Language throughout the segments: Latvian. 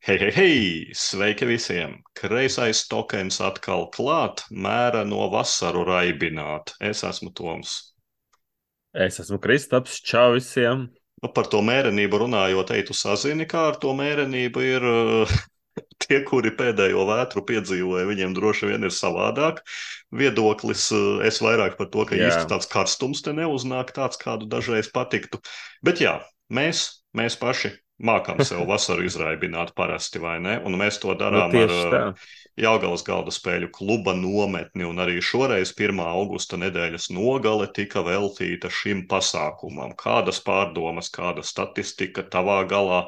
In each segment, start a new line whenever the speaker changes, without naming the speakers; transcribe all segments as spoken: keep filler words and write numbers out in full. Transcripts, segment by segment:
Hei, hei, hei! Sveiki visiem! Kreisais tokens atkal klāt, mēra no vasaru raibināt. Es esmu Toms.
Es esmu Kristaps, čau visiem.
Nu, par to mērenību runājot, ej, tu sazini, kā ar to mērenību ir uh, tie, kuri pēdējo vētru piedzīvoja, viņiem droši vien ir savādāk viedoklis. Uh, Es vairāk par to, ka īsti
Jā,
tāds karstums te neuznāk, tāds, kādu dažreiz patiktu. Bet jā, mēs, mēs paši mākam sev vasaru izraibināt parasti, vai ne? Un mēs to
nu
darām ar
tieši tā.
uh, Jelgavas galda spēļu kluba nometni, un arī šoreiz pirmā augusta nedēļas nogale tika veltīta šim pasākumam. Kādas pārdomas, kāda statistika tavā galā?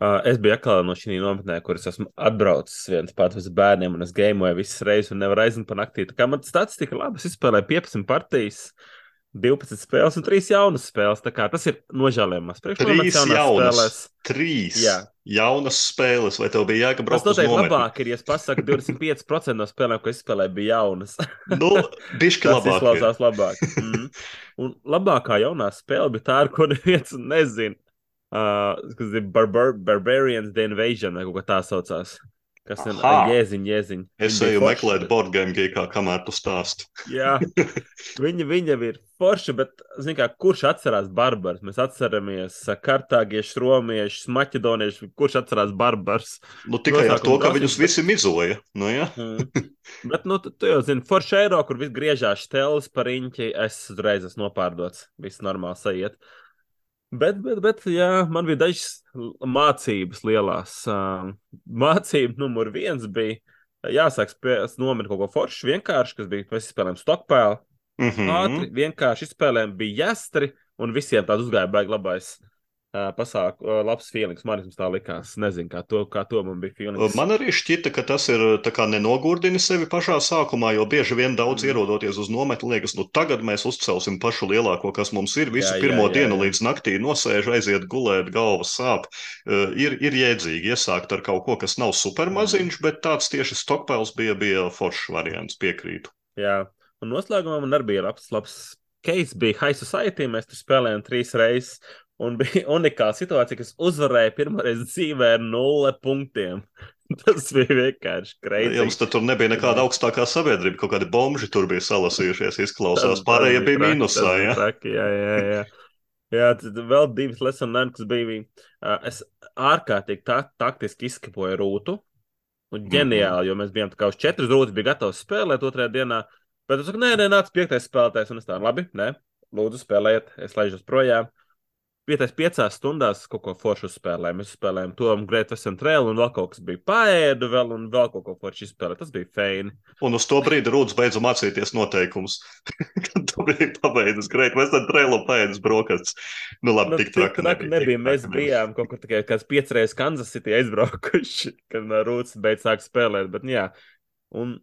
Uh, es biju atkal no šī nometnē, kuras esmu atbraucis viens pats uz bērniem, un es gameoju visas reizes, un nevaru aiziet pa naktī. Tā kā man statistika labi, es izspēlēju piecpadsmit partijas, divpadsmit spēles un trīs jaunas spēles. Tā kā tas ir nožēlējams. Priekšnomets
Trīs
jaunās
jaunas,
spēlēs.
trīs
Jā.
jaunas spēles, vai tev bija jēga
Tas
braukt uz
noteikti
nometni?
labāk ir, ja es pasaku, divdesmit pieci procenti no spēlēm, ko es spēlēju, bija jaunas.
Nu, bišķi
Tas
labāk ir.
izklausās labāk. Mm. Un labākā jaunā spēle bija tā, ar ko neviens nezina. Uh, kas ir Barbar Barbarians The Invasion, vai kaut kā tā saucās. Kas ir uh,
Aha!
jēziņ, jēziņ.
Es
Viņa bija
eju
forša,
meklēt
bet,
boardgame geekā, kamēr tu stāsti.
jā, viņa, viņa ir forša, bet, zin kā, kurš atcerās barbarus? Mēs atceramies uh, kartāgiešus, romiešus, maķedoniešus, kurš atcerās barbarus?
Nu, tikai ar to,
Nosākuma
ka viņus
drausmības, bet,
visi mizoja. Nu, ja?
mm, bet, nu, tu, tu jau zini, forša eiro, kur viss griežās stelis par riņķi, es uzreiz esmu nopārdots. Viss normāli sajiet. Bet, bet, bet, jā, man bija dažas l- mācības lielās. Uh, mācība numur viens bija, jāsāk spēlēt, nomet kaut ko foršu, vienkārši, kas bija, mēs spēlējām Stockpile.
Mhm.
Ātri, vienkārši izspēlējām, bija jāstri, un visiem tāds uzgāja baigi labais uh, pasāku, uh, labs feelings. Man vismaz tā likās. Nezinu, kā to, kā to man bija feelings.
Man arī šķita, ka tas ir tā kā nenogurdini sevi pašā sākumā, jo bieži vien daudz
Mm.
ierodoties uz nometni liekas, nu tagad mēs uzcelsim pašu lielāko, kas mums ir.
Jā,
Visu
jā,
pirmo
jā,
dienu
jā.
līdz naktī nosēž, aiziet gulēt, galvas sāp. Uh, ir, ir jēdzīgi iesākt ar kaut ko, kas nav
Mm.
supermaziņš, bet tāds tieši Stockpiles bija, bija foršs variants, piekrītu.
Jā. Un noslēgumā man arī bija labs, labs case, bija High Society, mēs tur spēlējām trīs reizes. Un bija unikāla situācija, kas uzvarēja pirmo reizi dzīvē ar nulle punktiem. Tas bija vienkārši
Jums
kreizīgi.
tad tur nebija
Tas
nekāda
bija,
augstākā sabiedrība, kaut kādi bomži tur bija salasījušies,
tas,
izklausās.
tas
Pārējie
bija
bija
traki, tas
mīnusā,
bija
ja?
traki, jā, jā, jā. Jā, tad vēl divas lesson learned, kas bija. Uh, es ārkārtīgi ta taktiski izskapoju rūtu. Un
Mhm.
ģeniāli, jo mēs bijām tā kā uz četras rūtas, bija gatavs spēlēt otrajā dienā. Bet es saku, nē, nē, nāc piektais spēlētājs. Un es tā, labi, nē, lūdzu spēlējiet, es laižos projām. Pietais piecās stundās kaut ko foršu uzspēlējām. Mēs spēlējām to Great Western Trail, un vēl kaut kas bija paēdu, vēl, un vēl kaut ko foršu izspēlēt. Tas bija feini.
Un uz to brīdi Rūds beidza mācīties noteikumus. Kad tu biji pabeidzis Great Western Trail un paēdis brokastis. Nu labi,
Nu,
tik
tik
traka
traki
nebija, tik
nebija. Mēs
traka nebija.
bijām kaut kur tikai kāds piecas reizes Kansas City aizbraukuši, kad uh, Rūts beidz sākt spēlēt. Bet, nu jā, un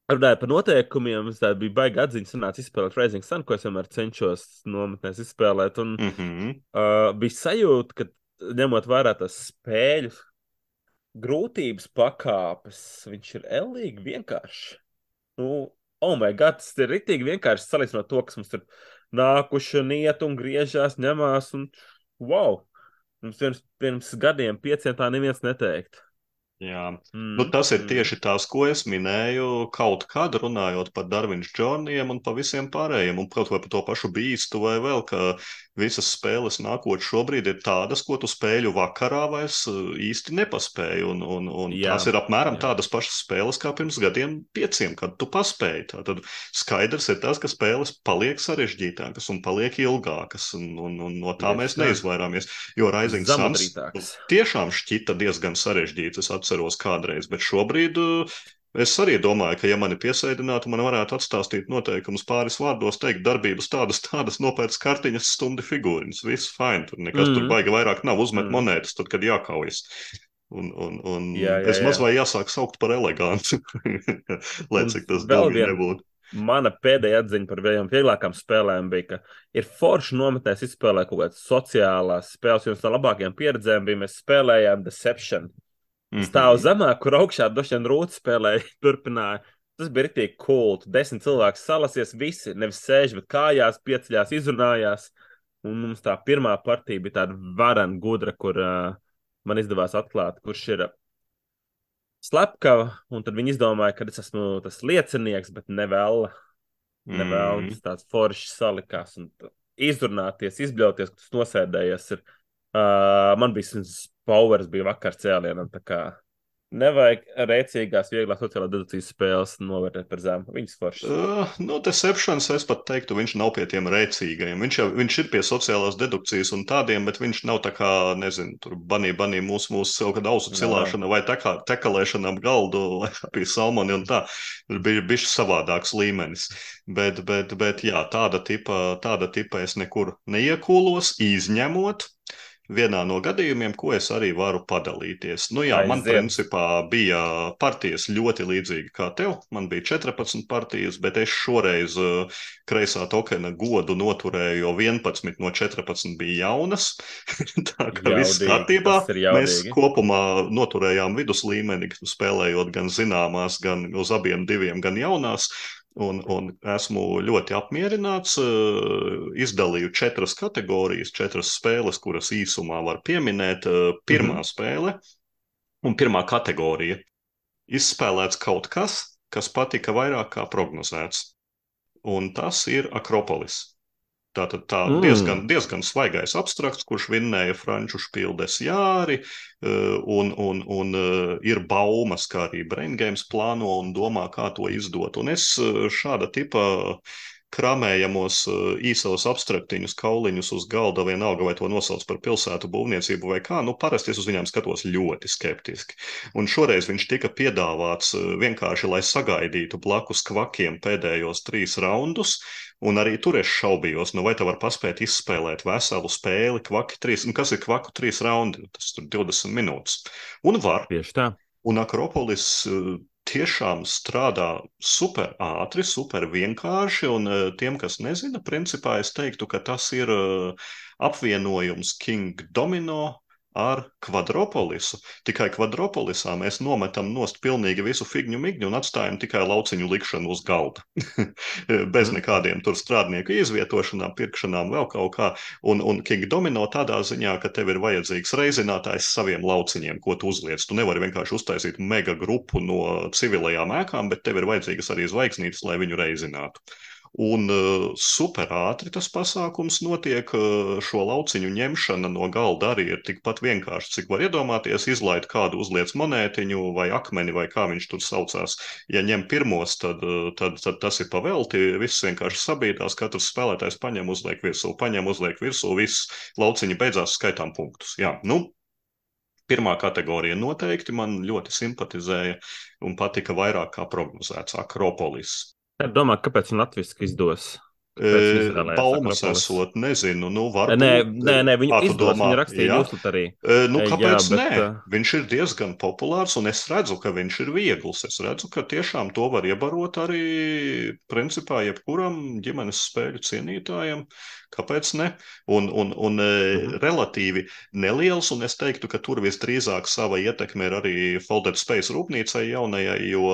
runājot par noteikumiem, es tādu biju baigi atziņas, sanāca izspēlēt Rising Sun, ko es vienmēr cenšos nometnēs izspēlēt. Un
Mhm.
uh, bija sajūta, ka ņemot vērā tās spēļu grūtības pakāpes, viņš ir ellīgi vienkāršs. Nu, oh my god, tas ir ritīgi vienkārši salīdzinot to, kas mums tur nākuši un iet un griežās, ņemās un wow! Mums pirms, pirms gadiem pieciem tā neviens neteikt.
Jā, nu,
Mm,
tas ir
mm.
tieši tās, ko es minēju kaut kad runājot par Darviņš Džoniem un pa visiem pārējiem, un kaut vai par to pašu bīstu vai vēl, ka visas spēles nākot šobrīd ir tādas, ko tu spēļu vakarā vairs uh, īsti nepaspēji, un, un, un
Jā,
tās ir apmēram
jā.
tādas pašas spēles kā pirms gadiem pieciem, kad tu paspēji. Tātad skaidrs ir tas, ka spēles paliek sarežģītākas un paliek ilgākas, un, un, un no tā
Tieši
mēs
tā.
neizvairāmies, jo Rising Suns nu,
Zamudrītāks.
tiešām šķita diezgan sarežģīts. Es atceros kādreiz, bet šobrīd uh, es arī domāju, ka, ja mani piesēdinātu, man varētu atstāstīt noteikumus pāris vārdos, teikt, darbības tādas, tādas nopērts kartiņas, stumdi figūriņas. Viss fine, tur nekas tur
Mm,
baigi vairāk nav, uzmet
mm.
monētas, tad, kad jākaujas. Un, un, un
Jā, jā,
es
jā.
maz vai jāsāk saukt par elegantu, lai
Un
cik tas
vēl
dubļi
viena
nebūtu.
mana pēdējā atziņa par vienām vieglākām spēlēm bija, ka ir forši nometnēs izspēlēt kaut kādas sociālās spēles. Viens no labākajām pieredzēm bija, mēs spēlējām Deception. Stāv
Mhm.
zemāk, kur augšā droši vien rūtas spēlēja, turpināja. Tas bija rītīgi cool. Tu desmit cilvēki salasies, visi nevis sēž, bet kājās, pieceļās, izrunājās. Un mums tā pirmā partija bija tāda varena gudra, kur uh, man izdevās atklāt, kurš ir slepkava, un tad viņi izdomāja, ka es esmu tas liecinieks, bet nevēl, nevēl,
Mm.
tas tāds foršs salikās, un izrunāties, izbļauties, ka tas nosēdējies ir, uh, man bija powers, bija vakar cēlienam, tā kā nevajag rēcīgās, vieglās sociālās dedukcijas spēles novērtēt par zemu. Viņas foršas.
Uh, no Deceptions es pat teiktu, viņš nav pie tiem rēcīgajiem. Viņš, jau, viņš ir pie sociālās dedukcijas un tādiem, bet viņš nav tā kā, nezinu, tur banī, banī mūsu, mūsu kaut kāda ausu cilāšana vai tā kā tekalēšana ap galdu, vai pie salmoni un tā. Ir bija bišķi savādāks līmenis. Bet, bet, bet jā, tāda tipa, tāda tipa es nekur neiekūlos, izņemot vienā no gadījumiem, ko es arī varu padalīties. Nu jā, man
Aiziet.
principā bija partijas ļoti līdzīgi kā tev. Man bija četrpadsmit partijas, bet es šoreiz uh, kreisā tokena godu noturēju, jo vienpadsmit no četrpadsmit bija jaunas. Tā kā viss
Jaudīgi,
kārtībā.
tas ir
Mēs
jaudīgi.
kopumā noturējām vidus līmeni, spēlējot gan zināmās, gan uz abiem diviem, gan jaunās. Un, un esmu ļoti apmierināts. Izdalīju četras kategorijas, četras spēles, kuras īsumā var pieminēt. Pirmā
Mhm.
spēle un pirmā kategorija. Izspēlēts kaut kas, kas patika vairāk kā prognozēts. Un tas ir Akropolis. Tātad tā
Mm.
diezgan, diezgan svaigais abstrakts, kurš vinnēja franču špildes jāri, un, un, un ir baumas, kā arī Brain Games plāno un domā, kā to izdot. Un es šāda tipa kramējamos īsos abstraktiņus, kauliņus uz galda, vienalga vai to nosauc par pilsētu būvniecību vai kā, nu parasti es uz viņiem skatos ļoti skeptiski. Un šoreiz viņš tika piedāvāts vienkārši, lai sagaidītu blakus kvakiem pēdējos trīs raundus, un arī tur es šaubījos, nu vai tā var paspēt izspēlēt veselu spēli, kvaki trīs, un kas ir kvaku trīs raundi, tas tur divdesmit minūtes. Un var.
Tieši tā.
Un Akropolis tiešām strādā super ātri, super vienkārši, un tiem, kas nezina, principā es teiktu, ka tas ir apvienojums King Domino ar Kvadropolisu. Tikai Kvadropolisā mēs nometam nost pilnīgi visu figņu migņu un atstājam tikai lauciņu likšanu uz galda. Bez
Mm.
nekādiem tur strādnieku izvietošanām, pirkšanām, vēl kaut kā. Un, un King Domino tādā ziņā, ka tev ir vajadzīgs reizinātājs saviem lauciņiem, ko tu uzliec. Tu nevari vienkārši uztaisīt mega grupu no civilajām ēkām, bet tev ir vajadzīgas arī zvaigznītes, lai viņu reizinātu. Un uh, super ātri tas pasākums notiek. Uh, šo lauciņu ņemšana no galda arī ir tikpat vienkārši, cik var iedomāties. Izlaid kādu, uzliec monētiņu vai akmeni, vai kā viņš tur saucās. Ja ņem pirmos, tad, uh, tad, tad tas ir pavelti. Viss vienkārši sabīdās, katrs spēlētājs paņem, uzliek virsū, paņem, uzliek virsū, viss lauciņi beidzās, skaitām punktus. Jā, nu, pirmā kategorija noteikti man ļoti simpatizēja un patika vairāk kā prognozēts Akropolis.
Es domāju, kāpēc un latviski izdos?
E, baumas esot, nezinu, nu varbūt.
Nē, nē, nē viņu
Kā tu
izdos,
domā?
viņu rakstīja
Jā.
Newslet arī.
E, nu,
Jā,
kāpēc
bet,
nē?
uh,
Viņš ir diezgan populārs, un es redzu, ka viņš ir viegls. Es redzu, ka tiešām to var iebarot arī, principā, jebkuram ģimenes spēļu cienītājam. Kāpēc ne? Un, un, un
Mhm.
relatīvi neliels, un es teiktu, ka tur visdrīzāk sava ietekme ir arī Folded Space rūpnīcai jaunajai, jo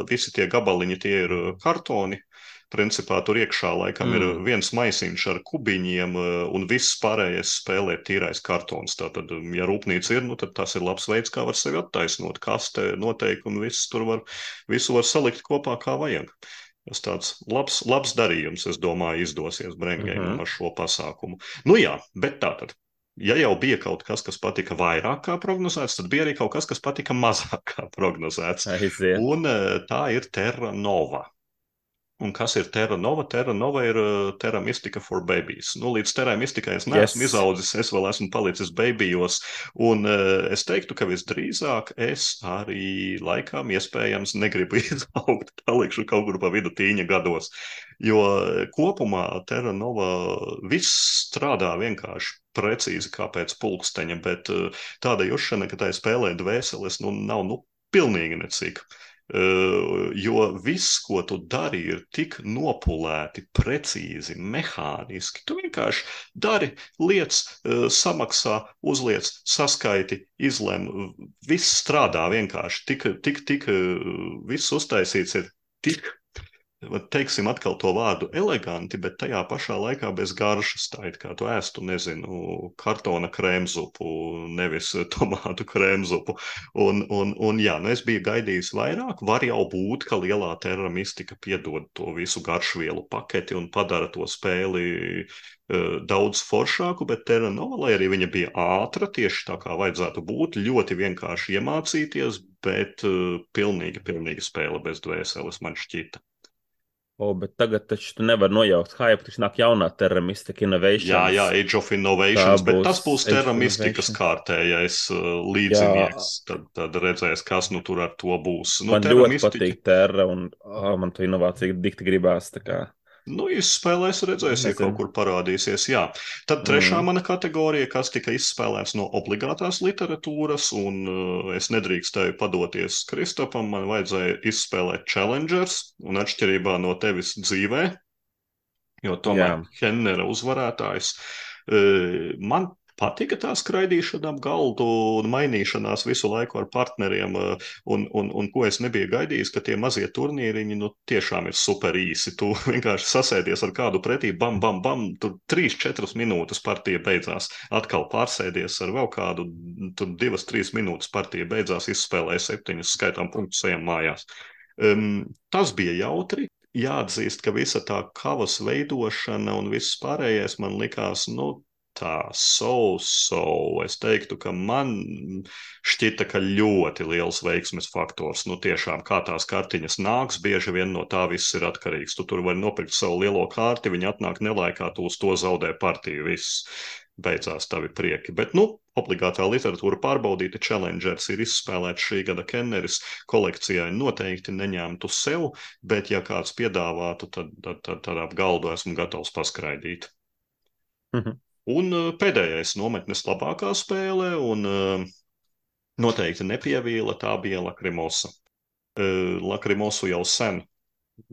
visi tie gabaliņi tie ir kartoni. Principā tur iekšā laikam mm. ir viens maisiņš ar kubiņiem, un viss pārējais spēlē tīrais kartons. Tātad, ja rūpnīca ir, nu, tad tas ir labs veids, kā var sevi attaisnot. Kaste, noteikumi, viss tur var, visu var salikt kopā, kā vajag. Tas tāds labs, labs darījums, es domāju, izdosies Brengēmam
Mhm.
ar šo pasākumu. Nu jā, bet tātad. Ja jau bija kaut kas, kas patika vairāk kā prognozēts, tad bija arī kaut kas, kas patika mazāk kā prognozēts.
Aiziet.
Un tā ir Terra Nova. Un kas ir Terra Nova? Terra Nova ir uh, Terra Mystica for Babies. Nu, līdz Terra Mystikai es neesmu
Yes.
izaudzis, es vēl esmu palicis babijos. Un uh, es teiktu, ka visdrīzāk es arī laikam iespējams negribu izaugt, palikšu kaut kur pa vidu tīņa gados. Jo kopumā Terra Nova viss strādā vienkārši precīzi kā pēc pulksteņa, bet uh, tāda jušana, ka tā spēlē dvēseles, nu nav nu pilnīgi necik. Uh, jo viss, ko tu dari, ir tik nopulēti, precīzi, mehāniski. Tu vienkārši dari, liec, uh, samaksā, uzliec, saskaiti, izlem. Viss strādā vienkārši. Tik, tik, tik, uh, viss uztaisīts ir tik teiksim atkal to vārdu eleganti, bet tajā pašā laikā bez garšas. Tā it kā tu ēstu, nezinu, kartona krēmzupu, nevis tomātu krēmzupu. Un, un, un jā, nu es biju gaidījis vairāk. Var jau būt, ka lielā Terra Mystica piedod to visu garšvielu paketi un padara to spēli uh, daudz foršāku, bet Terra Nova, lai arī viņa bija ātra, tieši tā kā vajadzētu būt, ļoti vienkārši iemācīties, bet uh, pilnīgi, pilnīgi spēle bez dvēseles man šķita.
O, bet tagad taču tu nevar nojaukt hype, taču nāk jaunā Terra Mystica
Jā,
Innovations.
jā, Age of
Tā
Innovations, bet tas
būs
būs
Age
Terra
of
Mystikas
Innovation.
kārtējais uh,
Jā,
līdzinieks. Tad, tad redzēs, kas nu tur ar to būs. Nu,
man
Terra
ļoti
Mystica,
patīk Terra, un oh, man to inovāciju dikti gribās, tā kā,
nu, izspēlēs, redzēs, ja kaut
nezinu.
kur parādīsies. Jā. Tad trešā
Mm,
mana kategorija, kas tika izspēlēts no obligātās literatūras, un uh, es nedrīkstēju padoties Kristopam, man vajadzēja izspēlēt Challengers, un atšķirībā no tevis dzīvē, jo
jā.
tomēr Hennera uzvarētājs. Uh, Man patika tā skraidīšana ap galdu un mainīšanās visu laiku ar partneriem, uh, un, un, un ko es nebiju gaidījis, ka tie mazie turnīriņi nu, tiešām ir super īsi. Tu vienkārši sasēdies ar kādu pretī, bam, bam, bam, tur trīs četras minūtes partija beidzās. Atkal pārsēdies ar vēl kādu, tur divas trīs minūtes partija beidzās, izspēlēja septiņas, skaitām punktus, ejam mājās. Um, tas bija jautri. Jāatzīst, ka visa tā kavas veidošana un viss pārējais man likās, nu, tā so-so. Es teiktu, ka man šķita, ka ļoti liels veiksmes faktors. Nu, tiešām, kā tās kartiņas nāks, bieži vien no tā viss ir atkarīgs. Tu tur vari nopirkt savu lielo kārti, viņi atnāk nelaikā, tu uz to zaudē partiju, viss. Beidzās tavi prieki. Bet, nu, obligātā literatūra pārbaudīta, Challengers ir izspēlēts šī gada Kenneris, kolekcijai noteikti neņemtu sev, bet ja kāds piedāvātu, tad, tad, tad, tad ap galdu esmu gatavs paskraidīt.
Mhm.
Un uh, pēdējais nometnes labākā spēle, un uh, noteikti nepievīla, tā bija Lakrimosa. Uh, Lakrimosu jau sen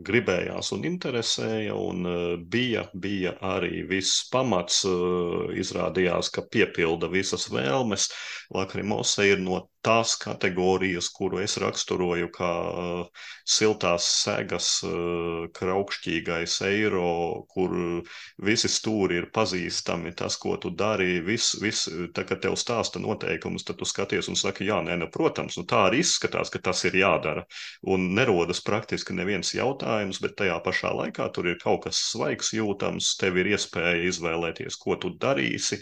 gribējās un interesēja, un uh, bija, bija arī viss pamats, uh, izrādījās, ka piepilda visas vēlmes. Lakrimosa ir no tās kategorijas, kuru es raksturoju kā uh, siltās segas, uh, kraukšķīgais eiro, kur visi stūri ir pazīstami, tas, ko tu dari, viss, vis, tā, kad tev stāsta noteikumus, tad tu skaties un saki, jā, nē, nu, protams, nu, tā arī izskatās, ka tas ir jādara, un nerodas praktiski neviens jautājums, bet tajā pašā laikā tur ir kaut kas svaigs jūtams, tev ir iespēja izvēlēties, ko tu darīsi,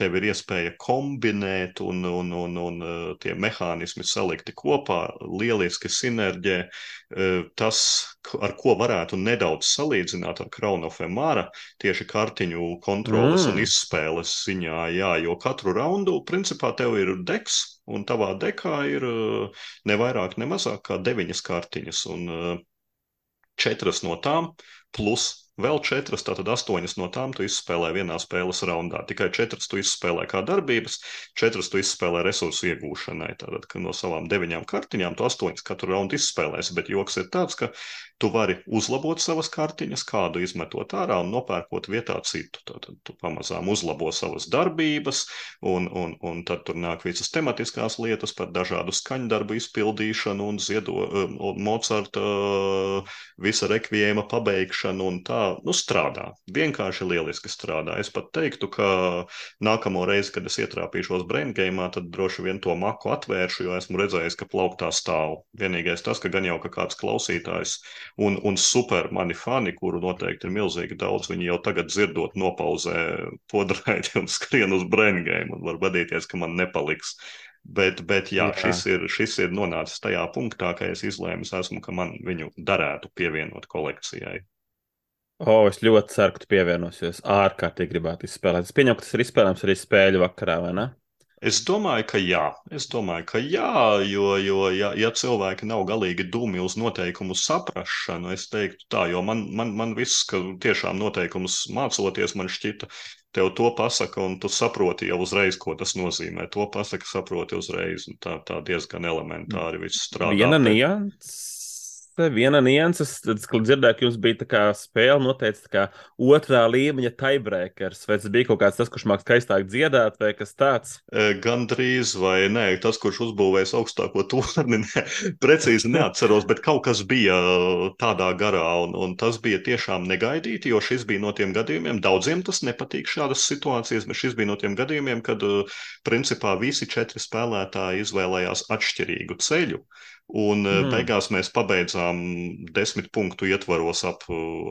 tev ir iespēja kombinēt, un, un, un, un tie mehānismi salikti kopā, lieliski sinerģē. Tas, ar ko varētu nedaudz salīdzināt ar Crown of Emara, tieši kartiņu kontroles un
Mm.
izspēles ziņā, jā, jo katru raundu, principā, tev ir deks, un tavā dekā ir ne vairāk, ne mazāk kā deviņas kartiņas, un četras no tām, plus vēl četras, tātad astoņas no tām tu izspēlē vienā spēles raundā. Tikai četras tu izspēlē kā darbības, četras tu izspēlē resursu iegūšanai. Tātad, ka no savām deviņām kartiņām tu astoņas katru raundu izspēlēsi, bet joks ir tāds, ka tu vari uzlabot savas kartiņas, kādu izmetot ārā un nopērkot vietā citu. Tātad tu pamazām uzlabo savas darbības, un, un, un tad tur nāk visas tematiskās lietas par dažādu skaņdarbu izpildīšanu un ziedo, un Mocarta visa rekviēma pabeigšanu un tā, nu, strādā. Vienkārši lieliski strādā. Es pat teiktu, ka nākamo reizi, kad es ietrāpīšos brain game'ā, tad droši vien to maku atvēršu, jo esmu redzējis, ka plauktā stāv. Vienīgais tas, ka gan jau ka kāds klausītājs un, un super mani fani, kuru noteikti ir milzīgi daudz, viņi jau tagad dzirdot nopauzē podraidi un skrien uz brain game un var vadīties, ka man nepaliks. Bet, bet jā,
Jā.
šis ir, šis ir nonācis tajā punktā, ka es izlēmu esmu, ka man viņu darētu pievienot kolekcijai.
O, es ļoti ceru, ka tu pievienosies. Ārkārtīgi gribētu izspēlēt. Es pieņemu, ka tas ir izspēlējams arī spēļu vakarā, vai ne?
Es domāju, ka jā, es domāju, ka jā, jo, jo ja, ja cilvēki nav galīgi dumi uz noteikumu saprašanu, es teiktu tā, jo man, man, man viss, ka tiešām noteikumus mācoties, man šķita, tev to pasaka, un tu saproti jau uzreiz, ko tas nozīmē. To pasaka, saproti uzreiz, un tā, tā diezgan elementāri viss strādā.
Viena
Bet
nianses viena nianses, tad, kad dzirdēju, ka jums bija tā kā spēle noteikti tā kā otrā līmeņa tiebreakers, vai tas bija kaut kāds tas, kurš māk skaistāk dziedāt, vai kas tāds?
Gan drīz, vai nē, tas, kurš uzbūvējis augstāko torni, ne, precīzi neatceros, bet kaut kas bija tādā garā, un, un tas bija tiešām negaidīti, jo šis bija no tiem gadījumiem, daudziem tas nepatīk šādas situācijas, bet šis bija no tiem gadījumiem, kad principā visi četri spēlētāji izvēlējās atšķirīgu ceļu. Un
Mm.
beigās mēs pabeidzām desmit punktu ietvaros ap,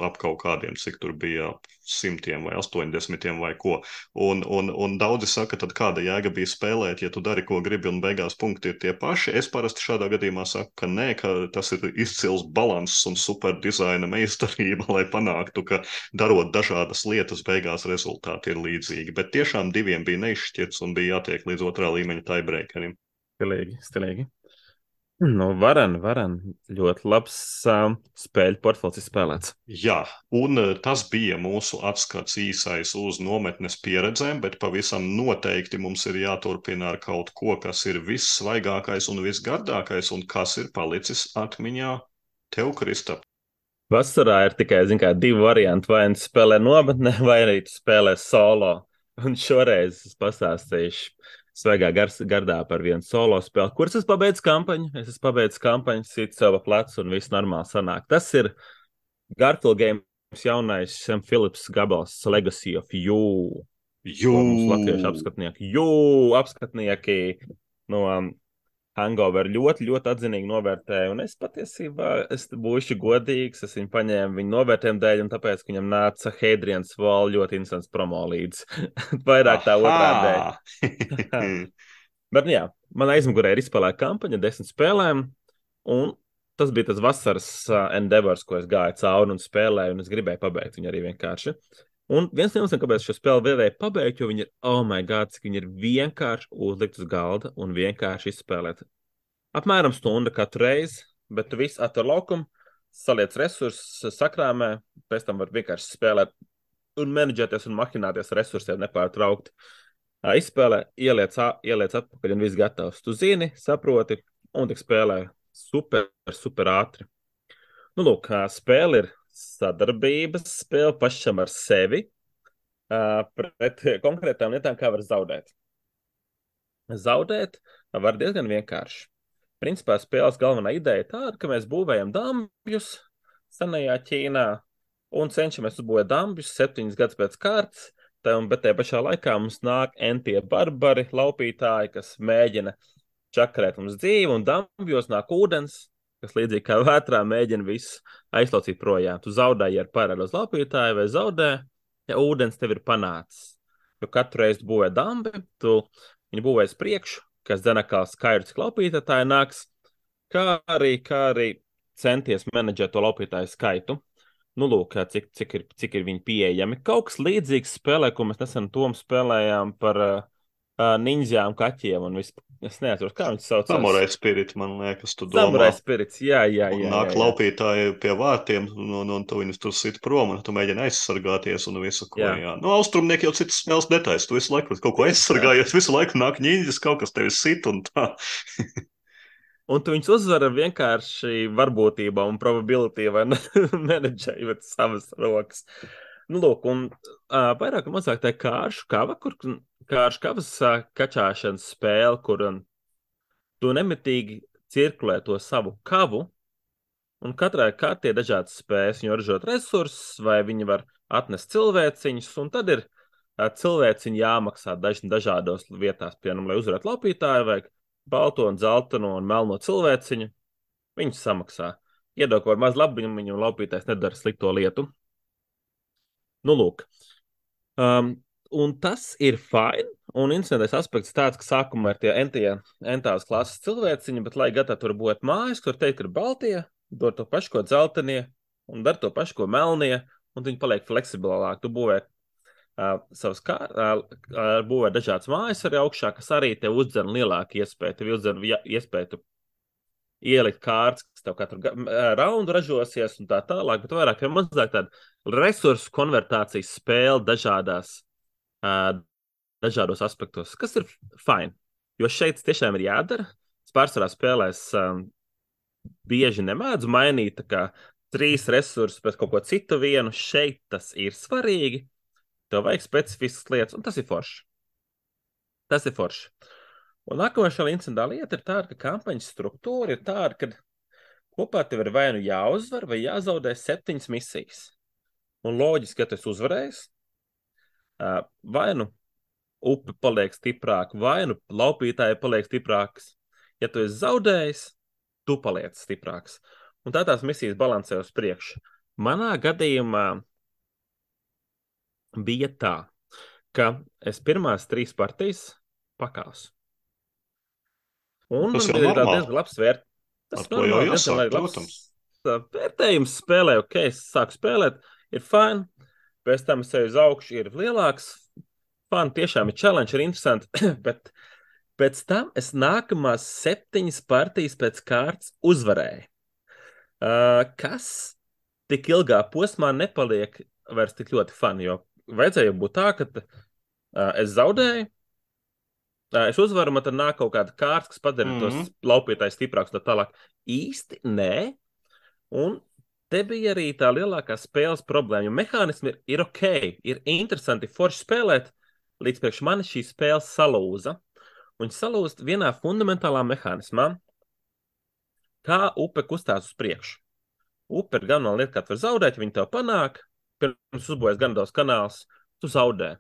ap kaut kādiem, cik tur bija simtiem vai astoņdesmitiem vai ko. Un, un, un daudzi saka, tad kāda jēga bija spēlēt, ja tu dari, ko gribi, un beigās punkti ir tie paši. Es parasti šādā gadījumā saku, ka nē, ka tas ir izcils balanss un super dizaina meistarība, lai panāktu, ka darot dažādas lietas, beigās rezultāti ir līdzīgi. Bet tiešām diviem bija neizšķirts un bija jātiek līdz otrā līmeņa tiebreakerim.
Stilīgi, stilīgi. Nu, varan, varan. Ļoti labs um, spēļu portfels izspēlēts.
Jā, un tas bija mūsu atskats īsais uz nometnes pieredzēm, bet pavisam noteikti mums ir jāturpina ar kaut ko, kas ir vissvaigākais un visgardākais, un kas ir palicis atmiņā tev, Kristap.
Vasarā ir tikai, zin kā, divi varianti. Vai nu spēlē nometnē, vai arī tu spēlē solo. Un šoreiz es pastāstīšu svaigā gardā par vienu solo spēli, kuras es pabeidzu kampaņu. Es esmu pabeidzis kampaņu, sit savu plecu un viss normāli sanāk. Tas ir Garfield Games jaunais Sam Phillips gabals Legacy of You.
Jū!
Ko mums latviešu apskatnieki. Jū! Apskatnieki no um, Hangover ļoti, ļoti atzinīgi novērtēju. Un es patiesībā, es būšu godīgs, es viņu paņēmu viņu novērtējumu dēļ, un tāpēc, ka viņam nāca Hadrians Wall ļoti interesants promo līdz. Vairāk tā otrā dēļ. Bet, jā, man aizmugurē ir izspēlēta kampaņa, desmit spēlēm, un tas bija tas vasaras uh, endeavors, ko es gāju cauri un spēlēju, un es gribēju pabeigt viņu arī vienkārši. Un viens no iemesliem, kāpēc šo spēli vēlēju pabeigt, jo viņi ir, oh my god, cik viņi ir vienkārši uzlikt uz galda un vienkārši izspēlēt. Apmēram stunda katru reizi, bet tu visu atver laukumu, saliec resursus, sakrāmē, pēc tam var vienkārši spēlēt un menedžēties un mahinēties resursiem nepārtraukti. Izspēlē, ieliec, ieliec atpakaļ un viss gatavs. Tu zini, saproti, un tik spēlē super, super ātri. Nu, lūk, spēle ir sadarbības spēle pašam ar sevi uh, pret konkrētām lietām, kā var zaudēt. Zaudēt var diezgan vienkārši. Principā spēles galvenā ideja ir tāda, ka mēs būvējam dambjus senajā Ķīnā un cenšamies uzbūvēt dambjus septiņas gadus pēc kārtas, tam, bet tajā pašā laikā mums nāk entie barbari, laupītāji, kas mēģina čakarēt mums dzīvi, un dambjos nāk ūdens, kas līdzīgi kā vētrā mēģina visu aizlaucīt projām. Tu zaudēji ar parādu uz laupītāju vai zaudē, ja ūdens tev ir panācis. Jo katru reizi būvē dambi, tu viņu būvēs priekšu, kas zina, kā skaidrs, cik laupītāji nāks, kā arī, kā arī centies menedžēt to laupītāju skaitu. Nu, lūk, cik, cik, ir, cik ir viņi pieejami. Kaut kas līdzīgs spēlē, ko mēs nesen tom spēlējām par uh, ninjām, kaķiem un vispār. Es neatceros, kā viņš sauc.
Samurai Spirit, man liekas, tu domā.
Samurai Spirits, jā, jā, jā.
Un
jā,
nāk
jā, jā.
laupītāji pie vārtiem, un, un, un tu viņus tur sit prom, un tu mēģini aizsargāties un visu, ko, jā. jā. Nu, austrumnieki jau citas spēles detaļas, tu visu laiku kaut ko aizsargājies, visu laiku nāk ņiņģis, kaut kas tevi sit un tā.
Un tu viņus uzvar ar vienkārši varbūtībām un probability vai menedžējot savas rokas. Nu, lūk, un uh, vairāk un mazāk tā kāršu kava, kur kāršu kavas uh, kačāšanas spēle, kur um, tu nemitīgi cirkulē to savu kavu, un katrai kārtē ir dažādas spējas. Viņi var ražot resursus, vai viņi var atnest cilvēciņus, un tad ir uh, cilvēciņi jāmaksā daž, dažādos vietās, piemēram, lai uzvarētu laupītāju, vajag balto un zeltano un melno cilvēciņu. Viņš samaksā. Iedod kaut maz labiņu, viņam laupītājs nedara slikto lietu. Nu, lūk. Um, un tas ir fine, un interesantais aspekts tāds, ka sākumā ir tie entie, entās klases cilvēciņi, bet, lai gatavi tur būt mājas, kur teikt, ir baltie, dod to pašu, ko dzeltenie, un dar to pašu, ko melnie, un viņi paliek fleksibilāk. Tu būvē uh, savas kā, uh, būvē dažādas mājas arī augšā, kas arī tev uzdzen lielāku iespēju. Tev uzdzen iespēju ielikt kārtas, kas tev katru raundu ražosies un tā tālāk, bet vairāk vai mazāk tāda resursu konvertācijas spēle dažādās, uh, dažādos aspektos, kas ir fine. Jo šeit tiešām ir jādara. Es pārsvarā spēlēs um, bieži nemēdzu mainīt, tā kā trīs resursus pēc kaut ko citu vienu. Šeit tas ir svarīgi. Tev vajag specifiskas lietas, un tas ir forši. Tas ir forši. Un nākamā šā incidentā lieta ir tāda, ka kampaņas struktūra ir tāda, ka kopā tev ir vai nu jāuzvar, vai jāzaudē septiņas misijas. Un loģiski, ja tu esi uzvarējis, vai nu upe paliek stiprāka, vai nu laupītāji paliek stiprākas. Ja tu esi zaudējis, tu paliec stiprāks. Un tā tās misijas balansē uz priekšu. Manā gadījumā bija tā, ka es pirmās trīs partijas pakāsu. Un
Tas
man
jau
bija
normāli.
diezgan labs vērt. Tas
Ar to jau
normāli, diezgan
jāsāk,
labs
protams.
vērtējums spēlē. Ok, es sāku spēlēt, ir fine. Pēc tam es eju uz augšu, ir lielāks. Fine, tiešām ir challenge, ir interesanti. Bet pēc tam es nākamās septiņas partijas pēc kārtas uzvarēju. Uh, kas tik ilgā posmā nepaliek vairs tik ļoti fun, jo vajadzēja būt tā, ka uh, es zaudēju, uh, es uzvaru, man tad nāk kaut kāda kārta, kas padara mm -hmm. tos laupītājus stiprākus tā tālāk. Īsti nē, un te bija arī tā lielākā spēles problēma, jo mehānismi ir, ir ok, ir interesanti forši spēlēt, līdz priekš mani šī spēle salūza, un salūst vienā fundamentālā mehānismā, kā upe kustās uz priekšu. Upe ir galvenā lieta, kā tu vari zaudēt, ja viņi tev panāk, pirms uzbojas gan daudz kanāls, tu zaudē.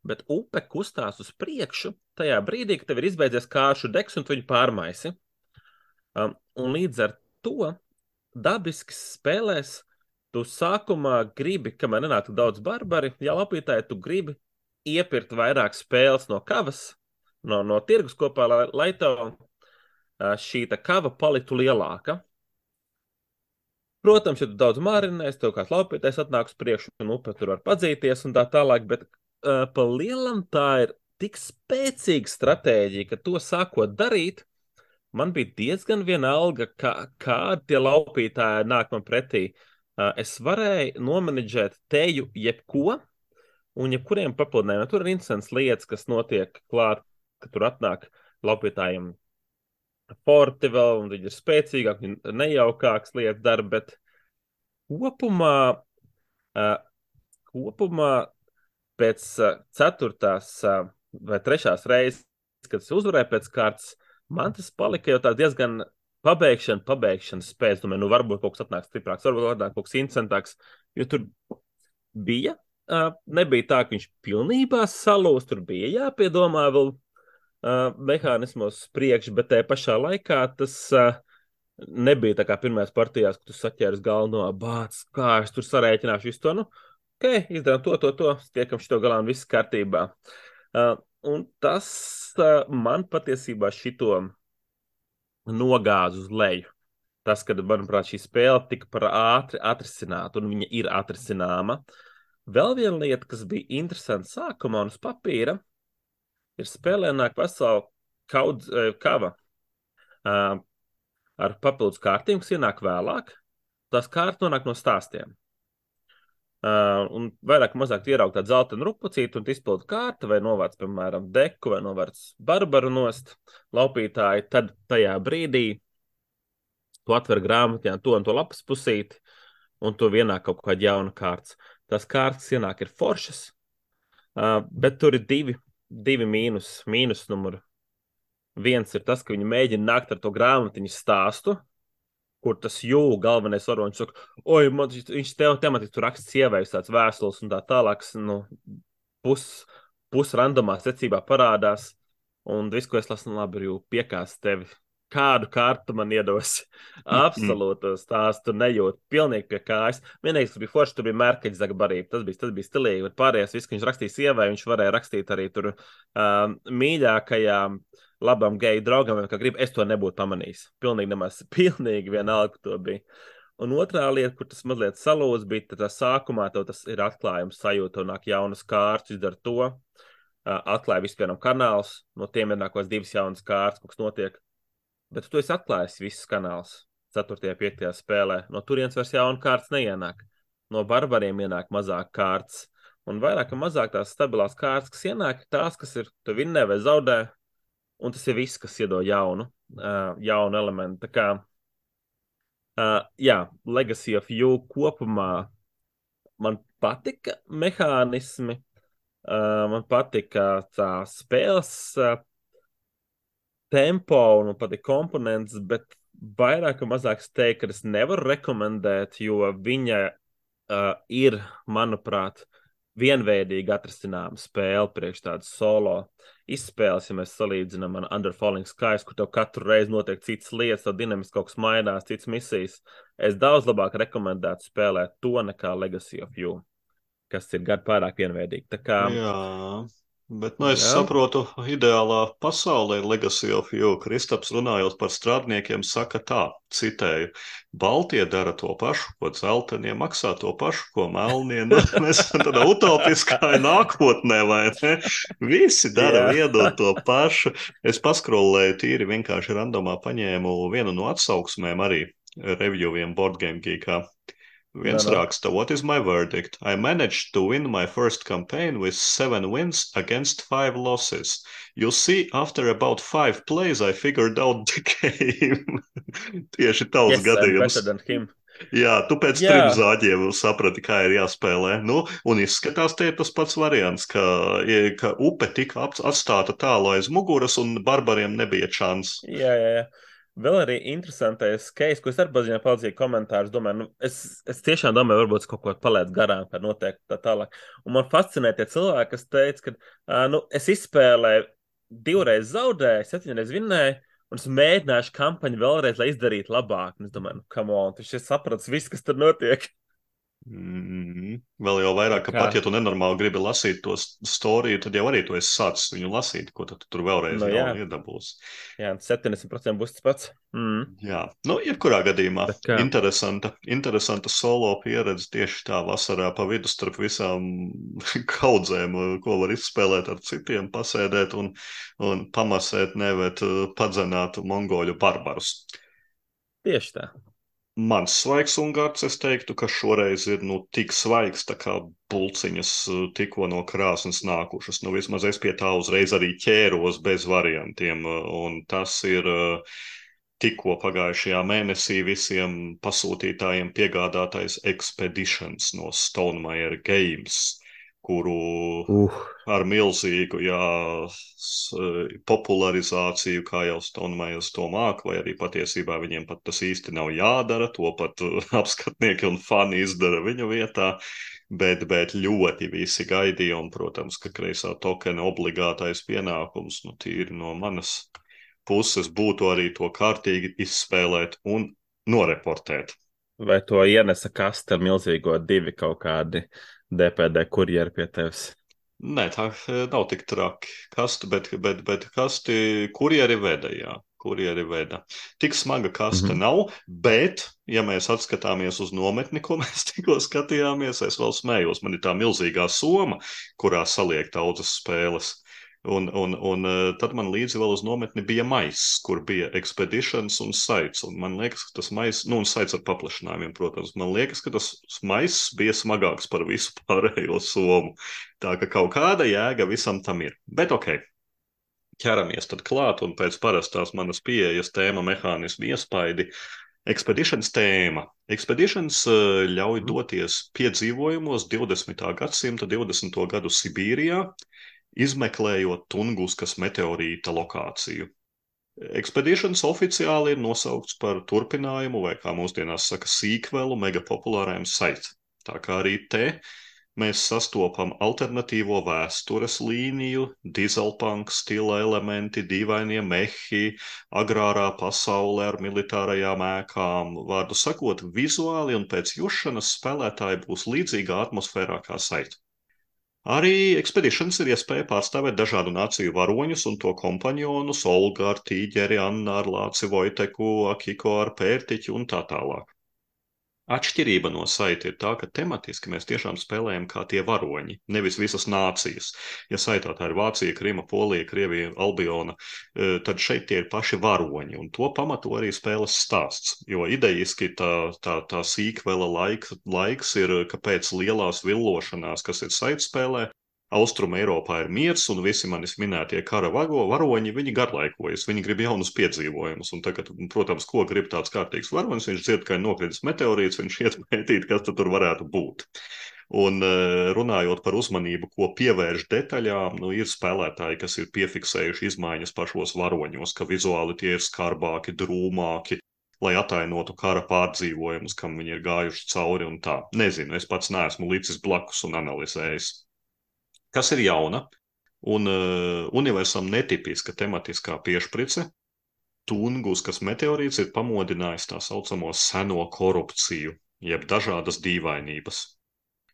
Bet upe kustās uz priekšu tajā brīdī, kad tev ir izbeidzies kāršu deks un tu viņu pārmaisi. Um, un līdz ar to dabiski spēlēs tu sākumā gribi, kamēr nenāk daudz barbari, ja lapītāji tu gribi iepirkt vairāk spēles no kavas, no, no tirgus kopā, lai, lai tev uh, šī tā kava paliktu lielāka. Protams, ja tu daudz mārinēsi, tev kāds laupītājs atnāk uz priekšu un upe tur var padzīties un tā tālāk, bet uh, pa lielam tā ir tik spēcīga stratēģija, ka to sākot darīt, man bija diezgan vienalga, kā, kā tie laupītāji nāk man pretī. Uh, es varēju nomenedžēt teju jebko un jebkuriem papildinājumiem. Tur ir interesants lietas, kas notiek klāt, ka tur atnāk laupītājiem forti vēl, un viņi ir spēcīgāki, viņi nejaukāks lietas dara, bet kopumā, uh, kopumā pēc uh, ceturtās uh, vai trešās reizes, kad es uzvarēju pēc kārtas, man tas palika jau tā diezgan pabeigšana, pabeigšanas spējas. Domāju, nu varbūt kaut kas atnāk stiprāks, varbūt atnāk kaut kas interesantāks, jo tur bija, uh, nebija tā, ka viņš pilnībā salūst, tur bija jāpiedomā vēl uh, mehānismos priekš, bet tajā pašā laikā tas uh, nebija tā kā pirmajās partijās, kad tu saķēries galveno bāc, kā es tur sarēķināšu visu to, nu, ok, izdarām to, to, to, tiekam šito galā un viss kārtībā. Uh, un tas uh, man patiesībā šito nogāz uz leju. Tas, kad, manuprāt, šī spēle tika par ātri atrisināta, un viņa ir atrisināma. Vēl viena lieta, kas bija interesanta sākumā un uz papīra, ir spēlē nāk vesela kaudz, kava uh, ar papildus kārtīm, kas ienāk vēlāk. Tās kārtas nonāk no stāstiem. Uh, un vairāk mazāk ieraugt tādu zeltainu rupucītu un izpildu kārtu, vai novāc, piemēram, deku, vai novāc barbaru nost laupītāji, tad tajā brīdī tu atver grāmatā to un to lapas pusīti, un tu vienāk kaut kāda jauna kārtas. Tās kārtas ienāk ir foršas, uh, bet tur ir divi, divi mīnus, mīnus numuri. Viens ir tas, ka viņi mēģina nākt ar to grāmatiņu stāstu, kur tas jū galvenais varonis saka, oi, man, viņš tev tematiski tur raksta sievējus tāds vēstules un tā tālāks, nu, pus, pus randomā secībā parādās, un viss, ko es lasu, nu, labi, jū piekās tevi. Kādu kārtu man iedos? Absolūti stāstu nejūt, pilnīgi pie kājas. Vienīgais, kas bija forši, tur bija mērkaģis zagbarība, tas bija, tas bija stilīgi, bet pārējais viss, ka viņš rakstīja sievai, viņš varēja rakstīt arī tur uh, mīļākajām labam geju draugam, kā grib, es to nebūtu pamanījis. Pilnīgi nemaz, pilnīgi vienalga, to bija. Un otrā lieta, kur tas mazliet salūz, bija tā sākumā, tev tas ir atklājums sajūta, un nāk jaunas kārtas, izdara to, uh, atklāja vispieram kanāls, no tiem ir nākos divas jaunas kārtas, kaut kas notiek. Bet tu esi atklājis visus kanālus ceturtajā, piektajā spēlē. No turienes vairs jauna kārtas neienāk. No barbariem ienāk mazāk kārtas. Un vairāk un mazāk tās stabilās kārtas, kas ienāk, tās, kas ir, tu vinnē vai zaudē, un tas ir viss, kas iedod jaunu, uh, jaunu elementu. Tā kā Uh, jā, Legacy of You kopumā man patika mehānismi, uh, man patika tā spēles uh, tempo un man patika komponents, bet vairāk vai mazāk es teiktu, ka es nevaru rekomendēt, jo viņa uh, ir, manuprāt, vienveidīgi atrastināma spēle priekš tādas solo izspēles, ja mēs salīdzinām ar Under Falling Skies, kur tev katru reizi notiek citas lietas, tad dinamiski kaut kas mainās, citas misijas. Es daudz labāk rekomendētu spēlēt to nekā Legacy of You, kas ir gadu pārāk vienveidīgi. Tā kā,
Jā, bet nu, es
jā,
saprotu, ideālā pasaulē Legacy of You, Kristaps runājot par strādniekiem, saka tā, citēju, Baltie dara to pašu, ko dzeltenie maksā to pašu, ko melnie. Nu, mēs esam tādā utopiskā nākotnē, vai ne? Visi dara
jā,
vienu un to pašu. Es paskrolēju tīri vienkārši randomā paņēmu vienu no atsauksmēm arī reviewiem Board Game Geekā.
no,
Viens
no.
raksta, what is my verdict? I managed to win my first campaign with seven wins against five losses. You see, after about five plays, I figured out the game. Tieši tavs
Yes, I'm
gadījums.
better than him.
Jā, tu pēc
Jā.
trim zāģiem saprati, kā ir jāspēlē. Nu, un izskatās, tie ir tas pats variants, ka, ka upe tika atstāta tālu aiz muguras un barbariem nebija čans.
Jā, jā, jā. Vēl arī interesantais case, ko es arī paziņoju, palīdzēju komentārus. Domāju, nu, es, es tiešām domāju, varbūt es kaut ko palaidu garām, kā noteikti tā tālāk. Un man fascinē tie cilvēki, kas teica, ka uh, nu, es izspēlēju divreiz zaudēju, septiņreiz vinnēju, un es mēģināšu kampaņu vēlreiz, lai izdarītu labāk. Un es domāju, nu, come on, tu šeit saprats viss, kas tur notiek.
Mm, vēl jau vairāk, ka
Kā?
pat ja tu nenormāli gribi lasīt to storiju, tad jau arī tu esi sācis viņu lasīt, ko tu tur vēlreiz
Nu,
jau
jā.
iedabūsi.
Jā, septiņdesmit procenti būs tas pats. Mm.
Jā, nu, jebkurā gadījumā
Tā kā.
interesanta, interesanta solo pieredze tieši tā vasarā pa vidu starp visām kaudzēm, ko var izspēlēt ar citiem, pasēdēt un, un pamasēt, nevet padzenāt mongoļu barbarus.
Tieši tā.
Mans svaigs ungarts, es teiktu, ka šoreiz ir nu, tik svaigs, tā kā pulciņas tikko no krāsnes nākušas. Nu, vismaz es pie tā uzreiz arī ķēros bez variantiem, un tas ir tikko pagājušajā mēnesī visiem pasūtītājiem piegādātais Expeditions no Stonemaier Games, kuru
Uh.
ar milzīgu jā, popularizāciju, kā jau Stonemaiers to māk, vai arī patiesībā viņiem pat tas īsti nav jādara, to pat apskatnieki un fani izdara viņu vietā, bet, bet ļoti visi gaidīja, un, protams, ka kreisā tokena obligātais pienākums, nu, tīri no manas puses būtu arī to kārtīgi izspēlēt un noreportēt.
Vai to ienesa kaste ar milzīgo divi kaut kādi D P D kurjeri pie tevis?
Nē, tā nav tik traki. Kasti, bet, bet, bet kasti kurjeri veda, jā. Kurjeri veda. Tik smaga kaste
Mhm.
nav, bet, ja mēs atskatāmies uz nometni, ko mēs tikko skatījāmies, es vēl smējos. Man ir tā milzīgā soma, kurā saliek daudzas spēles. Un, un, un tad man līdzi vēl uz nometni bija maiss, kur bija Expeditions un Sites. Un man liekas, ka tas maiss, nu un Sites ar paplašinājumiem, protams, man liekas, ka tas maiss bija smagāks par visu pārējo somu. Tā ka kaut kāda jēga visam tam ir. Bet ok, ķeramies tad klāt un pēc parastās manas pieejas tēma mehānismu iespaidi. Expeditions tēma. Expeditions uh, ļauj doties piedzīvojumos divdesmitā gadsimta divdesmito gadu Sibīrijā, izmeklējot Tunguskas meteorīta lokāciju. Expeditions oficiāli ir nosaukts par turpinājumu, vai kā mūsdienās saka, sīkvelu megapopulārajam Site. Tā kā arī te mēs sastopam alternatīvo vēstures līniju, dieselpunk stila elementi, dīvainie mehi, agrārā pasaulē ar militārajām ēkām. Vārdu sakot, vizuāli un pēc jušanas spēlētāji būs līdzīgā atmosfērā kā Site. Arī Expeditions ir iespēja pārstāvēt dažādu nāciju varoņus un to kompanionus, Olgu ar tīģeri, Anna ar lāci Vojteku, Akiko ar pērtiķi un tā tālāk. Atšķirība no Site ir tā, ka tematiski mēs tiešām spēlējam kā tie varoņi, nevis visas nācijas. Ja Saitā tā ir Vācija, Krima, Polija, Krievija, Albiona, tad šeit tie ir paši varoņi, un to pamato arī spēles stāsts, jo idejiski tā, tā, tā sīkvela laik, laiks ir, ka pēc lielās villošanās, kas ir Site spēlē, Austrum Eiropā ir miers, un visi manis minētie kara vago, varoņi, viņi garlaikojas, viņi grib jaunus piedzīvojumus. Un tagad, protams, ko grib tāds kārtīgs varonis, viņš dzird, ka ir nokritis meteorīts, viņš iet pētīt, kas tur varētu būt. Un runājot par uzmanību, ko pievērš detaļām, nu, ir spēlētāji, kas ir piefiksējuši izmaiņas pašos varoņos, ka vizuāli tie ir skarbāki, drūmāki, lai atainotu kara pārdzīvojumus, kam viņi ir gājuši cauri un tā. Nezinu, es pats neesmu licis blakus un analizējis. Kas ir jauna un uh, universam netipiska tematiskā piešprice, Tunguskas meteorīts ir pamodinājis tā saucamo seno korupciju, jeb dažādas dīvainības.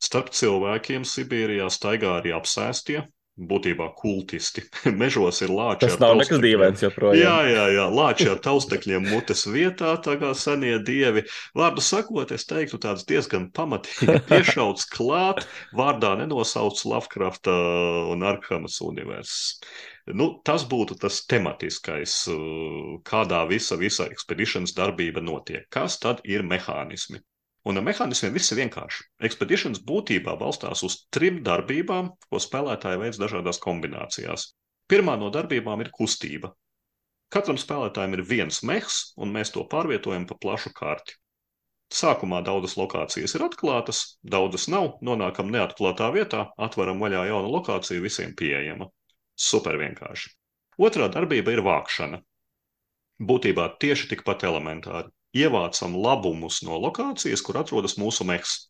Starp cilvēkiem Sibīrijā staigā arī apsēstie, būtībā kultisti. Mežos ir lāči
Tas
ar
nav nekas
taustekļiem.
dīvains joprojām.
Jā, jā, jā, lāči ar taustekļiem mutes vietā, tā kā senie dievi. Vārdu sakot, es teiktu tāds diezgan pamatīgi piešauts klāt, vārdā nenosauc Lovecrafta un Arkhamas universes. Nu, tas būtu tas tematiskais, kādā visa, visa Expeditions darbība notiek. Kas tad ir mehānismi? Un ar mehānismiem viss ir vienkārši. Expeditions būtībā balstās uz trim darbībām, ko spēlētāji veids dažādās kombinācijās. Pirmā no darbībām ir kustība. Katram spēlētājam ir viens mehs, un mēs to pārvietojam pa plašu karti. Sākumā daudzas lokācijas ir atklātas, daudzas nav, nonākam neatklātā vietā, atveram vaļā jaunu lokāciju, visiem pieejama. Super vienkārši. Otrā darbība ir vākšana. Būtībā tieši tikpat elementāri. Ievācam labumus no lokācijas, kur atrodas mūsu mehs.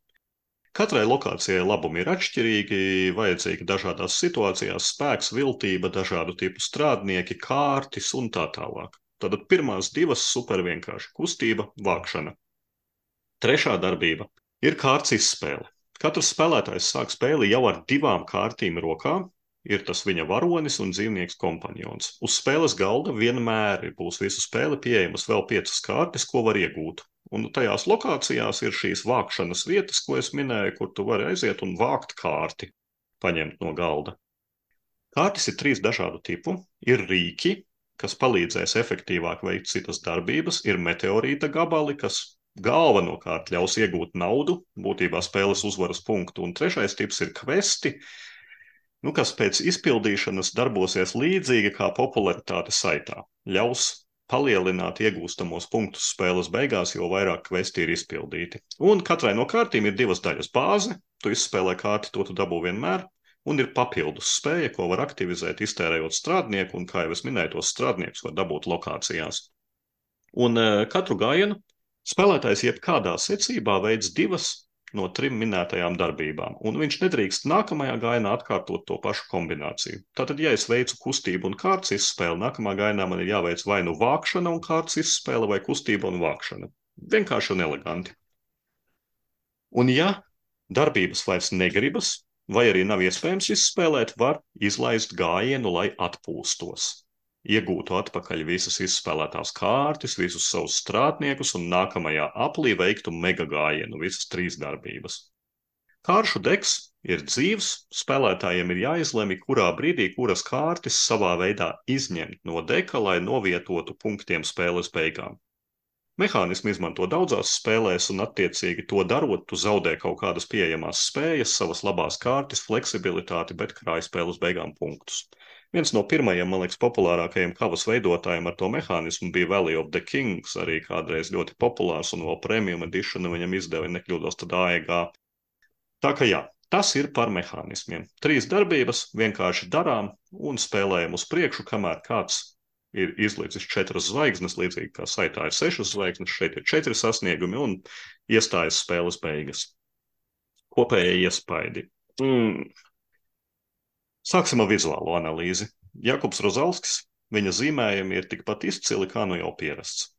Katrai lokācijai labumi ir atšķirīgi, vajadzīgi dažādās situācijās, spēks, viltība, dažādu tipu strādnieki, kārtis un tā tālāk. Tātad pirmās divas super vienkārši - kustība, vākšana. Trešā darbība ir kārts izspēle. Katrs spēlētājs sāk spēli jau ar divām kārtīm rokā. Ir tas viņa varonis un dzīvnieks kompanjons. Uz spēles galda vienmēr būs visu spēli pieejamas vēl piecas kārtas, ko var iegūt. Un tajās lokācijās ir šīs vākšanas vietas, ko es minēju, kur tu vari aiziet un vākt kārti, paņemt no galda. Kārtas ir trīs dažādu tipu. Ir rīki, kas palīdzēs efektīvāk veikt citas darbības, ir meteorīta gabali, kas galvenokārt ļaus iegūt naudu, būtībā spēles uzvaras punktu, un trešais tips ir kvesti, nu, kas pēc izpildīšanas darbosies līdzīgi kā popularitāte saitā. Ļaus palielināt iegūstamos punktus spēles beigās, jo vairāk kvesti ir izpildīti. Un katrai no kārtīm ir divas daļas bāze, tu izspēlē kārti, to tu dabū vienmēr, un ir papildus spēja, ko var aktivizēt, iztērējot strādnieku, un, kā jau es minēju, tos strādniekus var dabūt lokācijās. Un uh, katru gājienu spēlētājs jebkādā secībā veids divas no trim minētajām darbībām, un viņš nedrīkst nākamajā gājienā atkārtot to pašu kombināciju. Tātad, ja es veicu kustību un kārts izspēli, nākamā gājienā man ir jāveic vai nu vākšana un kārts izspēle, vai kustība un vākšana. Vienkārši un eleganti. Un ja darbības vairs negribas, vai arī nav iespējams izspēlēt, var izlaist gājienu, lai atpūstos. Iegūtu atpakaļ visas izspēlētās kārtas, visus savus strādniekus un nākamajā aplī veiktu mega gājienu, visas trīs darbības. Kāršu deks ir dzīvs, spēlētājiem ir jāizlemj, kurā brīdī kuras kārtas savā veidā izņemt no deka, lai novietotu punktiem spēles beigām. Mehānismi izmanto daudzās spēlēs, un attiecīgi to darot, tu zaudē kaut kādas pieejamās spējas, savas labās kārtas, fleksibilitāti, bet krāj spēles beigām punktus. Viens no pirmajiem, man liekas, populārākajiem kavas veidotājiem ar to mehānismu bija Valley of the Kings, arī kādreiz ļoti populārs, un vēl premium edition viņam izdeva, nekļūdos tad A E G. Tā ka jā, tas ir par mehānismiem. Trīs darbības vienkārši darām un spēlējam uz priekšu, kamēr kāds ir izlicis četras zvaigznes, līdzīgi kā saitā ir sešas zvaigznes, šeit ir četri sasniegumi un iestājas spēles beigas. Kopējie iespaidi. Mm. Sāksim ar vizuālo analīzi. Jakubs Rozalskis, viņa zīmējumi ir tikpat izcili, kā nu jau pierasts.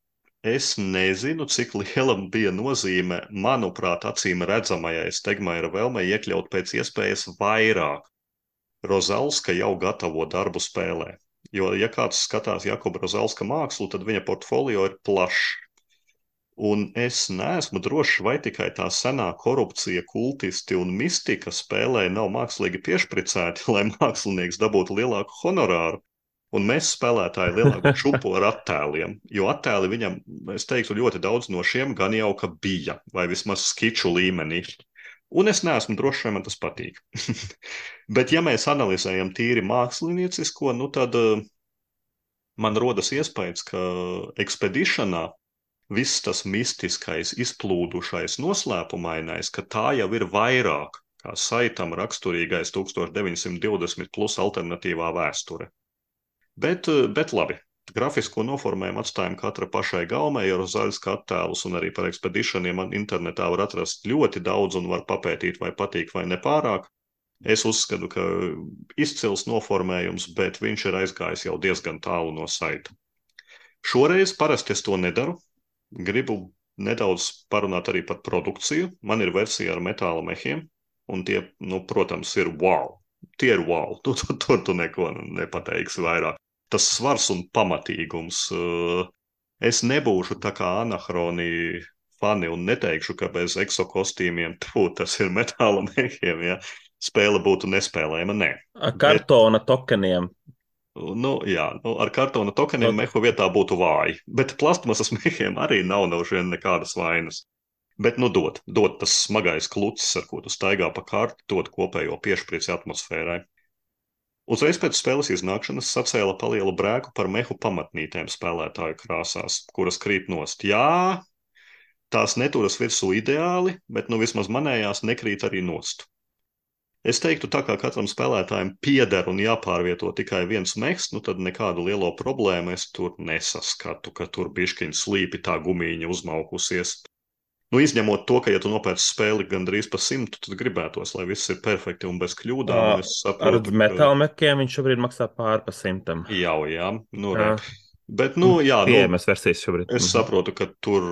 Es nezinu, cik liela bija nozīme, manuprāt, acīm redzamajai Stegmaira vēlmei iekļaut pēc iespējas vairāk Rozalska jau gatavo darbu spēlē. Jo, ja kāds skatās Jakuba Rozalska mākslu, tad viņa portfolio ir plašs. Un es neesmu drošs, vai tikai tā senā korupcija, kultisti un mistika spēlē nav mākslīgi piešpricēti, lai mākslinieks dabūtu lielāku honorāru. Un mēs spēlētāji lielāku čupu ar attēliem, jo attēli viņam, es teiktu, ļoti daudz no šiem gan jau ka bija, vai vismaz skiču līmenī. Un es neesmu drošs, vai man tas patīk. Bet ja mēs analizējam tīri māksliniecisko, nu tad uh, man rodas iespējas, ka ekspedišanā viss tas mistiskais, izplūdušais, noslēpumainais, ka tā jau ir vairāk kā saitam raksturīgais tūkstoš deviņsimt divdesmit plus alternatīvā vēsture. Bet, bet labi, grafisko noformējumu atstājam katra pašai gaumei ar zaļas attēlus, un arī par ekspedišaniem internetā var atrast ļoti daudz un var papētīt, vai patīk vai nepārāk. Es uzskatu, ka izcils noformējums, bet viņš ir aizgājis jau diezgan tālu no saita. Šoreiz parasti es to nedaru. Gribu nedaudz parunāt arī par produkciju. Man ir versija ar metāla mehiem, un tie, nu, protams, ir wow. Tie ir wow. Tur tu, tu, tu neko nepateiksi vairāk. Tas svars un pamatīgums. Es nebūšu tā kā anahroni fani un neteikšu, ka bez eksokostīmiem tu, tas ir metāla mehiem, ja spēle būtu nespēlējama. Nē.
Kartona Bet... tokeniem.
Nu, jā, nu, ar kartona tokeniem okay. mehu vietā būtu vāji, bet plastmasas mehiem arī nav nav šiem nekādas vainas. Bet, nu, dod, dod tas smagais klucis, ar ko tu staigā pa karti, dod kopējo piešprici atmosfērai. Uzreiz pēc spēles iznākšanas sacēla palielu brēku par mehu pamatnītēm spēlētāju krāsās, kuras krīt nost. Jā, tās neturas virsū ideāli, bet, nu, vismaz manējās nekrīt arī nost. Es teiktu, tā kā katram spēlētājam pieder un jāpārvieto tikai viens mehs, nu tad nekādu lielo problēmu es tur nesaskatu, ka tur biškiņ slīpi tā gumīņa uzmaukusies. Nu, izņemot to, ka, ja tu nopērc spēli gandrīz pa simtu, tad gribētos, lai viss ir perfekti un bez kļūdām.
Uh, saprotu, ar metāla mekiem viņš šobrīd maksā pār pa simtam.
Jau, jā, nu re. Bet, nu, jā, nu, es saprotu, ka tur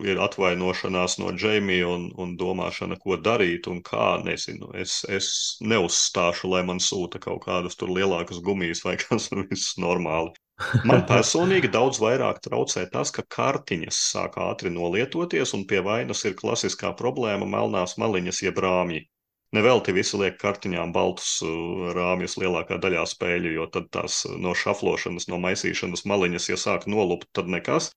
ir atvainošanās no Džeimija un, un domāšana, ko darīt un kā, nezinu. Es, es neuzstāšu, lai man sūta kaut kādas tur lielākas gumijas vai kas viss normāli. Man personīgi daudz vairāk traucē tas, ka kartiņas sāk ātri nolietoties un pie vainas ir klasiskā problēma melnās maliņas jeb rāmji. Nevelti visi liek kartiņām baltus rāmjus lielākā daļā spēļu, jo tad tās no šaflošanas, no maisīšanas maliņas, ja sāk nolupt, tad nekas.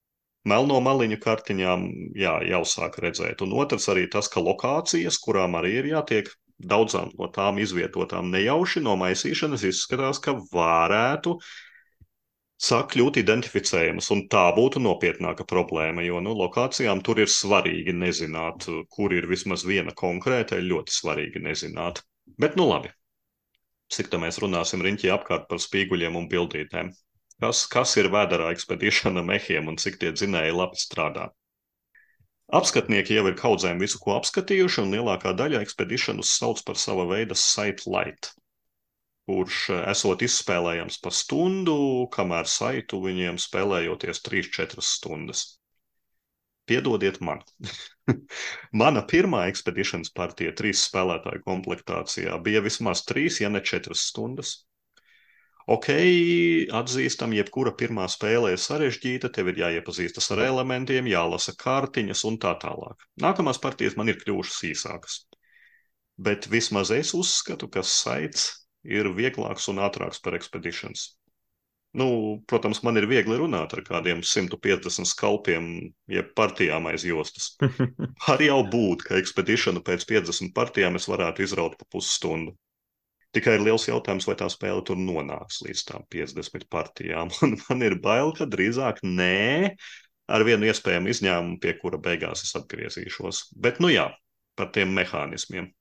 Melno maliņu kartiņām, jā, jau sāk redzēt. Un otrs arī tas, ka lokācijas, kurām arī ir jātiek daudzām no tām izvietotām nejauši no maisīšanas, izskatās, ka varētu sāk kļūt identificējamas, un tā būtu nopietnāka problēma, jo, nu, lokācijām tur ir svarīgi nezināt, kur ir vismaz viena konkrēta, ir ļoti svarīgi nezināt. Bet, nu, labi. Cik tā mēs runāsim riņķī apkārt par spīguļiem un bildītēm. Kas, kas ir vēderā ekspedīšana mehiem un cik tie dzinēji labi strādā? Apskatnieki jau ir kaudzēm visu, ko apskatījuši, un lielākā daļa ekspedīšanas sauc par sava veida site light, kurš esot izspēlējams pa stundu, kamēr saitu viņiem spēlējoties trīs četras stundas. Piedodiet man. Mana pirmā ekspedīšanas partija trīs spēlētāju komplektācijā bija vismaz trīs, ja ne četras stundas. Ok, atzīstam, jebkura pirmā spēle ir sarežģīta, tev ir jāiepazīstas ar elementiem, jālasa kartiņas un tā tālāk. Nākamās partijas man ir kļuvušas īsākas. Bet vismaz es uzskatu, ka saits ir vieglāks un ātrāks par ekspedīšanas. Nu, protams, man ir viegli runāt ar kādiem simt piecdesmit skalpiem, jeb partijām aiz jostas. Var jau būt, ka ekspedīšanu pēc piecdesmit partijām es varētu izraut pa pusstundu. Tikai ir liels jautājums, vai tā spēle tur nonāks līdz tām piecdesmit partijām. Un man ir bail, ka drīzāk nē, ar vienu iespējamu izņēmumu, pie kura beigās es atgriezīšos. Bet, nu jā, par tiem mehānismiem.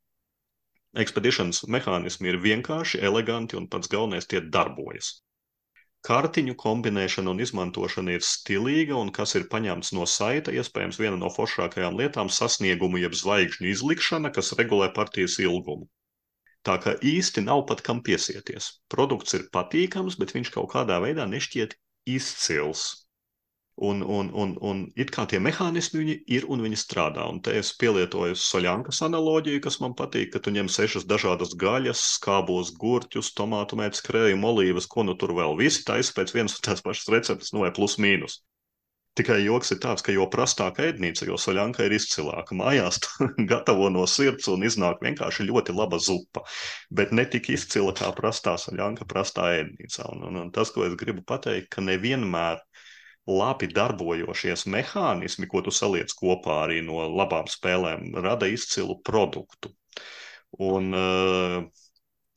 Ekspedīšanas mehānismi ir vienkārši, eleganti un pats galvenais tie darbojas. Kartiņu kombinēšana un izmantošana ir stilīga un kas ir paņemts no saita, iespējams viena no foršākajām lietām sasniegumu jeb zvaigžņu izlikšana, kas regulē partijas ilgumu. Tā kā īsti nav pat kam piesieties. Produkts ir patīkams, bet viņš kaut kādā veidā nešķiet izcils. Un, un, un, un it kā tie mehānismi viņi ir un viņi strādā. Un te es pielietoju soļankas analoģiju, kas man patīk, ka tu ņem sešas dažādas gaļas, skābos gurķus, tomātu mētas, krējumu, olīvas, ko nu tur vēl. Visi taisa pēc vienas un tās pašas receptes, nu vai plus mīnus. Tikai joks ir tāds, ka jo prastāka ēdnīca, jo soļanka ir izcilāka. Mājās gatavo no sirds un iznāk vienkārši ļoti laba zupa, bet ne tik izcila kā prastā soļanka prastā ēdnīcā. Un, un, un tas, ko es gribu pateikt, ka nevienmēr labi darbojošies mehānismi, ko tu saliec kopā arī no labām spēlēm, rada izcilu produktu. Un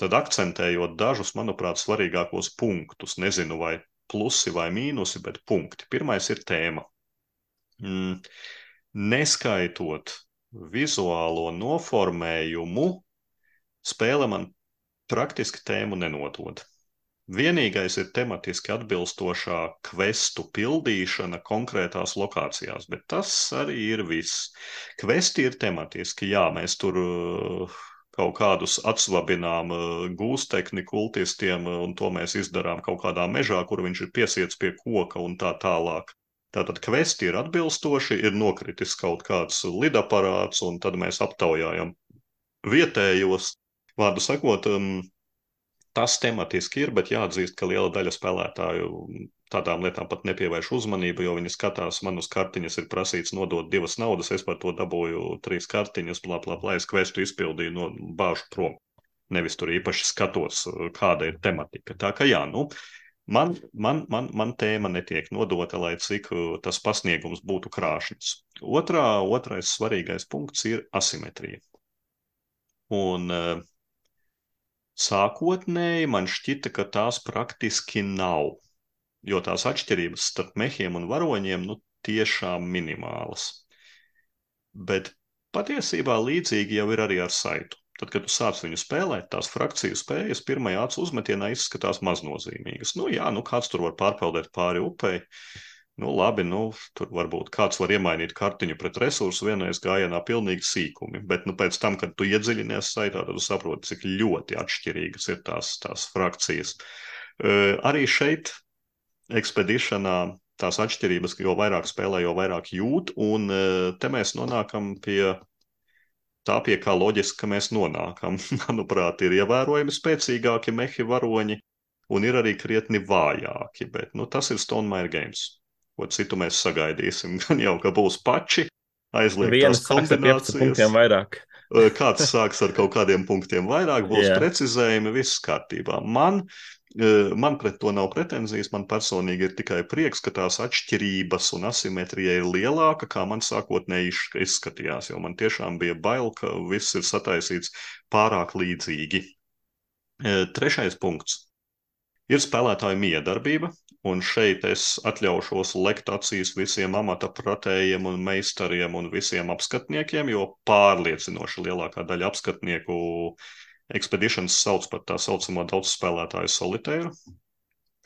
tad akcentējot dažus, manuprāt, svarīgākos punktus, nezinu vai plusi vai mīnusi, bet punkti. Pirmais ir tēma. Mm. Neskaitot vizuālo noformējumu, spēle man praktiski tēmu nenodod. Vienīgais ir tematiski atbilstošā kvestu pildīšana konkrētās lokācijās, bet tas arī ir viss. Kvesti ir tematiski, jā, mēs tur uh, kaut kādus atsvabinām uh, gūstekni kultistiem, uh, un to mēs izdarām kaut kādā mežā, kur viņš ir piesiets pie koka un tā tālāk. Tātad kvesti ir atbilstoši, ir nokritis kaut kāds lidaparāts, un tad mēs aptaujājam vietējos. Vārdu sakot, um, tas tematiski ir, bet jāatzīst, ka liela daļa spēlētāju tādām lietām pat nepievērš uzmanību, jo viņi skatās, man uz kartiņas ir prasīts nodot divas naudas, es par to dabūju trīs kartiņas, blā, blā, blā, es kvestu izpildīju, no bāžu prom. Nevis tur īpaši skatos, kāda ir tematika. Tā ka jā, nu, man, man, man, man tēma netiek nodota, lai cik tas pasniegums būtu krāšņs. Otrā, otrais svarīgais punkts ir asimetrija. Un uh, sākotnēji man šķita, ka tās praktiski nav, jo tās atšķirības starp mehiem un varoņiem nu tiešām minimālas. Bet patiesībā līdzīgi jau ir arī ar saitu. Tad, kad tu sāc viņu spēlēt, tās frakciju spējas pirmajā acu uzmetienā izskatās maznozīmīgas. Nu jā, nu kāds tur var pārpeldēt pāri upei. Nu labi, nu tur varbūt kāds var iemainīt kartiņu pret resursu vienreiz gājienā pilnīgi sīkumi, bet nu pēc tam, kad tu iedziļinies saitā, tad tu saproti, cik ļoti atšķirīgas ir tās, tās frakcijas. Uh, arī šeit ekspedišanā tās atšķirības, jo vairāk spēlē, jo vairāk jūt, un uh, te mēs nonākam pie tā, pie kā loģiski, ka mēs nonākam. Manuprāt, ir ievērojami spēcīgāki mehi varoņi, un ir arī krietni vājāki, bet nu, tas ir Stonemaier Games. Ko citu mēs sagaidīsim. Gan jau, ka būs pači, aizliegtās kombinācijas.
Punktiem vairāk.
Kāds sāks ar kaut kādiem punktiem vairāk, būs yeah. precizējumi, viss kārtībā. Man, man pret to nav pretenzijas, man personīgi ir tikai prieks, ka tās atšķirības un asimetrija ir lielāka, kā man sākotnēji izskatījās, jo man tiešām bija bail, ka viss ir sataisīts pārāk līdzīgi. Trešais punkts ir spēlētāju miedarbība. Un šeit es atļaušos lekt acīs visiem amata pratējiem un meistariem un visiem apskatniekiem, jo pārliecinoši lielākā daļa apskatnieku Expeditions sauc par tā saucamo daudzspēlētāju solitēru,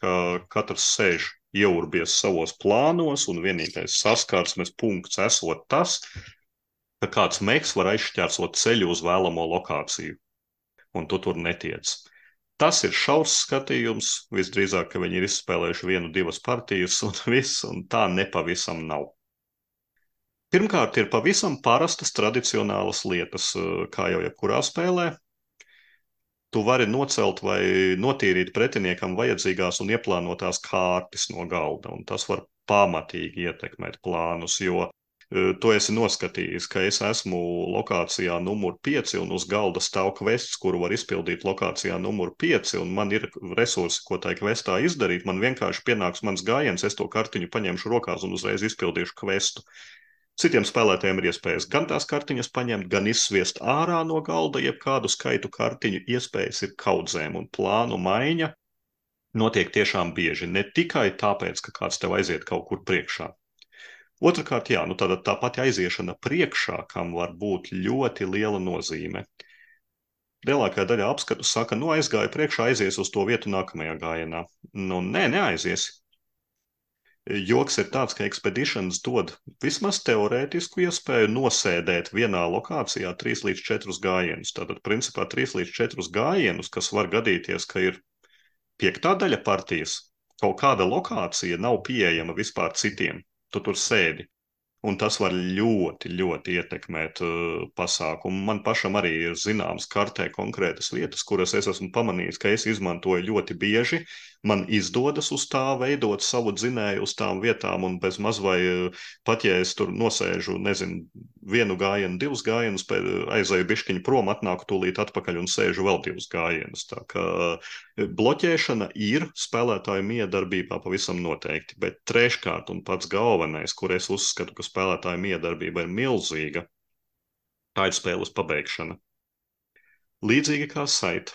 ka katrs sēž ieurbies savos plānos un vienīgais saskarsmes punkts esot tas, ka kāds meks var aizšķērsot ceļu uz vēlamo lokāciju, un tu tur netiec. Tas ir šaurs skatījums, visdrīzāk, ka viņi ir izspēlējuši vienu, divas partijas un viss, un tā nepavisam nav. Pirmkārt, ir pavisam parastas tradicionālas lietas, kā jau jebkurā spēlē. Tu vari nocelt vai notīrīt pretiniekam vajadzīgās un ieplānotās kārtas no galda, un tas var pamatīgi ietekmēt plānus, jo tu esi noskatījis, ka es esmu lokācijā numur pieci un uz galda stāv kvests, kuru var izpildīt lokācijā numur pieci, un man ir resursi, ko tai kvestā izdarīt. Man vienkārši pienāks mans gājiens, es to kartiņu paņemšu rokās un uzreiz izpildīšu kvestu. Citiem spēlētājiem ir iespējas gan tās kartiņas paņemt, gan izsviest ārā no galda, jeb kādu skaitu kartiņu. Iespējas ir kaudzēm, un plānu maiņa notiek tiešām bieži. Ne tikai tāpēc, ka kāds tev aiziet kaut kur priekšā. Otrakārt, jā, nu tāda tā pati aiziešana priekšā, kam var būt ļoti liela nozīme. Lielākā daļa apskatu saka, nu aizgāja priekšā, aizies uz to vietu nākamajā gājienā. Nu, nē, neaiziesi. Joks ir tāds, ka Expeditions dod vismaz teorētisku iespēju nosēdēt vienā lokācijā trīs līdz četrus gājienus. Tātad, principā, trīs līdz četrus gājienus, kas var gadīties, ka ir piektā daļa partijas, kaut kāda lokācija nav pieejama vispār citiem. Tu tur sēdi, un tas var ļoti, ļoti ietekmēt uh, pasākumu. Man pašam arī ir zināms kartē konkrētas vietas, kuras es esmu pamanījis, ka es izmantoju ļoti bieži. Man izdodas uz tā veidot savu dzinēju uz tām vietām, un bez maz vai uh, pat, ja es tur nosēžu, nezinu, vienu gājienu, divus gājienus, aizēju bišķiņu prom, atnāku tūlīt atpakaļ un sēžu vēl divus gājienus. Tā kā uh, bloķēšana ir spēlētāju miedarbībā pavisam noteikti, bet treškārt un pats galvenais, kur es uzskatu, ka spēlētāju miedarbība ir milzīga, tā ir spēles pabeigšana. Līdzīgi kā Saita,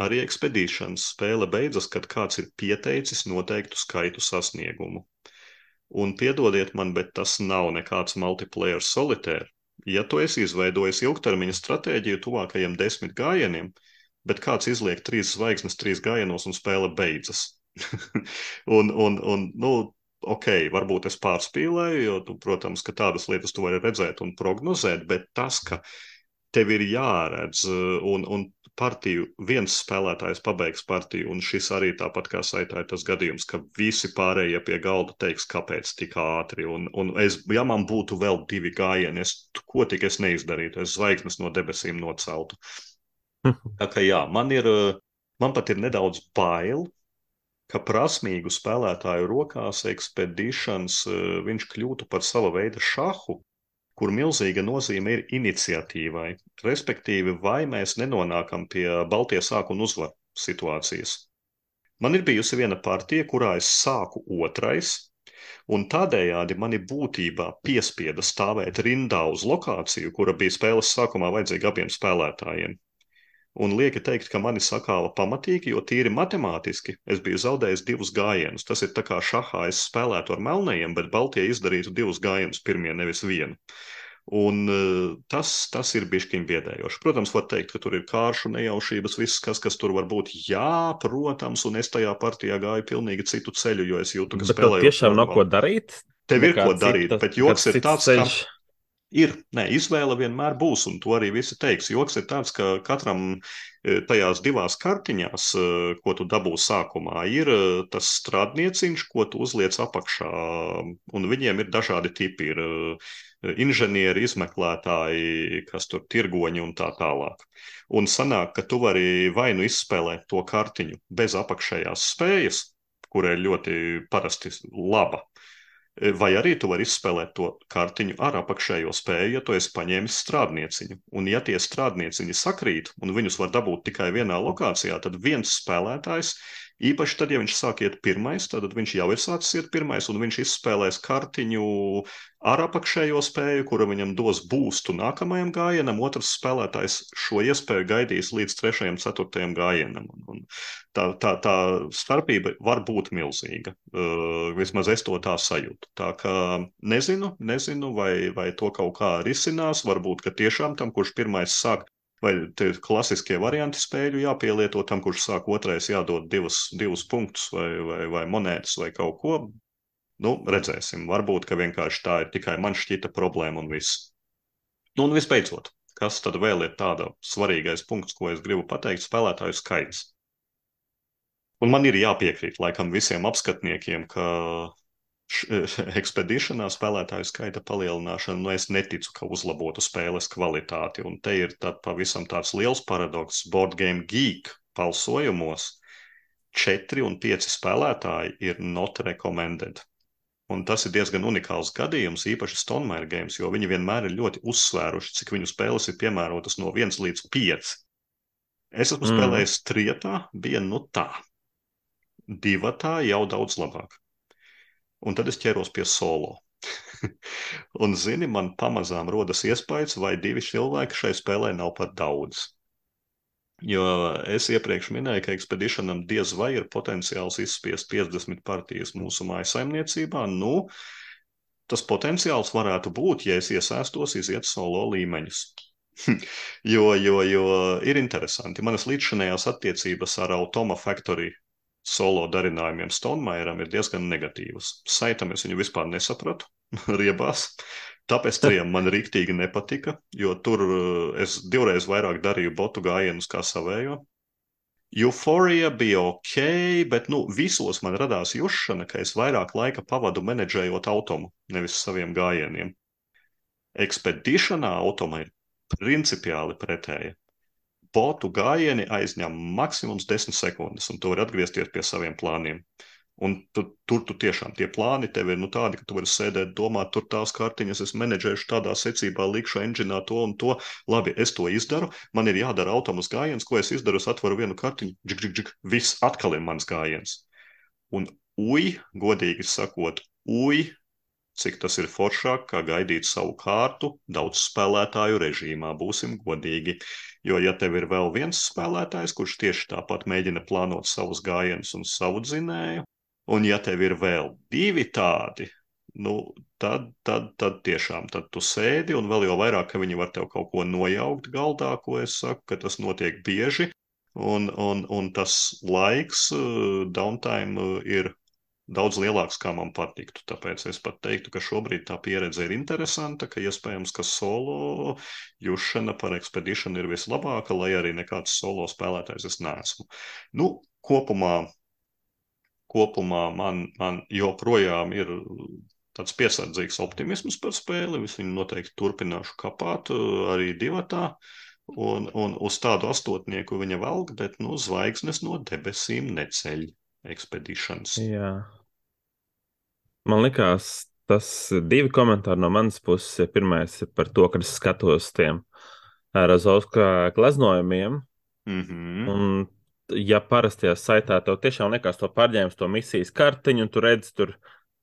arī Expeditions spēle beidzas, kad kāds ir pieteicis noteiktu skaitu sasniegumu. Un piedodiet man, bet tas nav nekāds multiplayer solitaire. Ja tu esi izveidojis ilgtermiņa stratēģiju tuvākajiem desmit gājieniem, bet kāds izliek trīs zvaigznes trīs gājienos un spēle beidzas. un, un, un, nu, ok, varbūt es pārspīlēju, jo, tu, protams, ka tādas lietas tu vari redzēt un prognozēt, bet tas, ka tev ir jāredz un, un partiju, viens spēlētājs pabeigs partiju, un šis arī tāpat kā Saitā ir tas gadījums, ka visi pārējie pie galda teiks, kāpēc tik ātri, un, un es, ja man būtu vēl divi gājieni, es, ko tik es neizdarītu, es zvaigznes no debesīm noceltu. Tā kā jā, man ir, man pat ir nedaudz bail, ka prasmīgu spēlētāju rokās Expeditions viņš kļūtu par sava veida šahu, kur milzīga nozīme ir iniciatīvai, respektīvi, vai mēs nenonākam pie baltie sāku un uzvar situācijas. Man ir bijusi viena partija, kurā es sāku otrais, un tādējādi mani būtībā piespieda stāvēt rindā uz lokāciju, kura bija spēles sākumā vajadzīga abiem spēlētājiem. Un lieki teikt, ka mani sakāva pamatīgi, jo tīri matemātiski es biju zaudējis divus gājienus. Tas ir tā kā šahā es spēlētu ar melnajiem, bet baltie izdarītu divus gājienus pirmie, nevis vienu. Un tas, tas ir bišķiņ biedējoši. Protams, var teikt, ka tur ir kāršu nejaušības, viss, kas, kas tur var būt. Jā, protams, un es tajā partijā gāju pilnīgi citu ceļu, jo es jūtu, ka
Bet tev
spēlēju
tiešām nav ko darīt?
Tev ir
Nekā
ko darīt,
cita,
bet joks ir tāds,
ceļš.
ka ir, nē, izvēle vienmēr būs, un to arī visi teiks. Joks ir tāds, ka katram tajās divās kartiņās, ko tu dabū sākumā, ir tas strādnieciņš, ko tu uzliec apakšā, un viņiem ir dažādi tipi, ir inženieri, izmeklētāji, kas tur tirgoņi un tā tālāk. Un sanāk, ka tu vari vai nu izspēlēt to kartiņu bez apakšējās spējas, kura ir ļoti parasti laba, vai arī tu vari izspēlēt to kartiņu ar apakšējo spēju, ja tu esi paņēmis strādnieciņu. Un ja tie strādnieciņi sakrīt, un viņus var dabūt tikai vienā lokācijā, tad viens spēlētājs, īpaši tad, ja viņš sāk iet pirmais, tad viņš jau ir sācis iet pirmais, un viņš izspēlēs kartiņu ar apakšējo spēju, kura viņam dos boostu nākamajam gājienam, otrs spēlētājs šo iespēju gaidīs līdz trešajam, ceturtajam gājienam. Un tā, tā, tā starpība var būt milzīga. Uh, vismaz es to tā sajūtu. Tā kā nezinu, nezinu, vai, vai to kaut kā risinās, varbūt, ka tiešām tam, kurš pirmais sāk, vai te klasiskie varianti spēļu jāpielieto, tam, kurš sāk otrais jādod divus, divus punktus vai, vai, vai monētas vai kaut ko. Nu, redzēsim. Varbūt, ka vienkārši tā ir tikai man šķita problēma un viss. Nu, un visbeidzot, kas tad vēl ir tāda svarīgais punkts, ko es gribu pateikt, spēlētāju skaits. Un man ir jāpiekrīt laikam visiem apskatniekiem, ka Expeditionā spēlētāju skaita palielināšana, nu es neticu, ka uzlabotu spēles kvalitāti. Un te ir tad pavisam tāds liels paradoks. Board Game Geek balsojumos četri un pieci spēlētāji ir not recommended. Un tas ir diezgan unikāls gadījums, īpaši Stonemaier Games, jo viņi vienmēr ir ļoti uzsvēruši, cik viņu spēles ir piemērotas no viens līdz pieci. Es esmu mm. spēlējis trietā, bija nu tā. Divatā jau daudz labāk. Un tad es ķeros pie solo. Un, zini, man pamazām rodas iespējas, vai divi cilvēki šai spēlē nav par daudz. Jo es iepriekš minēju, ka Expeditionam diez vai ir potenciāls izspiest piecdesmit partijas mūsu mājasaimniecībā. Nu, tas potenciāls varētu būt, ja es iesaistos iziet solo līmeņus. jo, jo, jo ir interesanti. Manas līdzšanējās attiecības ar Automa Factory solo darinājumiem Stonemaieram ir diezgan negatīvas. Saitam es viņu vispār nesapratu, riebās. Tāpēc trijam man rīktīgi nepatika, jo tur es divreiz vairāk darīju botu gājienus kā savējo. Euphoria bija ok, bet nu, visos man radās jušana, ka es vairāk laika pavadu menedžējot automu, nevis saviem gājieniem. Expeditionā automa ir principiāli pretēja. Botu gājieni aizņem maksimums desmit sekundes, un tu vari atgriezties pie saviem plāniem. Un tu, tur tu tiešām tie plāni tev ir nu, tādi, ka tu vari sēdēt, domāt, tur tās kartiņas, es menedžēšu tādā secībā, likšu enģinā to un to. Labi, es to izdaru, man ir jādara automas gājiens, ko es izdaru, es atveru vienu kartiņu, džik, džik, džik, viss atkal ir mans gājiens. Un uj, godīgi sakot, uj, cik tas ir foršāk, kā gaidīt savu kārtu daudz spēlētāju režīmā, būsim godīgi. Jo, ja tev ir vēl viens spēlētājs, kurš tieši tāpat mēģina plānot savus gājienus un savu dzinēju, un ja tev ir vēl divi tādi, nu, tad, tad, tad tiešām tad tu sēdi, un vēl jau vairāk, ka viņi var tev kaut ko nojaukt galdā, ko es saku, ka tas notiek bieži, un, un, un tas laiks, uh, downtime uh, ir daudz lielāks, kā man patiktu. Tāpēc es pat teiktu, ka šobrīd tā pieredze ir interesanta, ka iespējams, ka solo jušana par ekspedīšanu ir vislabāka, lai arī nekāds solo spēlētājs es neesmu. Nu, kopumā, kopumā man, man joprojām ir tāds piesardzīgs optimisms par spēli. Es viņu noteikti turpināšu kapāt arī divatā. Un, un uz tādu astotnieku viņa velk, bet nu, zvaigznes no debesīm neceļ. Expeditions.
Jā. Man likās, tas divi komentāri no manas puses. Pirmais ir par to, ka es skatos tiem Rozovska glaznojumiem.
Mm-hmm.
Un, ja parastajā saitā tev tiešām liekas to pārņēmis, to misijas kartiņu, un tu redzi tur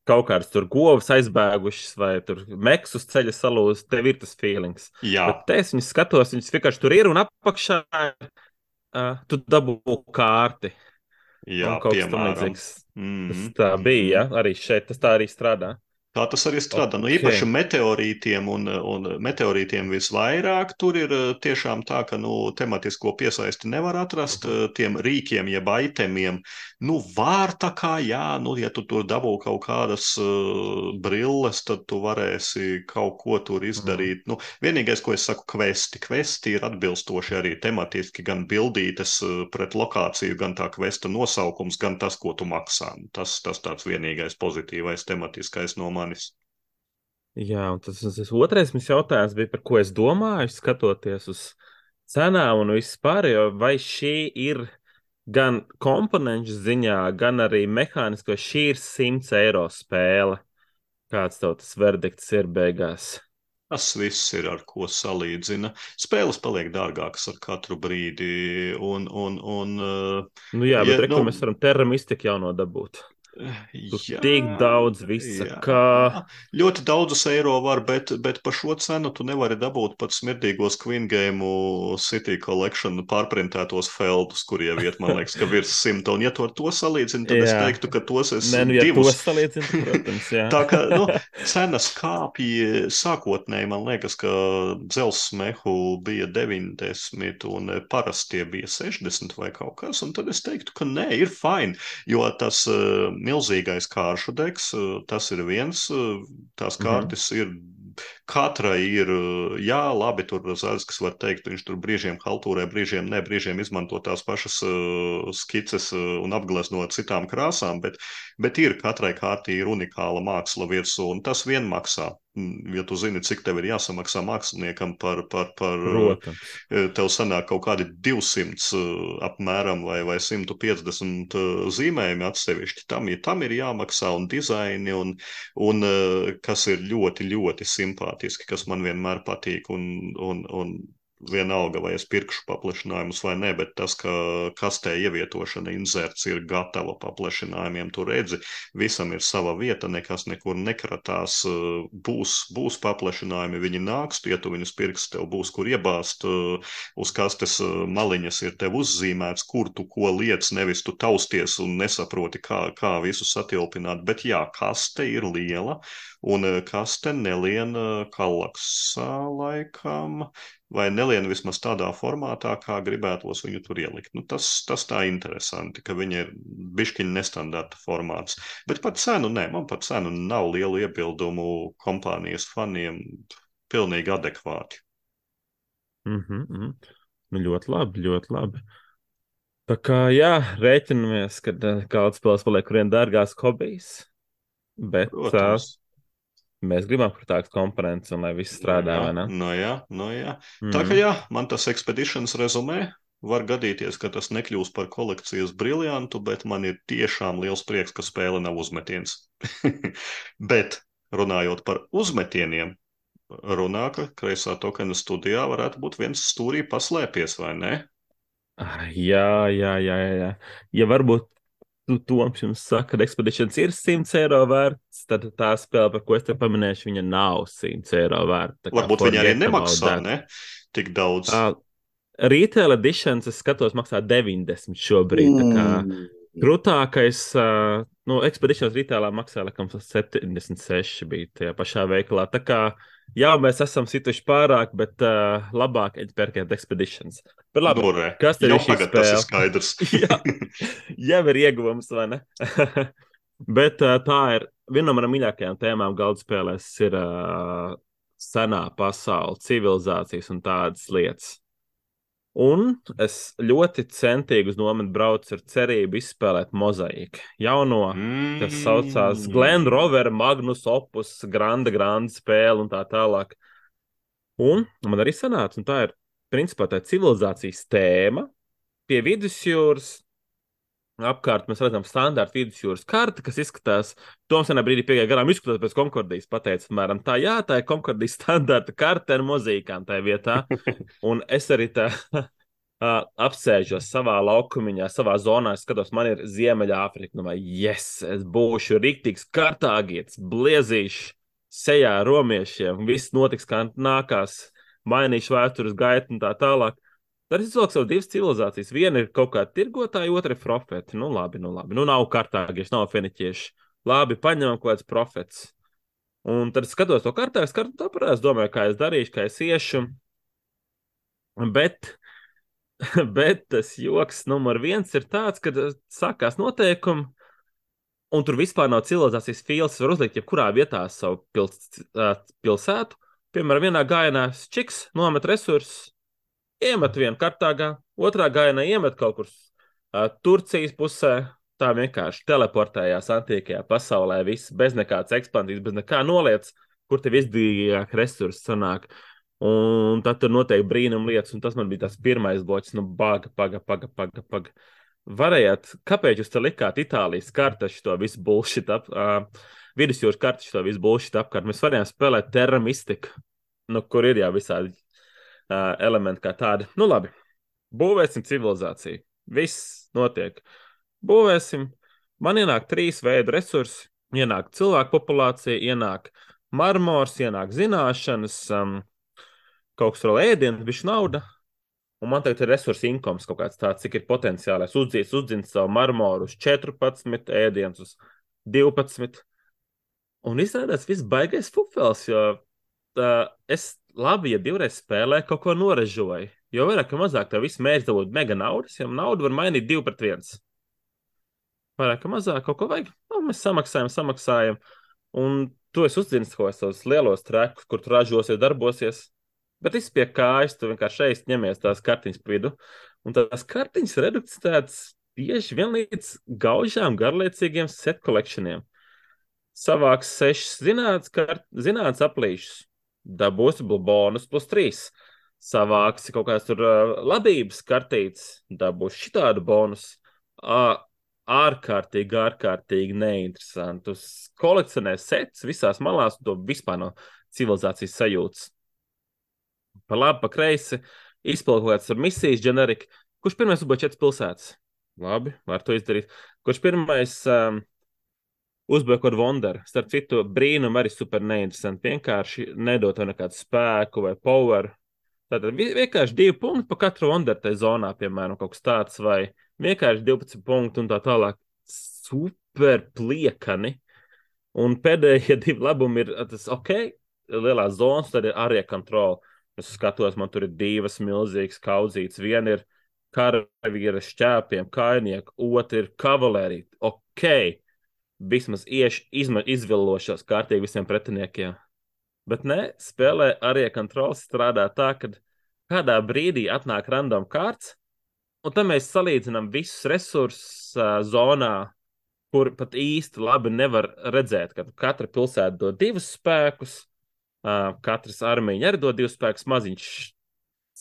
kaut kādas tur govs aizbēgušas vai tur meks uz ceļa salūzis, tev ir tas feelings.
Jā.
Bet te es viņus skatos, viņus vienkārši tur ir un apakšā uh, tu dabū kārti.
Jā,
un kaut kas tam
piemēram.
līdzīgs.
Mm-hmm.
Tas tā bija, ja? Arī šeit tas tā arī strādā.
Tā tas arī strādā.
Okay.
Nu, īpaši meteorītiem un, un meteorītiem visvairāk tur ir tiešām tā, ka nu, tematisko piesaisti nevar atrast uh -huh. tiem rīkiem, jeb aitemiem. Nu, var tā kā, jā, nu, ja tu tur dabū kaut kādas uh, brilles, tad tu varēsi kaut ko tur izdarīt. Uh -huh. Nu, vienīgais, ko es saku, kvesti. Kvesti ir atbilstoši arī tematiski, gan bildītes uh, pret lokāciju, gan tā kvesta nosaukums, gan tas, ko tu maksā. Tas, tas tāds vienīgais pozitīvais tematiskais no manis.
Jā, un tas, tas otrais mums jautājums bija, par ko es domāju, skatoties uz cenām un vispār, jo vai šī ir gan komponentu ziņā, gan arī mehānisko, šī ir simts eiro spēle. Kāds tev tas verdikts ir beigās?
Tas viss ir, ar ko salīdzina. Spēles paliek dārgākas ar katru brīdi, un, un, un
nu jā, bet ja, reku, nu, mēs varam Terra Mystic jauno dabūt. Tur jā, tik daudz visa, jā, kā...
Ļoti daudzus eiro var, bet, bet par šo cenu tu nevari dabūt pat smirdīgos Queen Game City Collection pārprintētos feldus, kuriem iet, man liekas, ka virs simta. Un ja tu ar to salīdzini, tad jā. Es teiktu, ka tos es
Nē, nu, ja
divus.
To salīdzini, protams, jā.
Tā kā, nu, cenas kāpja sākotnēji, man liekas, ka dzelzs mehu bija deviņdesmit un parastie bija sešdesmit vai kaut kas, un tad es teiktu, ka nē, ir fine, jo tas uh, milzīgais kāršu deks, tas ir viens, tās kārtas mm-hmm. ir, katrai ir, jā, labi, tur Zārs, kas var teikt, viņš tur brīžiem haltūrē, brīžiem ne, brīžiem izmanto tās pašas uh, skices uh, un apglezno citām krāsām, bet, bet ir, katrai kārtī ir unikāla māksla virsū, un tas vien maksā. Ja tu zini, cik tev ir jāsamaksā māksliniekam par, par, par
Protams.
Tev sanāk kaut kādi divsimt apmēram vai, vai simt piecdesmit zīmējumi atsevišķi. Tam, tam ir jāmaksā un dizaini, un, un kas ir ļoti, ļoti simpātiski, kas man vienmēr patīk, un, un, un vienalga, vai es pirkšu paplašinājumus vai ne, bet tas, ka kastē ievietošana inserts ir gatava paplašinājumiem, tu redzi, visam ir sava vieta, nekas nekur nekratās, būs, būs paplašinājumi, viņi nāks, ja tu viņus pirks, tev būs kur iebāzt, uz kastes maliņas ir tev uzzīmēts, kur tu ko liec, nevis tu tausties un nesaproti, kā, kā visu satilpināt, bet jā, kaste ir liela, un kaste nelien kalaksā laikam, vai nelien vismaz tādā formātā, kā gribētos viņu tur ielikt. Nu, tas, tas tā interesanti, ka viņa ir bišķiņa nestandarta formāts. Bet par cenu, nē, man par cenu nav lielu iebildumu kompānijas faniem, pilnīgi adekvāti.
Mm-hmm, mm. Nu, ļoti labi, ļoti labi. Tā kā, jā, rēķinamies, ka kaldspēles paliek vien dārgās hobijs, bet...
Protams.
Mēs gribam prātīgas komponentes, un lai viss strādā,
no jā,
vai ne?
No jā, no jā.
Mm-hmm.
Tā kā jā, man tas Expeditions rezumē, var gadīties, ka tas nekļūs par kolekcijas briljantu, bet man ir tiešām liels prieks, ka spēle nav uzmetiens. Bet, runājot par uzmetieniem, runā, ka kreisā tokena studijā varētu būt viens stūrī paslēpies, vai ne?
Jā, jā, jā, jā. Ja varbūt tu Toms jums saka, ka Expeditions ir simts eiro vērts, tad tā spēle, par ko es te paminēšu, viņa nav simts eiro vērta. Tā kā
Varbūt viņi arī
forget about
nemaksā,
that.
ne? Tik daudz.
Uh, Retail editions, es skatos, maksā deviņdesmit šobrīd. Tā kā
Mm.
krūtākais, uh, nu, Expeditions retailā maksā, laikam, septiņdesmit seši bija tajā pašā veikalā. Tā kā, jā, mēs esam situši pārāk, bet uh, labāk pērkiet Expeditions. Bet labi,
Nu, re,
kas tad
jau
ir šī
tagad tas ir
spēle?
skaidrs.
Jā, jau ir ieguvums, vai ne? Bet uh, tā ir viena no manām mīļākajām tēmām galda spēlēs ir uh, senā pasaule, civilizācijas un tādas lietas. Un es ļoti centīgi uz nometni braucu ar cerību izspēlēt mozaiku. Jauno, kas saucās Glen
Mm.
Rover, Magnus Opus, Grande, Grande spēle un tā tālāk. Un man arī sanāca, un tā ir, principā, tā civilizācijas tēma pie vidusjūras. Apkārt mēs redzam standārtu vidusjūras karti, kas izskatās, Toms vienā brīdī piegāja garām, izskatās pēc Konkordijas, pateica, mēram, tā jā, tā ir Konkordijas standārta karte ar mozīkām tajā vietā. Un es arī tā apsēžos savā laukumiņā, savā zonā, es skatos, man ir Ziemeļāfrika, nu vai, yes, es būšu riktīgs kartāgietis, bliezīšu sejā romiešiem, viss notiks, kā nākās, mainīšu vēstures gaitu un tā tālāk. Tad es izvilku savu divas civilizācijas. Viena ir kaut kāda tirgotāja, otra ir profeti. Nu, labi, nu, labi. Nu, nav kartāgieši, nav feniķieši. Labi, paņemam kaut kāds profets. Un tad es skatos to kartā, es kartu tāpēc domāju, kā es darīšu, kā es iešu. Bet, bet tas joks numur viens ir tāds, kad sākās noteikumi, un tur vispār nav civilizācijas fīls. Var uzlikt jebkurā vietā savu pils, pilsētu. Piemēram, vienā gājienā čiks nomet resursus, iemet vienu kartāgā, otrā gājienā iemet kaut kur uh, Turcijas pusē. Tā vienkārši teleportējās antīkajā pasaulē, viss bez nekādas ekspansijas, bez nekā noliec, kur tev izdevīgāk resursi sanāk. Un tad tur notiek brīnum lietas, un tas man bija tas pirmais bloķis, nu baga, paga, paga, paga, paga. Varējāt, kāpēc jūs te likāt Itālijas karta šito visu bullshit ap, uh, vidusjūras karta šito visu bullshit apkārt? Mēs varējām spēlēt Terra Mystica, nu kur ir jau visādi Uh, elementi kā tādi. Nu, labi. Būvēsim civilizāciju. Viss notiek. Būvēsim. Man ienāk trīs veidu resursi. Ienāk cilvēku populācija, ienāk marmors, ienāk zināšanas, um, kaut kas vēl ēdienas, bišķi nauda. Un man tagad ir resursi inkoms kaut kāds tāds, cik ir potenciālais. Uzdzīts, uzdzīts savu marmoru uz četrpadsmit, ēdienas uz divpadsmit. Un izrādās viss baigais fufels, jo uh, es labi, ja divreiz spēlē, kaut ko noražoju. Jo vairāk, ja mazāk, tev viss mērķis dabūt mega naudas, ja naudu var mainīt divi pret viens. Vairāk, ja mazāk, kaut ko vajag. Nu, mēs samaksājam, samaksājam. Un tu esi uzdzins kaut kādus lielos trekus, kur tu ražosies, darbosies. Bet viss pie kājas, tu vienkārši šeit ņemies tās kartiņas pa vidu. Un tās kartiņas reducētas tieši vien līdz gaužām, garliecīgiem set collectioniem. Savāks sešas zinātnes, kart, zinātnes aplīšus. Dabūsi bonus plus trīs. Savāksi kaut kāds tur uh, labības kartītes, dabūsi šitādu bonus. Uh, ārkārtīgi, ārkārtīgi neinteresanti. Uz kolekcionē sets visās malās, un to vispār no civilizācijas sajūtas. Pa labi, pa kreisi, izpildu kaut kāds ar misijas generika. Kurš pirmais uzbūja četras pilsētas? Labi, var to izdarīt. Kurš pirmais... Um, Uzbēr kaut Wonder. Starp citu, brīnum arī super neinteresanti. Vienkārši nedot nekādu spēku vai power. Tātad vienkārši divi punkti pa katru Wonder tai zonā, piemēram, kaut kas tāds, vai vienkārši divpadsmit punkti un tā tālāk. Super pliekani. Un pēdējie divi labumi ir tas, ok, lielās zonas, tad ir arī kontrola. Es skatos, man tur ir divas milzīgas kaudzītes. Viena ir karavīra šķēpiem, kainieku, otra ir kavalērija. Ok. Vismaz ieši izma, izvillošos kārtīgi visiem pretiniekiem. Bet ne, spēlē arī kontrols strādā tā, ka kādā brīdī atnāk random kārts, un tad mēs salīdzinām visus resursus uh, zonā, kur pat īsti labi nevar redzēt, ka katra pilsēta dod divus spēkus, uh, katras armija arī dod divus spēkus, maziņš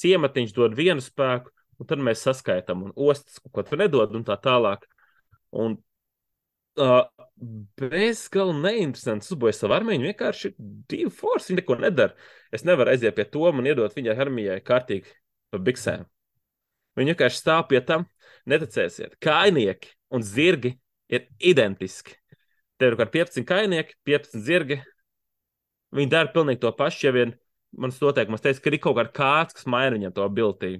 ciematiņš dod vienu spēku, un tad mēs saskaitām, un ostas kaut ko tur nedod, un tā tālāk. Un Uh, bezgalīgi neinteresants uzbūvēja savu armiju, vienkārši divi forsi, viņi neko nedara. Es nevaru aiziet pie to un iedot viņai armijai kārtīgi pa biksēm. Viņi vienkārši stāv pie tam, neticēsiet, kainieki un zirgi ir identiski. Tev ir kaut kādi piecpadsmit kainieki, piecpadsmit zirgi. Viņi dara pilnīgi to pašu, ja vien mans noteikums teica, ka ir kaut kāda kārts, kas maina viņam to ability.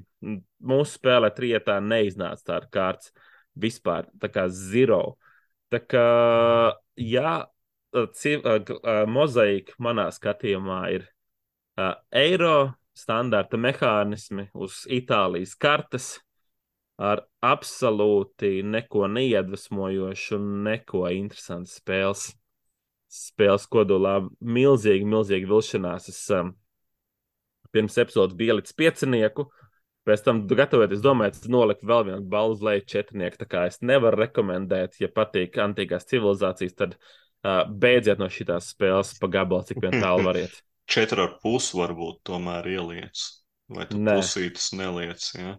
Mūsu spēlē trietā neiznāca tāda kārts vispār, tā kā zero. Tā kā, jā, civ, uh, mozaika manā skatījumā ir uh, eiro standarta mehānismi uz Itālijas kartes ar absolūti neko neiedvesmojošu un neko interesantu spēles. Spēles kodolā milzīgi, milzīgi vilšanās. Es um, pirms epizodes biju līdz piecinieku, pēc tam gatavoties, domāju, es noliku vēl vienu balvu uz leju četrnieku, tā kā es nevaru rekomendēt, ja patīk antīkās civilizācijas, tad uh, beidziet no šitās spēles pa gabalu, cik vien tālu variet.
Četri ar pusi varbūt tomēr ieliec, vai tu
Nē.
pusītas neliec, ja?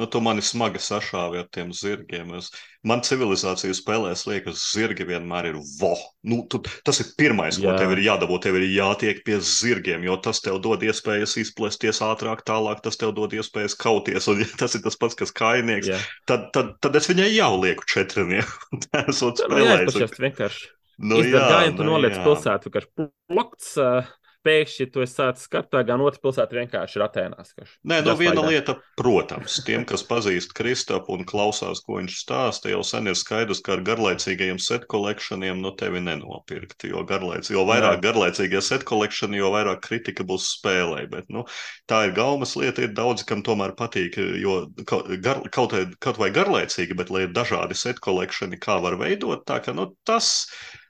Nu, tu mani smagi sašāvi ar tiem zirgiem. Es, man civilizāciju spēlēs liekas, zirgi vienmēr ir vo. Nu, tu, tas ir pirmais,
Jā.
ko tev ir jādabū. Tev ir jātiek pie zirgiem, jo tas tev dod iespējas izplēsties ātrāk, tālāk tas tev dod iespējas kauties. Un ja tas ir tas pats, kas kainieks,
Jā.
tad, tad, tad es viņai jau lieku četrnieku. Tā esot
Nu,
spēlējis.
jāizpašās vienkārši.
Nu,
Izdara
jā,
gājienu, tu
nu,
noliec
jā.
pilsētu, vienkārši plokts, uh, pēkšņi tu esi sācis kartā, gan otra pilsēta vienkārši ir Atēnās.
Nē, nu
Just
viena
like that.
lieta, protams, tiem, kas pazīst Kristapu un klausās, ko viņš stāsta, jau sen ir skaidrs, ka ar garlaicīgajiem set collectioniem nu tevi nenopirkt, jo, garlaic, jo vairāk
Nē.
garlaicīgie set collectioni, jo vairāk kritika būs spēlē, bet, nu, tā ir gaumas lieta, ir daudzi, kam tomēr patīk, jo kaut, gar, kaut, kaut vai garlaicīgi, bet lai ir dažādi set collectioni, kā var veidot, tā ka, nu, tas,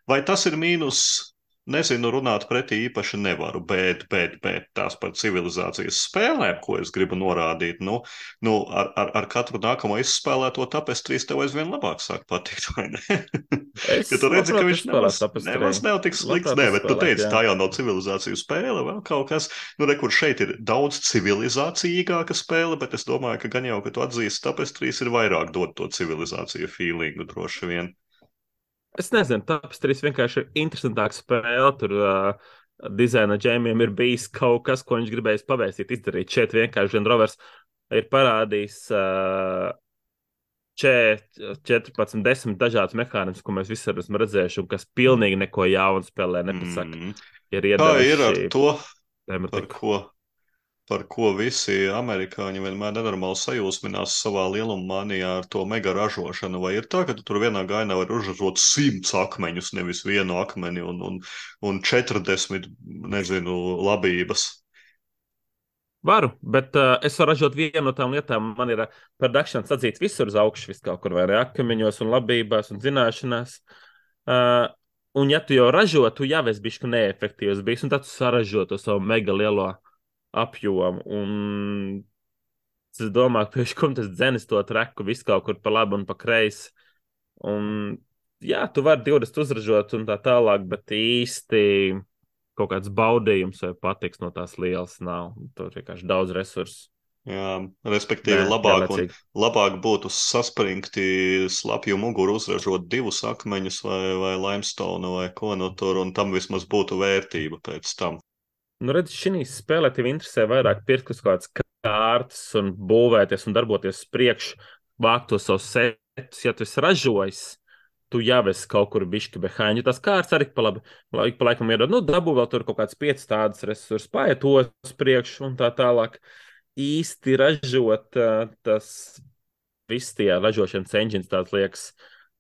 vai tas ir mīnus. Nezinu, runāt pretī īpaši nevaru, bet, bet, bet tās par civilizācijas spēlēm, ko es gribu norādīt, nu, nu ar, ar, ar katru nākamo izspēlēto tapestrīs tev aizvien labāk sāk patikt, vai ne?
Es
Ja tu redzi, ka
labprāt
viņš
izspēlētu
nemaz,
Tapestry.
nemaz nav tik slikts,
Labprāt
nē, bet tu
izspēlēt,
teici,
jā.
tā jau nav civilizāciju spēle, vēl kaut kas, nu, re, kur šeit ir daudz civilizācijīgāka spēle, bet es domāju, ka gan jau, ka tu atzīsti tapestrīs, ir vairāk dot to civilizāciju feelingu droši vien.
Es nezinu, Tapestries vienkārši ir interesantāka spēle. Tur uh, dizaina džēmiem ir bijis kaut kas, ko viņš gribējis pavēstīt, izdarīt. Šeit vienkārši Gen Rovers ir parādījis uh, četrpadsmit, desmit dažādas mehānismus, ko mēs visi esam redzējuši, un kas pilnīgi neko jaunu spēlē nepasaka.
Mm.
Ir
Kā ir ar
iedevuši
to, par
tematiku.
ko, par ko visi amerikāņi vienmēr nenormāli sajūsminās savā lielummanijā ar to mega ražošanu? Vai ir tā, ka tu tur vienā gainā var uzražot simts akmeņus, nevis vienu akmeni un, un, un četrdesmit, nezinu, labības?
Varu, bet uh, es varu ražot vienu no tām lietām. Man ir uh, production sadzīts visur uz augšu, vis kaut kur vai ne akmeņos un labībās un zināšanās. Uh, un ja tu jau ražo, tu jau esi bišķi neefektīvs bijis, un tad tu saražo to savu mega lielo apjomu. Un es domāju, ka pēc tam tas dzenis to treku visu kaut kur pa labi un pa kreisi. Un jā, tu vari divdesmit uzražot un tā tālāk, bet īsti kaut kāds baudījums vai patiks no tās lielas nav. Tur vienkārši daudz resursu.
Jā, respektīvi,
Nē,
labāk, un,
garlaicīgi.
labāk būtu saspringti slapju muguru uzražot divus akmeņus vai, vai limestone vai ko no tur, un tam vismaz būtu vērtība pēc tam.
Nu, redz, šī spēlē tev interesē vairāk pirkt uz kādas kārtas un būvēties un darboties uz priekšu, vākt tos savus setus. Ja tu esi ražojis, tu jau esi kaut kur bišķi behind, jo tās kārtas arī pa labi, ik pa laikam iedod, nu, dabū vēl tur kaut kāds piecas tādas resursus, paiet to uz priekšu un tā tālāk. Īsti ražot, uh, tas viss tie ražošanas engines tāds liekas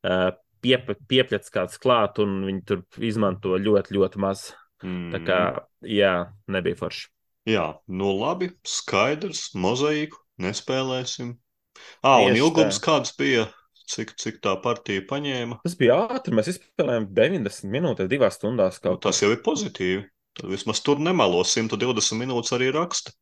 uh, piep, piepļats kāds klāt un viņi tur izmanto ļoti, ļoti maz.
Mm.
Tā kā, jā, nebija forši.
Jā, nu labi, skaidrs, mozaīku nespēlēsim. Ā, un
Tieši
ilgums
tā.
kāds bija, cik, cik tā partija paņēma?
Tas bija ātri, mēs izspēlējām deviņdesmit minūtes, divās stundās
Nu,
kaut
tas jau ir pozitīvi. Tad vismaz tur nemelo simt divdesmit minūtes arī raksta.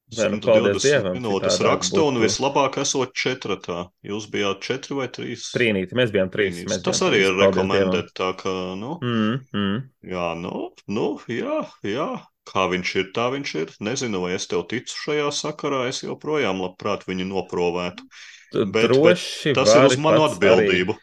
Nē, nu, paldies
simt divdesmit
Dievam,
minūtes
citādāk
raksta un
būtu-
vislabāk esot četratā. Jūs bijāt četri vai trīs?
Trīnīti, mēs bijām trīs.
Trīnītis.
Mēs
Tas
bijām
arī
trīs,
ir
paldies
rekomendēt, tā ka, nu,
Dievam. Mm, mm.
jā, nu, nu, jā, jā, kā viņš ir, tā viņš ir. Nezinu, vai es tev ticu šajā sakarā, es joprojām labprāt viņu noprovētu.
Tu
Bet, bet
droši
tas ir uz
vari
manu
pats arī
atbildību.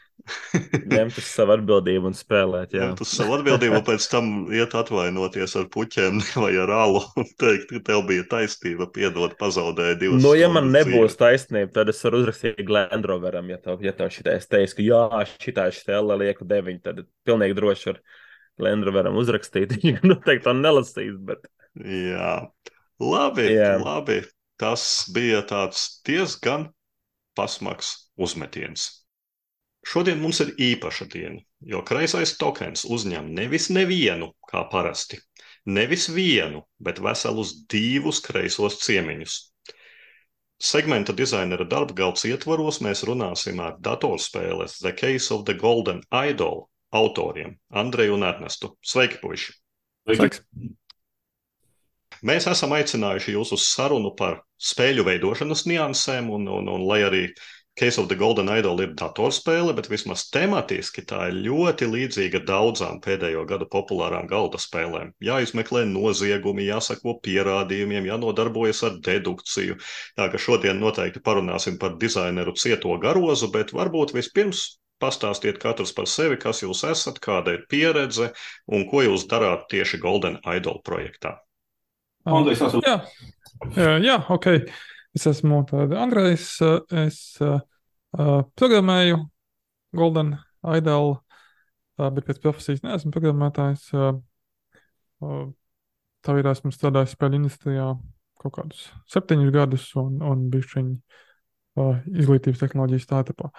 Ņemt uz savu atbildību un spēlēt, jā.
Ņemt uz savu atbildību, un pēc tam iet atvainoties ar puķiem vai ar alu un teikt, ka tev bija taisnība, piedod, pazaudēja divas
Nu, ja man
stundas
nebūs
dzīves.
taisnība, tad es varu uzrakstīt Glendroveram, ja tev, ja tev šitais teiks, ka jā, šitā stela lieku deviņi, tad pilnīgi droši var Glendroveram uzrakstīt. Viņš noteikti to nelasīs, bet
Jā, labi,
jā.
labi. Tas bija tāds diezgan pasmags uzmetiens. Šodien mums ir īpaša diena, jo kreisais tokens uzņem nevis nevienu, kā parasti, nevis vienu, bet veselus divus kreisos ciemiņus. Segmenta dizainera darba galds ietvaros mēs runāsim ar datorspēles The Case of the Golden Idol autoriem Andreju un Ernestu. Sveiki, puiši!
Sveiks!
Mēs esam aicinājuši jūs uz sarunu par spēļu veidošanas niansēm, un, un, un lai arī Case of the Golden Idol ir datorspēle, bet vismaz tematiski tā ir ļoti līdzīga daudzām pēdējo gadu populārām galda spēlēm. Jāizmeklē noziegumi, jāsako pierādījumiem, jānodarbojas ar dedukciju. Tā ka šodien noteikti parunāsim par dizaineru Cieto Garozu, bet varbūt vispirms pastāstiet katrs par sevi, kas jūs esat, kāda ir pieredze un ko jūs darāt tieši Golden Idol projektā.
Andrejs, esmu. Jā, jā, jā, ok. Es esmu tāda Andrejs, es uh, programmēju Golden Idol, uh, bet pēc profesijas neesmu programmētājs. Uh, uh, tā ir esmu strādājis spēļu industrijā kaut kādus septiņus gadus un, un bišķiņi uh, izglītības tehnoloģijas startupā.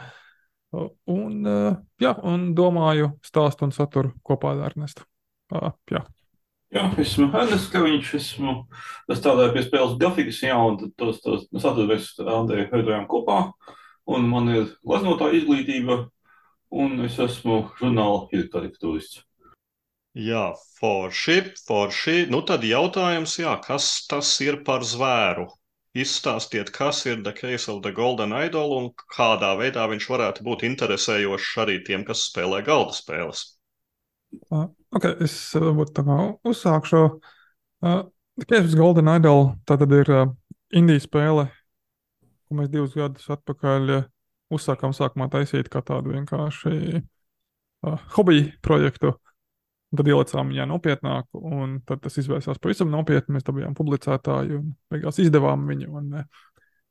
Uh, un, uh, jā, un domāju stāstu un saturu kopā ar Ernestu. Uh, jā.
Jā, esmu Ernests Kaviņš, esmu strādāju pie spēles grafikas, jā, un tos, tos saturu mēs Andreju veidojām kopā, un man ir gleznotāja izglītība, un es esmu žurnāla karikatūrists.
Jā, forši, forši. Nu tad jautājums, jā, kas tas ir par zvēru? Izstāstiet, kas ir The Case of the Golden Idol un kādā veidā viņš varētu būt interesējošs arī tiem, kas spēlē galda spēles.
Uh, ok, es varbūt tā kā uzsākšu. Uh, The Case of the Golden Idol, tā tad ir uh, indija spēle, ko mēs divus gadus atpakaļ uh, uzsākām sākumā taisīt kā tādu vienkārši uh, hobiju projektu. Tad ielicām viņā nopietnāk, un tad tas izvērsās pavisam nopietni. Mēs dabījām publicētāju un beigās izdevām viņu, un uh,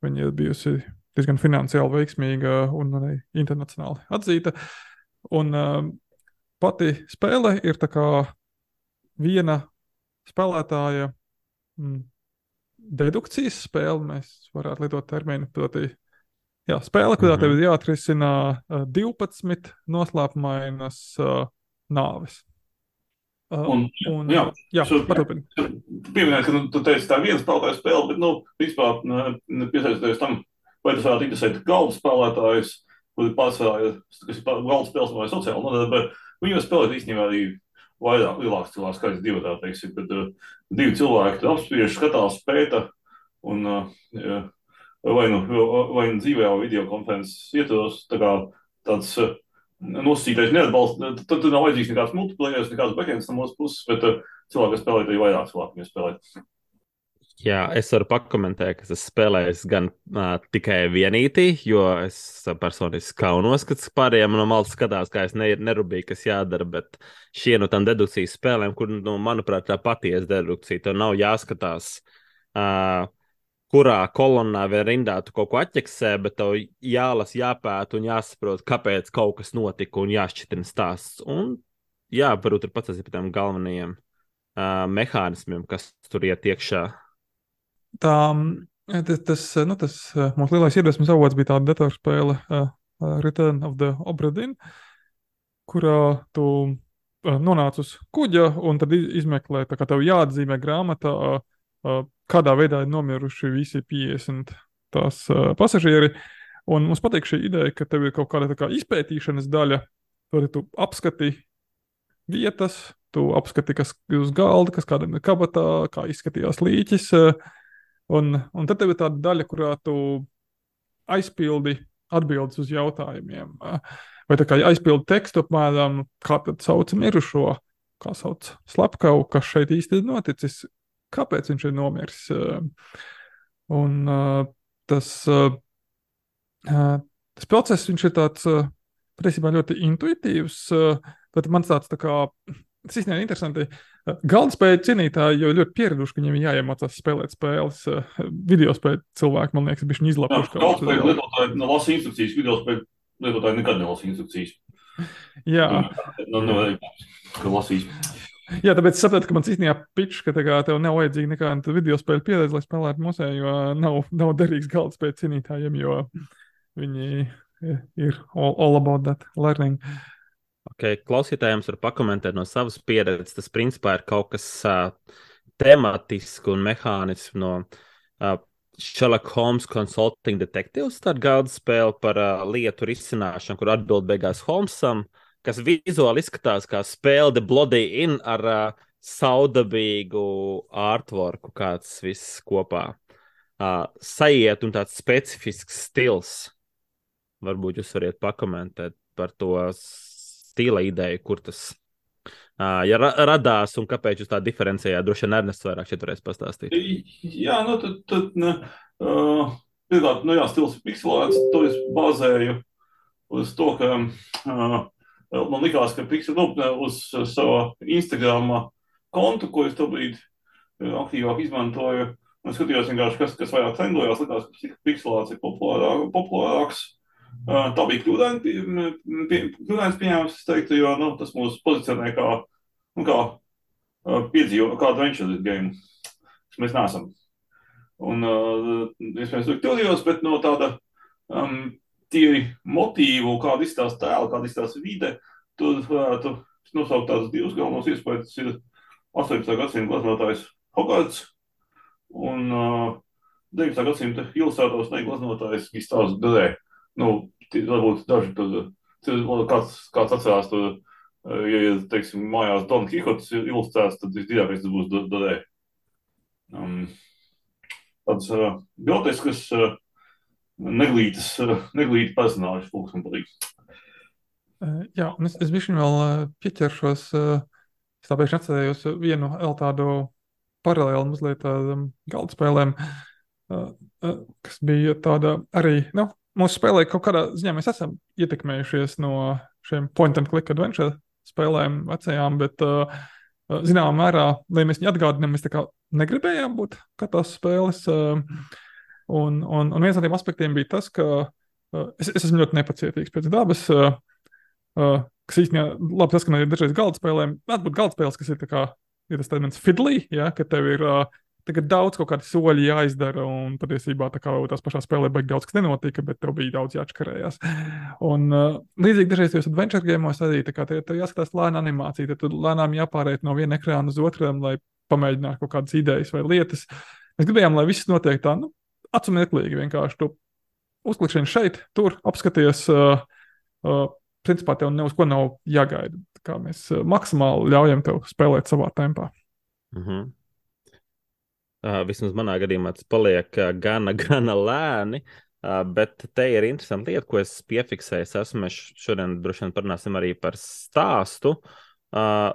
viņa ir bijusi diezgan finansiāli veiksmīga un arī internacionāli atzīta. Un uh, pati spēle ir tā kā viena spēlētāja mm, dedukcijas spēle, mēs varētu lietot terminu, proti, jā, spēle, kurā
Mhm.
tev ir jāatrisina uh, divpadsmit noslēpumainas uh, nāves. Uh,
Un,
un,
jā,
uh, jā,
šo-
paturpini.
Tu pieminēji, ka nu, tu teici tā viena spēlētāja spēle, bet, nu, vispār piesaistoties tam, vai tas varētu interesēt galda spēlētājus, kuri pārsvarā ir, kas ir pār- galda spēles vai sociāli nodarbe, viņi var spēlēt īstenībā arī vairāk, lielāks cilvēks skaits divi, tā teiksim, bet uh, divi cilvēki tur apspriež, skatās, pēta, un uh, jā, vai nu, vai nu dzīvē vai videokonferences ietvaros, tā kā tāds uh, nosacītais neatbalsta, tad tur nav vajadzīgs nekāds multiplayers, nekāds backends no mūsu puses, bet uh, cilvēki, kas spēlē, arī vairāk cilvēku viņu spēlēt.
Jā, es varu pakomentēt, ka es spēlēju gan uh, tikai vienītī, jo es personiski kaunos, ka pārējiem no malas skatās, kā es ne, nerūpīgi, kas jādara, bet šie no tām dedukcijas spēlēm, kur, nu, manuprāt, tā patiesa dedukcija, tev nav jāskatās, uh, kurā kolonnā vai rindā tu kaut ko atķeksē, bet tev jālas, jāpēta un jāsaprot, kāpēc kaut kas notika un jāšķitina stāsts. Un jā, varbūt ir pats par tiem galvenajiem uh, mehānismiem, kas tur iet iekšā.
Tā, tas, tas, nu, tas uh, mūsu lielais iedvesmas avots bija tāda datorspēle uh, uh, Return of the Obra Dinn, kurā tu uh, nonāc uz kuģa un tad iz- izmeklē, tā kā tev jāatzīmē grāmatā, uh, uh, kādā veidā ir nomiruši visi piecdesmit tās uh, pasažieri. Un mums patīk šī ideja, ka tev ir kaut kāda tā kā izpētīšanas daļa, tur tu apskati vietas, tu apskati, kas ir uz galda, kas kādam ir kabatā, kā izskatījās līķis. uh, Un, un tad tev ir tāda daļa, kurā tu aizpildi atbildes uz jautājumiem. Vai tā kā aizpildi tekstu apmēram, kā tad sauc mirušo, kā sauc slepkavu, kas šeit īsti ir noticis, kāpēc viņš ir nomiris. Un uh, tas, uh, tas process, viņš ir tāds, uh, patiesībā ļoti intuitīvs. Tad man tāds tā kā, tas īstenībā ir interesanti. Galda spēļu cienītāji jau ļoti pieraduši, ka viņiem ir jāiemācās spēlēt spēles. Video spēļu cilvēki, man liekas, bišķiņ izlapuši.
Galda spēļu lietotāji lasa instrukcijas, video spēļu lietotāji nekad nelasa instrukcijas.
Jā.
Nu, nu, ka lasīs.
Jā, tāpēc es saprotu, ka man īstenībā pičs, ka tā kā tev nav vajadzīga nekāda video spēļu pieredze, lai spēlētu musē, jo nav, nav derīgs galda spēļu cienītājiem, jo viņi ir all, all about that learning.
Okay, klausītājiem var pakomentēt no savas pieredzes. Tas principā ir kaut kas uh, tematisks un mehānisks no uh, Sherlock Holmes Consulting Detectives, tāda galda spēle par uh, lietu risināšanu, kur atbild beigās Holmesam, kas vizuāli izskatās kā spēle The Bloody Inn ar uh, saudabīgu artworku, kāds viss kopā uh, sajiet un tāds specifisks stils. Varbūt jūs variet pakomentēt par to stila ideju, kur tas uh, ja ra radās un kāpēc jūs tā diferencējāt. Droši vien Ernests vairāk šeit varēs pastāstīt.
Jā, nu tad, tad ne, uh, pirmkārt, nu jā, stils ir pikselēts, to es bāzēju uz to, ka uh, man likās, ka Pixel, nu, uz savu Instagram kontu, ko es tobrīd aktīvāk izmantoju, un skatījos vienkārši, kas, kas vairāk trendojās, likās, ka Pixelāts ir populārāk, populārāks. Tā bija kļūdaini pie, pie, kļūdainis pieņēmums, es teiktu, jo nu, tas mūs pozicionē kā, nu, kā piedzīvo, kā adventure game, kas mēs neesam. Un, es mēs tur kļūdījos, bet no tāda um, tīri motīvu, kāda izstās tēla, kāda izstās vide, tur varētu nosaukt tādus divus galvenos iespējas. Tas ir astoņpadsmitā gadsimta glaznotājs Hogarts un uh, deviņpadsmitā gadsimta ilustrātors neglaznotājs Gistavs Dorē. Nu, varbūt daži tur, kāds, kāds atcerās tur, ja, teiksim, mājās Don Kihots ir ilustrēts, tad visdrīzākais tas būs Dorē. Um, tāds uh, groteskas, uh, neglītas, uh, neglīti personāžas, lūks man patīk.
Uh, jā, un es, es bišķiņ vēl uh, pieķeršos, uh, es tāpēc atcerējos vienu vēl tādu paralēlu mazliet tādam galda spēlēm, uh, uh, kas bija tāda arī, nu, mūsu spēlē kaut kādā ziņā mēs esam ietekmējušies no šiem point and click adventure spēlēm vecajām, bet uh, zināmā mērā, lai mēs viņu atgādinām, mēs tā kā negribējām būt kā tās spēles. Uh, un, un, un viens no tiem aspektiem bija tas, ka uh, es, es esmu ļoti nepacietīgs pēc dabas, uh, uh, kas īstenībā labi tas, ka man ir dažreiz galda spēlēm, varētu būt galda spēles, kas ir tā kā, ir tas tāds fiddly, ja, ka tev ir uh, tagad daudz kaut kādi soļi jāizdara, un patiesībā tā kā tās pašā spēlē baigi daudz kas nenotika, bet tev bija daudz jāatškarējās. Un uh, līdzīgi dažreiz tajos adventure game'os arī, tā kā tev, tev jāskatās lēna animācija, tad tu lēnām jāpāriet no viena ekrāna uz otram, lai pamēģinātu kaut kādas idejas vai lietas. Mēs gribējām, lai viss notiek tā, nu, acu meklīgi vienkārši. Tu uzklikšķieni šeit, tur, apskaties, uh, uh, principā tev ne uz ko nav jāgaida. Tā kā mēs uh, maksimāli ļaujam tev spēlēt savā tempā.
Mhm. Uh, vismaz manā gadījumā tas paliek uh, gana, gana lēni, uh, bet te ir interesanti lieta, ko es piefiksēju. Es esmu, mēs šodien droši vien parunāsim arī par stāstu. Uh,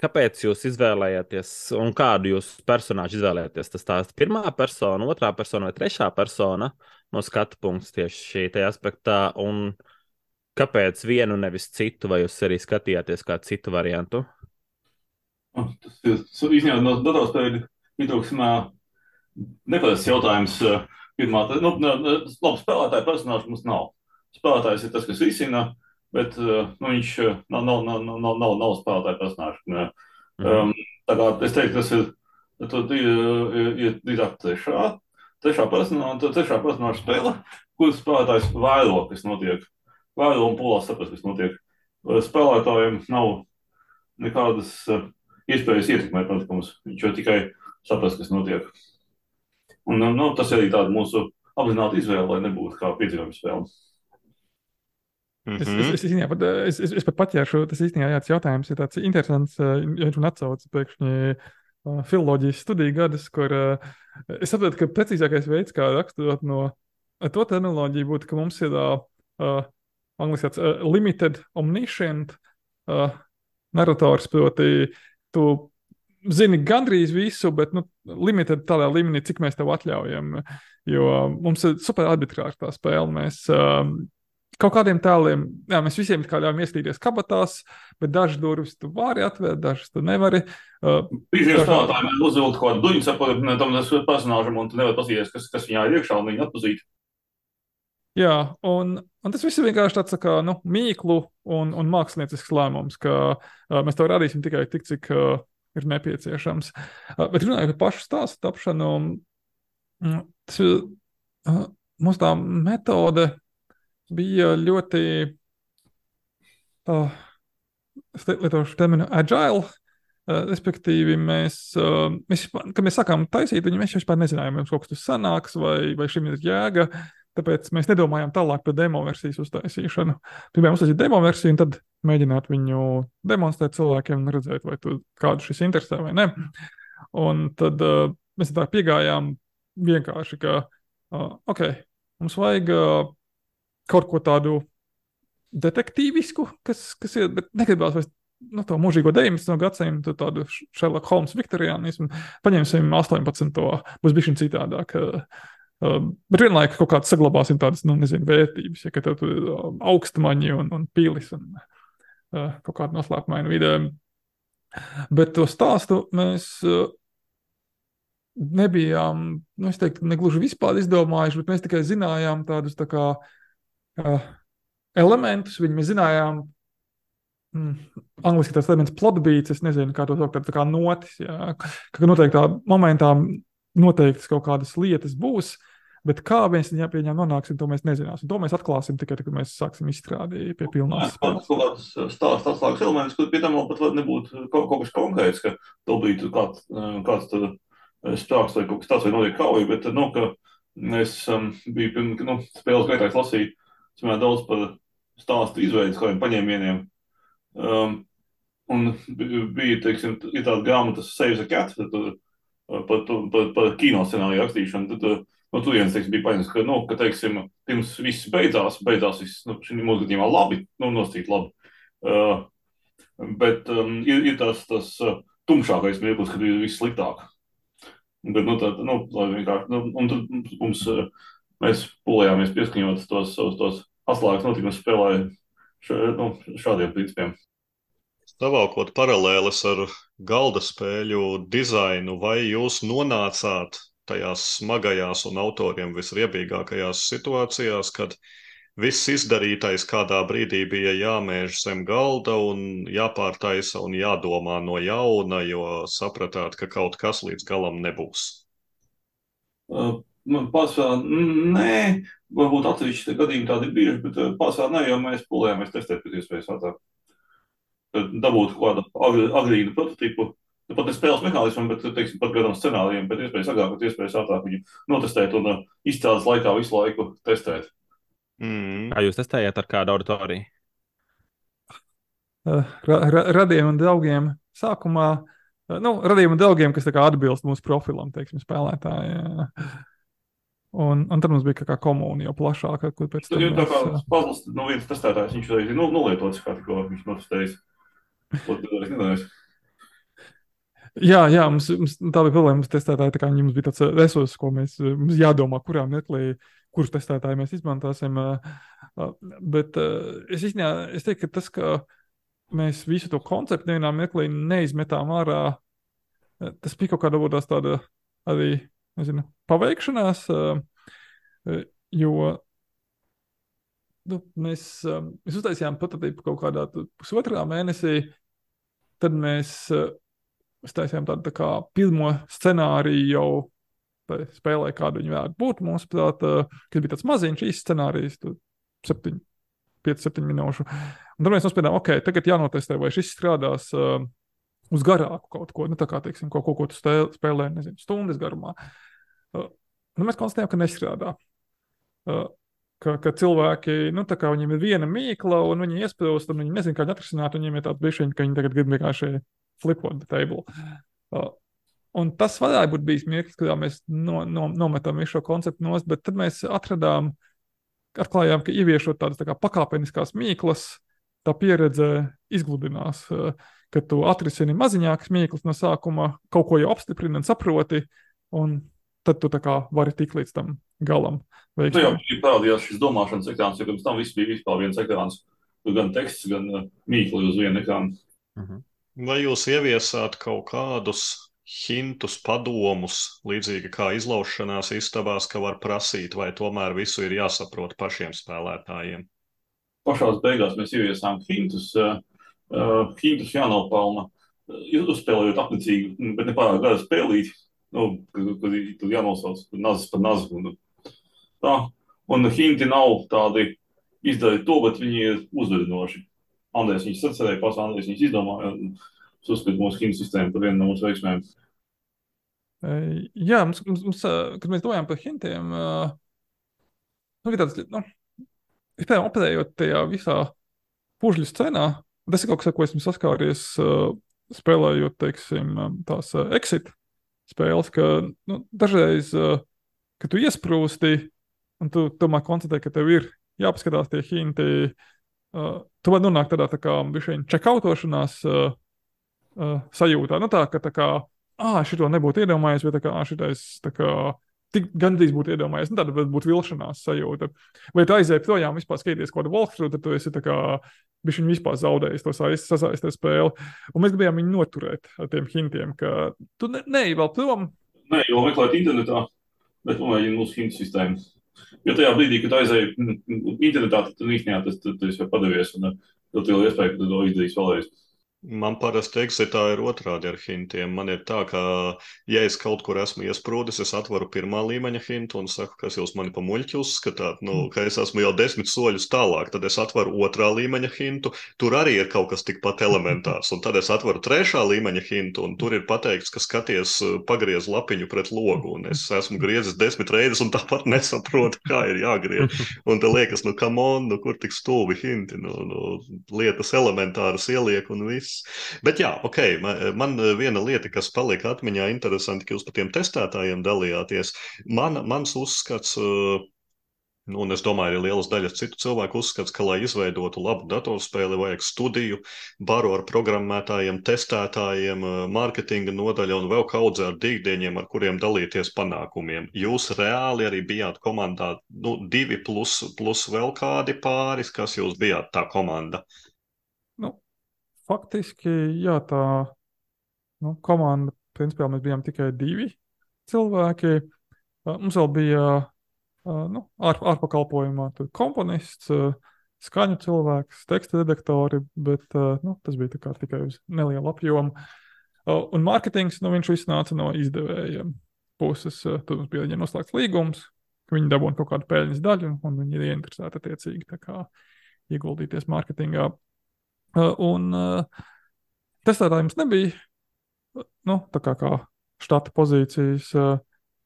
kāpēc jūs izvēlējāties un kādu jūs personāžu izvēlējāties? Tas stāsts pirmā persona, otrā persona vai trešā persona no skatu punkts tieši šī te aspektā, un kāpēc vienu nevis citu, vai jūs arī skatījāties kādu citu variantu?
Tas ir izņēma no datorspēļu. Mitūksimā neparasts jautājums. Pirmā, nu, labi, spēlētāja personāžu mums nav. Spēlētājs ir tas, kas risina, bet nu, viņš nav, nav, nav, nav, nav, nav spēlētāja personāžu. Um, tā kā es teiktu, tas ir, ir, ir drīzāk trešā, trešā personāža, trešā personāža spēle, kuras spēlētājs vēro, kas notiek. Vēro un pūlās saprast, kas notiek. Spēlētājiem nav nekādas iespējas ietekmēt notikumus. Viņš jau tikai saprast, kas notiek. Un, nu, tas arī tāda mūsu apzināta izvēle, lai nebūtu kā piedzīvojuma spēle.
Mm-hmm. Es, es, es, īstenībā, es, es, es pat paķēršu, tas īstenībā jāts jautājums ir tāds interesants, ja viņš man atsauc pēkšņi uh, filoloģijas studiju gadus, kur uh, es saprotu, ka precīzākais veids, kā raksturot no uh, to terminoloģiju būtu, ka mums ir uh, uh, angliski tāds uh, limited omniscient uh, narrators, proti tu zini gandrīz visu, bet nu, limited tādā līmenī, cik mēs tev atļaujam. Jo mums ir super arbitrāri tā spēle. Mēs um, kaut kādiem tēliem, jā, mēs visiem kā ļaujam ieskatīties kabatās, bet dažas durvis tu vari atvērt, dažas tu nevari. Uh,
Bieži vien spēlētājiem uzvilkt kaut kādu duņu saprotu tam personāžam, un tu nevari paskatīties, kas, kas viņā ir iekšā, un viņu atpazīt.
Jā, un, un tas viss ir vienkārši tāds tā kā, nu, mīklu un, un māksliniecisks lēmums, ka uh, mēs to radīsim tikai tik, cik uh, ir nepieciešams. Uh, bet runājot par pašu stāstu tapšanu, um, tas, uh, mums tā metode bija ļoti, uh, es lietošu terminu agile, uh, respektīvi mēs, uh, mēs, kad mēs sākām taisīt, viņi mēs vispār nezinājām, mums kaut kas tas sanāks, vai, vai šim ir jēga, tāpēc mēs nedomājām tālāk par demo versijas uztaisīšanu. Pirmajā uztaisīt demo versiju un tad mēģināt viņu demonstrēt cilvēkiem un redzēt, vai tu kādu šis interesē vai ne. Un tad uh, mēs tā piegājām vienkārši, ka, uh, ok, mums vajag uh, kaut ko tādu detektīvisku, kas, kas ir, bet negribās vairs nu, to mūžīgo deviņpadsmito gadsimtu, tādu Sherlock Holmes viktoriānismu, paņemsim astoņpadsmito būs bišķiņ citādāk. Uh, uh, bet vienlaika kaut kāds saglabāsim tādas, nu, nezinu, vērtības, ja, ka tev tur uh, augstmaņi un, un pilis un uh, kaut kādu noslēpumainu vide. Bet to stāstu mēs uh, nebijām, nu, es teiktu, negluži vispār izdomājuši, bet mēs tikai zinājām tādus tā kā uh, elementus, viņi mēs zinājām, mm, angliski tas elements plot beats, es nezinu, kā to saukt, tā kā notis, jā, ka noteiktā momentā noteiktas kaut kādas lietas būs, bet kā mēs viņā pie viņām nonāksim, to mēs nezināsim. To mēs atklāsim tikai, kad mēs sāksim izstrādīt pie pilnās spēles.
Kaut kāds stāsts atslēgas elements, kur pie tam vēl pat nebūtu kaut, kaut kas konkrēts, ka to bija kāds, kāds tad sprāks vai kaut kas tāds vai notiek kauja, bet, nu, ka es um, biju, nu, spēles gaitā lasīju, es vienmēr daudz par stāstu izveidas kādiem paņēmieniem. Um, un bija, teiksim, ir tāda grāmata Save the Cat, tad, par, par, par kino scenāriju rakstīšanu, tad no turienes, teiksim, bija paņemts, ka, nu, ka, teiksim, pirms viss beidzās, beidzās viss, nu, šī mūsu gadījumā labi, nu, nosacīt labi. Uh, bet um, ir, ir tas, tas uh, tumšākais mirklis, kad ir viss sliktāk. Bet, nu, tā, nu, lai vienkārši, nu, un tad mums, uh, mēs pulējāmies pieskaņot tos, tos, tos atslēgas notikumus spēlē š, nu, šādiem principiem.
Savalkot paralēles ar galda spēļu dizainu, vai jūs nonācāt tajās smagajās un autoriem visriebīgākajās situācijās, kad viss izdarītais kādā brīdī bija jāmēž zem galda un jāpārtaisa un jādomā no jauna, jo sapratāt, ka kaut kas līdz galam nebūs?
Uh, man pārsvarā nē, varbūt atsevišķi gadījumi tādi ir bieži, bet pārsvarā nē, jo mēs pulējāmies testēt pēc iespējas ātrāk. Dabūt kādu agri, agrīnu prototipu, pat ne spēles mehānismam, bet, teiksim, pat kādam scenārijiem, bet iespējas agrāk, bet iespējas ātrāk viņu notestēt un uh, izstrādes laikā visu laiku testēt.
Mm. Kā jūs testējāt ar kādu auditoriju?
Uh, ra, ra, radiem un draugiem sākumā, uh, nu, radiem un draugiem, kas tā kā atbilst mūsu profilam, teiksim, spēlētāji. Uh, un, un tad mums bija kā komūna jau plašāka, kur pēc tam
mēs... Tā kā
uh,
Pazls, nu, viens testētājs, viņš reiz ir nu, nolietots, kā tikko viņš notestējis. To es nedēļas.
Jā, jā, mums, mums tā bija problēma, mums testētāji, tā kā mums bija tāds resurss, ko mēs, mums jādomā, kurā meklī, kurus testētāji mēs izmantāsim, bet es īstenībā, es teiktu, ka tas, ka mēs visu to konceptu nevienā meklī neizmetām ārā, tas bija kaut kāda vodās tāda arī, nezinu, paveikšanās, jo nu, mēs, mēs uztaisījām prototipu kaut kādā pusotrā mēnesī, tad mēs Mēs taisījām tādu tā kā pirmo scenāriju jau spēlē, kādu viņi varētu būt. Mums prāt, kas bija tāds maziņš īsts scenārijs, pieci septiņi minūšu. Un tad mēs nospēdām, ok, tagad jānotestē, vai šis strādās uh, uz garāku kaut ko, nu tā kā, teiksim, kaut ko, ko tu spēlē, nezinu, stundas garumā. Uh, nu mēs konstatējām, ka nestrādā. Uh, ka, ka cilvēki, nu tā kā viņiem ir viena mīkla, un viņi iesprūst, un viņi nezin, kā viņi atrisināt, un viņiem ir tāds bišķiņi, ka viņi tagad grib vienkārši flipot the table. Uh, un tas varētu būt bijis mirklis, kad mēs no, no, nometam visu šo konceptu nost, bet tad mēs atradām, atklājām, ka ieviešot tādas tā kā pakāpeniskās mīklas, tā pieredze izgludinās, uh, ka tu atrisini maziņākas mīklas no sākuma, kaut ko jau apstiprini un saproti, un tad tu tā kā vari tikt līdz tam galam
Tu jau
veiksmīgi.
parādījās šis domāšanas ekrāns, jo pirms tam viss bija vispār viens ekrāns. Tur gan teksts, gan uh, mīkli uz vienu ekrānu.
Mhm.
Vai jūs ieviesāt kaut kādus hintus, padomus, līdzīgi kā izlaušanās istabās, ka var prasīt, vai tomēr visu ir jāsaprot pašiem spēlētājiem?
Pašās beigās mēs ieviesām hintus. Uh, uh, hintus jānopelna, uh, uzspēlējot apnicīgi, bet ne pārāk gara spēlīt. Nu, kad, kad tur jānosauc nazis par nazi. Un, tā. Un hinti nav tādi izdarīt to, bet viņi ir uzvedinoši. Andrēs viņus sacerēja, pats Andrēs viņus izdomāja. Es uzskatu mūsu hintu sistēmu par vienu no mūsu veiksmēm.
Jā, mums, mums, mums, kad mēs domājam par hintiem, nu, ir tāds, nu, vispār operējot tajā visā pužļu scenā, tas ir kaut kas, ar ko esmu saskāries spēlējot, teiksim, tās exit spēles, ka, nu, dažreiz, kad tu iesprūsti un tu tomēr konstatē, ka tev ir jāpaskatās tie hinti, tu vari nonākt tādā tā kā bišķiņ čekautošanās Uh, sajūtā. Nu tā, ka tā kā, ā, šito nebūtu iedomājies, vai tā kā, ā, šitais, tā kā, tik gandrīz būtu iedomājies. Nu tāda būtu vilšanās sajūta. Vai tu aizēji projām vispār skaties kaut kādu walkthrough, tad tu esi tā kā, bišķiņ vispār zaudējis to sasaistē spēli. Un mēs gribējām viņu noturēt ar tiem hintiem, ka tu ne, neej vēl prom.
Nē, jo meklēt internetā, bet pamēģini mūsu hintu sistēmu. Jo tajā brīdī, kad aizēji internetā, tad tu īstenībā tas, tas, tas jau padavies, un tad tev ir iespēja, ka tu to izdarīs vēlreiz.
Man parasti exitā ir otrādi ar hintiem. Man ir tā, ka, ja es kaut kur esmu iesprūdis, es atveru pirmā līmeņa hintu un saku, kas jūs mani pa muļķi uzskatāt, nu, ka es esmu jau desmit soļus tālāk. Tad es atveru otrā līmeņa hintu, tur arī ir kaut kas tikpat elementārs. Un tad es atveru trešā līmeņa hintu, un tur ir pateikts, ka skaties pagriez lapiņu pret logu. Un es esmu griezis desmit reizes un tāpat nesaprotu, kā ir jāgriez. Un te liekas, nu, come on, nu, kur tik stulbi hinti, nu, nu, lietas elementāras ieliek un viss. Bet jā, ok, man, man viena lieta, kas palika atmiņā interesanti, ka jūs par tiem testētājiem dalījāties. Man, mans uzskats, nu, un es domāju, arī lielas daļas citu cilvēku uzskats, ka, lai izveidotu labu datorspēli, vajag studiju, baru ar programmētājiem, testētājiem, mārketinga nodaļa un vēl kaudze ar dīgdieņiem, ar kuriem dalīties panākumiem. Jūs reāli arī bijāt komandā, nu, divi plus, plus vēl kādi pāris, kas jūs bijāt tā komanda?
Nu. Faktiski, jā, tā nu, komanda, principā mēs bijām tikai divi cilvēki. Mums vēl bija nu, ār, ārpakalpojumā komponists, skaņu cilvēks, teksta redaktori, bet nu, tas bija tā kā tikai uz nelielu apjomu. Un mārketings, nu, viņš viss nāca no izdevējiem puses. Tur mums bija viņiem noslēgts līgums, ka viņi dabūna kaut kādu peļņas daļu, un viņi ir ieinteresēti attiecīgi tā kā ieguldīties mārketingā. Uh, un uh, testētāji mums nebija, nu, tā kā, kā štata pozīcijas, uh,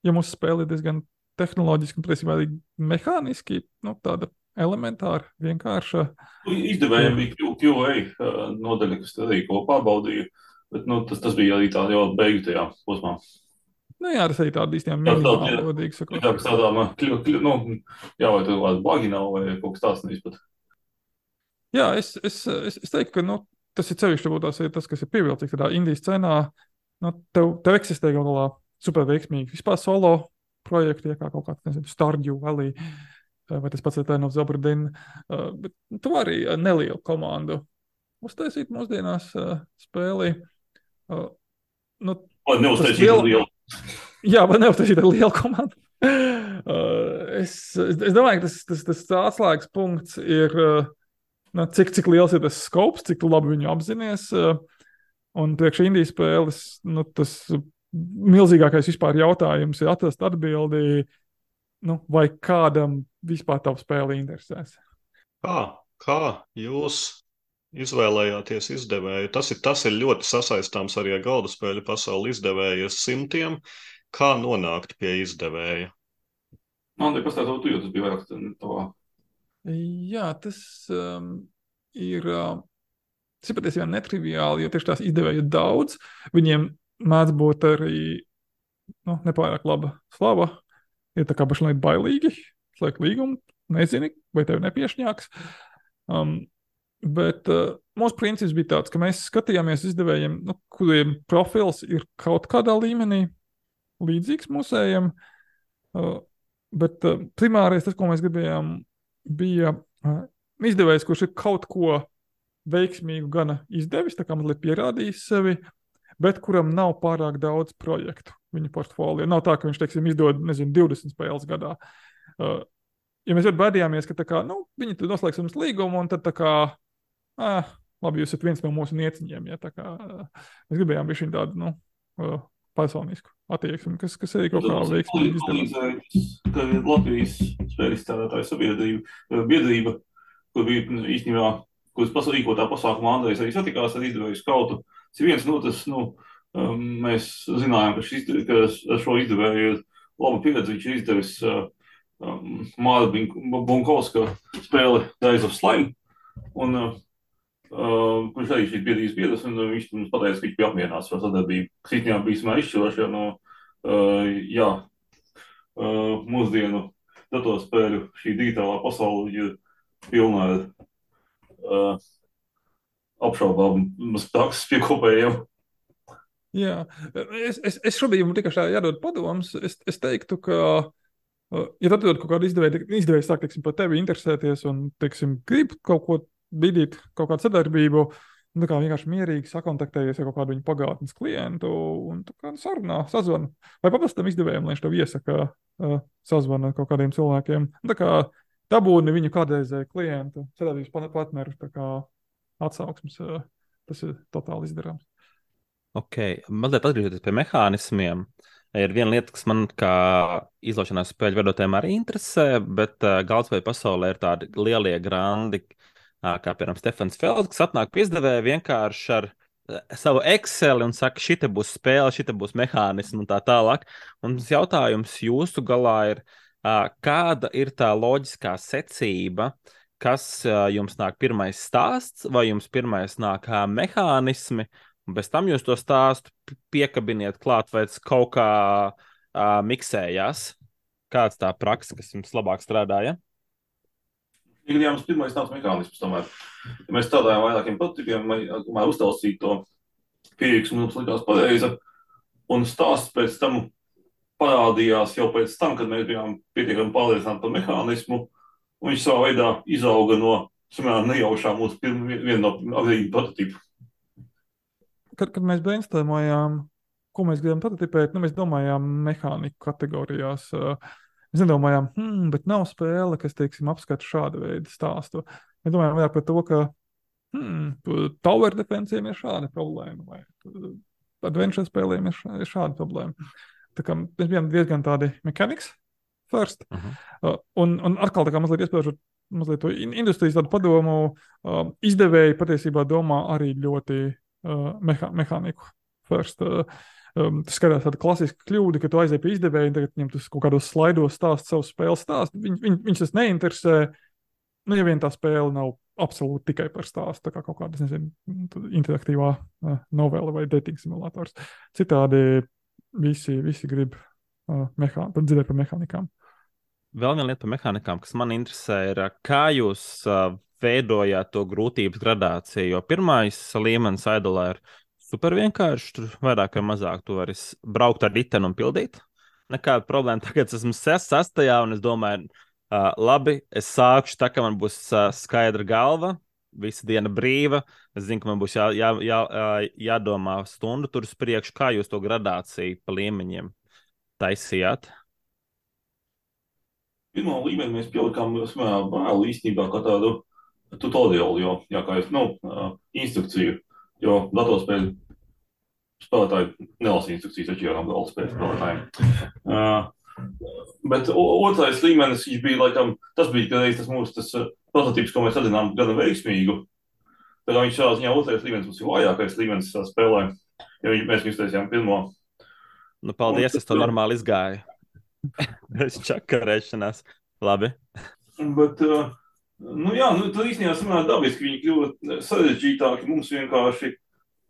ja mūsu spēle ir diezgan tehnoloģiski un, principā, arī mehāniski, nu, tāda elementāra, vienkārša.
Izdevējiem bija Q A uh, nodaļa, kas arī ko pārbaudīja, bet, nu, tas, tas bija arī tā jau beigu tajā posmā.
Nu jā, tas arī tāda īstenībā minimāla, godīgi sakot.
Jā, kas tādām, kļu, kļu, nu, jā, vai tur kāds bagi nav, vai kaut kas tāds neizpat.
Jā, es, es, es, es teiktu, ka nu, tas ir cevišķi būtās ir tas, kas ir pievilcīgs tādā indijas scenā. Nu, tev, tev eksistē galā super veiksmīgi vispār solo projekti, ja kā kaut kāds, nezinu, Stardew Valley, vai tas pats Return of the Obra Dinn. Uh, bet tu arī nelielu komandu uztaisīt mūsdienās uh, spēli. Uh, nu,
vai neuztaisīt liel... lielu?
Jā, vai neuztaisīt ar lielu komandu. uh, es, es, es domāju, ka tas, tas, tas atslēgas punkts ir... Uh, Cik, cik liels ir tas skops, cik labi viņu apzinies. Un priekš indijas spēles, nu, tas milzīgākais vispār jautājums ir atrast atbildi, nu, vai kādam vispār tavu spēli interesēs.
Kā, kā jūs izvēlējāties izdevēju? Tas ir, tas ir ļoti sasaistāms arī ar galda spēļu pasauli izdevējas simtiem. Kā nonākt pie izdevēja?
Man te pastāstot, tu, jo tas bija vairāk tavā.
Jā, tas um, ir, uh, tas ir patiesībā netriviāli, jo tieši tās izdevēju ir daudz. Viņiem mēdz būt arī nu, nepārāk laba slava. Ir tā kā pašlaik bailīgi, slēgt līgumu, nezini, vai tev nepiešņāks. Um, bet uh, mūsu princips bija tāds, ka mēs skatījāmies izdevējiem, nu, kuriem profils ir kaut kādā līmenī līdzīgs mūsējiem. Uh, Bet uh, primārais tas, ko mēs gribējām, bija uh, izdevējs, kurš ir kaut ko veiksmīgu gana izdevis, tā kā mazliet pierādījis sevi, bet kuram nav pārāk daudz projektu viņa portfolio. Nav tā, ka viņš, teiksim, izdod, nezinu, divdesmit spēles gadā. Uh, ja mēs ļoti baidījāmies, ka tā kā, nu, viņi tur noslēgs mums līgumu, un tad tā kā, ah, labi, jūs esat viens no mūsu nieciņiem, ja tā kā, uh, mēs gribējām bišķiņ tādu, nu, uh, personisku attieksmi, kas, kas arī kaut kā veiksmīgi izdevās.
Ka Latvijas spēļu izstrādātāju sabiedrība, biedrība, kur bija īstenībā, kuras pasarīkotā pasākumā Andrejs arī satikās ar izdevēju skautu. Tas ir viens, nu, tas, nu, um, mēs zinājām, ka, šis, ka ar šo izdevēju ir laba pieredze, viņš ir izdevis um, Māra Bunkovska spēli Rise of Slime, un uh, Uh, kurš arī šīs biedrības biedrs, un uh, viņš mums pateica, ka viņš bija apmierināts ar sadarbību. Kas īstenībā bija samā izšķiroši, jo no, uh, jā, uh, mūsdienu datorspēļu šī digitālā pasaule ir pilna ar uh, apšaubām prakses piekopējiem.
Jā, es, es, es šobrīd jums tikai šā jādod padoms. Es, es teiktu, ka, uh, ja tad dod kaut kādu izdevēju, izdevēju sāk, teiksim, par tevi interesēties un, teiksim, grib kaut ko bidīt kaut kādu sadarbību, un tā kā vienkārši mierīgi sakontaktējies ar kaut kādu viņu pagātnes klientu un tā kā sarunā, sazvanu. Vai paprastam izdevējiem, lai viņš tev iesaka uh, sazvanu ar kaut kādiem cilvēkiem. Un tā kā dabūni viņu kādreizēju klientu, sadarbības partnerus, tā kā atsauksmes, uh, tas ir totāli izdarāms.
Ok, mazliet atgriežoties pie mehānismiem. Ir viena lieta, kas man kā izlaušanās spēļu vedotājiem arī interesē, bet uh, galvspēļu pasaulē ir tādi lielie grandi, kā piemēram Stefans Felds, kas atnāk pie izdevēja vienkārši ar savu Excel un saka, šite būs spēle, šite būs mehānismi un tā tālāk. Un jautājums jūsu galā ir, kāda ir tā loģiskā secība, kas jums nāk pirmais stāsts, vai jums pirmais nāk mehānismi, un pēc tam jūs to stāstu piekabiniet klāt, vai tas kaut kā uh, miksējās? Kāds tā praksa, kas jums labāk strādāja?
Ja mums pirmais nāca mehānisms, tomēr, ja mēs strādājām vairākiem prototypiem, tomēr uztaustīt to pieeju, kas mums likās pareiza, un stāsts pēc tam parādījās jau pēc tam, kad mēs bijām pietiekami pārliecināti par mehānismu, un viņš savā veidā izauga no, samērā nejaušā mūsu pirma, viena no agrīņu prototypu.
Kad, kad mēs brainstormojām, ko mēs gribam prototipēt, nu, mēs domājām mehāniku kategorijās. Mēs nedomājām, hmm, bet nav spēle, kas, teiksim, apskata šādu veidu stāstu. Mēs domājām vairāk par to, ka hmm, tower defensiem ir šāda problēma, vai adventure spēlēm ir šāda problēma. Tā kā mēs bijām diezgan tādi mechanics first. Uh-huh. Uh, un, un atkal tā kā mazliet iespējušot mazliet to industrijas tādu padomu, uh, izdevēji patiesībā domā arī ļoti uh, meha, mehāniku first. Uh, Um, tas skatās tāda klasiska kļūda, ka tu aizēji pie izdevēja un tagad viņam tas kaut kādos slaidos stāst savu spēles stāstu. Viņ, viņ, viņš tas neinteresē, nu, ja vien tā spēle nav absolūti tikai par stāstu, tā kā kaut kāda, nezinu, interaktīvā uh, novela vai dating simulators. Citādi visi, visi grib uh, mehā, dzirdēt par mehānikām.
Vēl viena lieta par mehānikām, kas man interesē, ir, kā jūs uh, veidojāt to grūtības gradāciju, jo pirmais līmenis Idolā ir super vienkārši, tur vairāk vai mazāk tu vari braukt ar riteni un pildīt. Nekāda problēma. Tagad esmu sastajā un es domāju, uh, labi, es sākšu tā, ka man būs uh, skaidra galva, visa diena brīva. Es zinu, ka man būs jā, jā, jā, jādomā stundu tur uz priekšu, kā jūs to gradāciju pa līmeņiem taisījāt.
Pirmā līmenī mēs pielikām vēl īstenībā kā tādu tutoriālu, jo, jā, kā es, nu, uh, instrukciju. Jo datorspēļu spēlētāji nelasa instrukcijas atšķirām galda spēļu spēlētājiem. Uh, bet otrais līmenis, viņš bija, laikam, tas bija kādreiz tas mūsu tas prototyps, ko mēs atzinām gana veiksmīgu. Tā kā viņš savā ziņā otrais līmenis mums ir vājākais līmenis spēlē, jo mēs viņu iztaisījām pirmo.
Nu, paldies, Un, es to normāli izgāju. Es čakarēšanās. Labi.
Bet... Uh, Nu jā, nu tad īstenībā samērā dabiski viņi kļuva sarežģītāki, mums vienkārši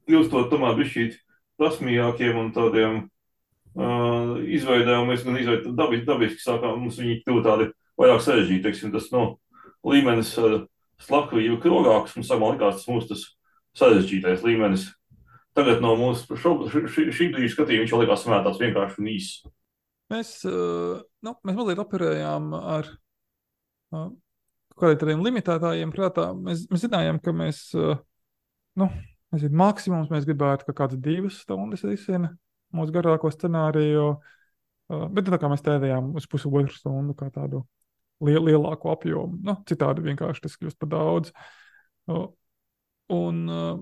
kļūstot tomēr bišķīt prasmīgākiem un tādiem uh, izveidēm, mēs gan izveidām dabiski, dabiski sākām, mums viņi kļuva tādi vairāk sarežģīti, teiksim, tas, nu, līmenis uh, slavklība krogāks, mums sākumā likās tas mūsu tas sarežģītais līmenis. Tagad no mūsu šo, šī, šī brīža skatījuma viņš jau likās samērā tāds vienkārši un īss.
mēs, uh, nu, mēs mazliet operējām ar uh, kādiem tādiem limitētājiem prātā. Mēs, mēs zinājām, ka mēs, uh, nu, mēs ir maksimums, mēs gribētu, ka kāds divas stundas risina mūsu garāko scenāriju, uh, bet tā kā mēs tēdējām uz pusotru stundu kā tādu liel, lielāku apjomu, nu, citādi vienkārši tas kļūst par daudz. Uh, un uh,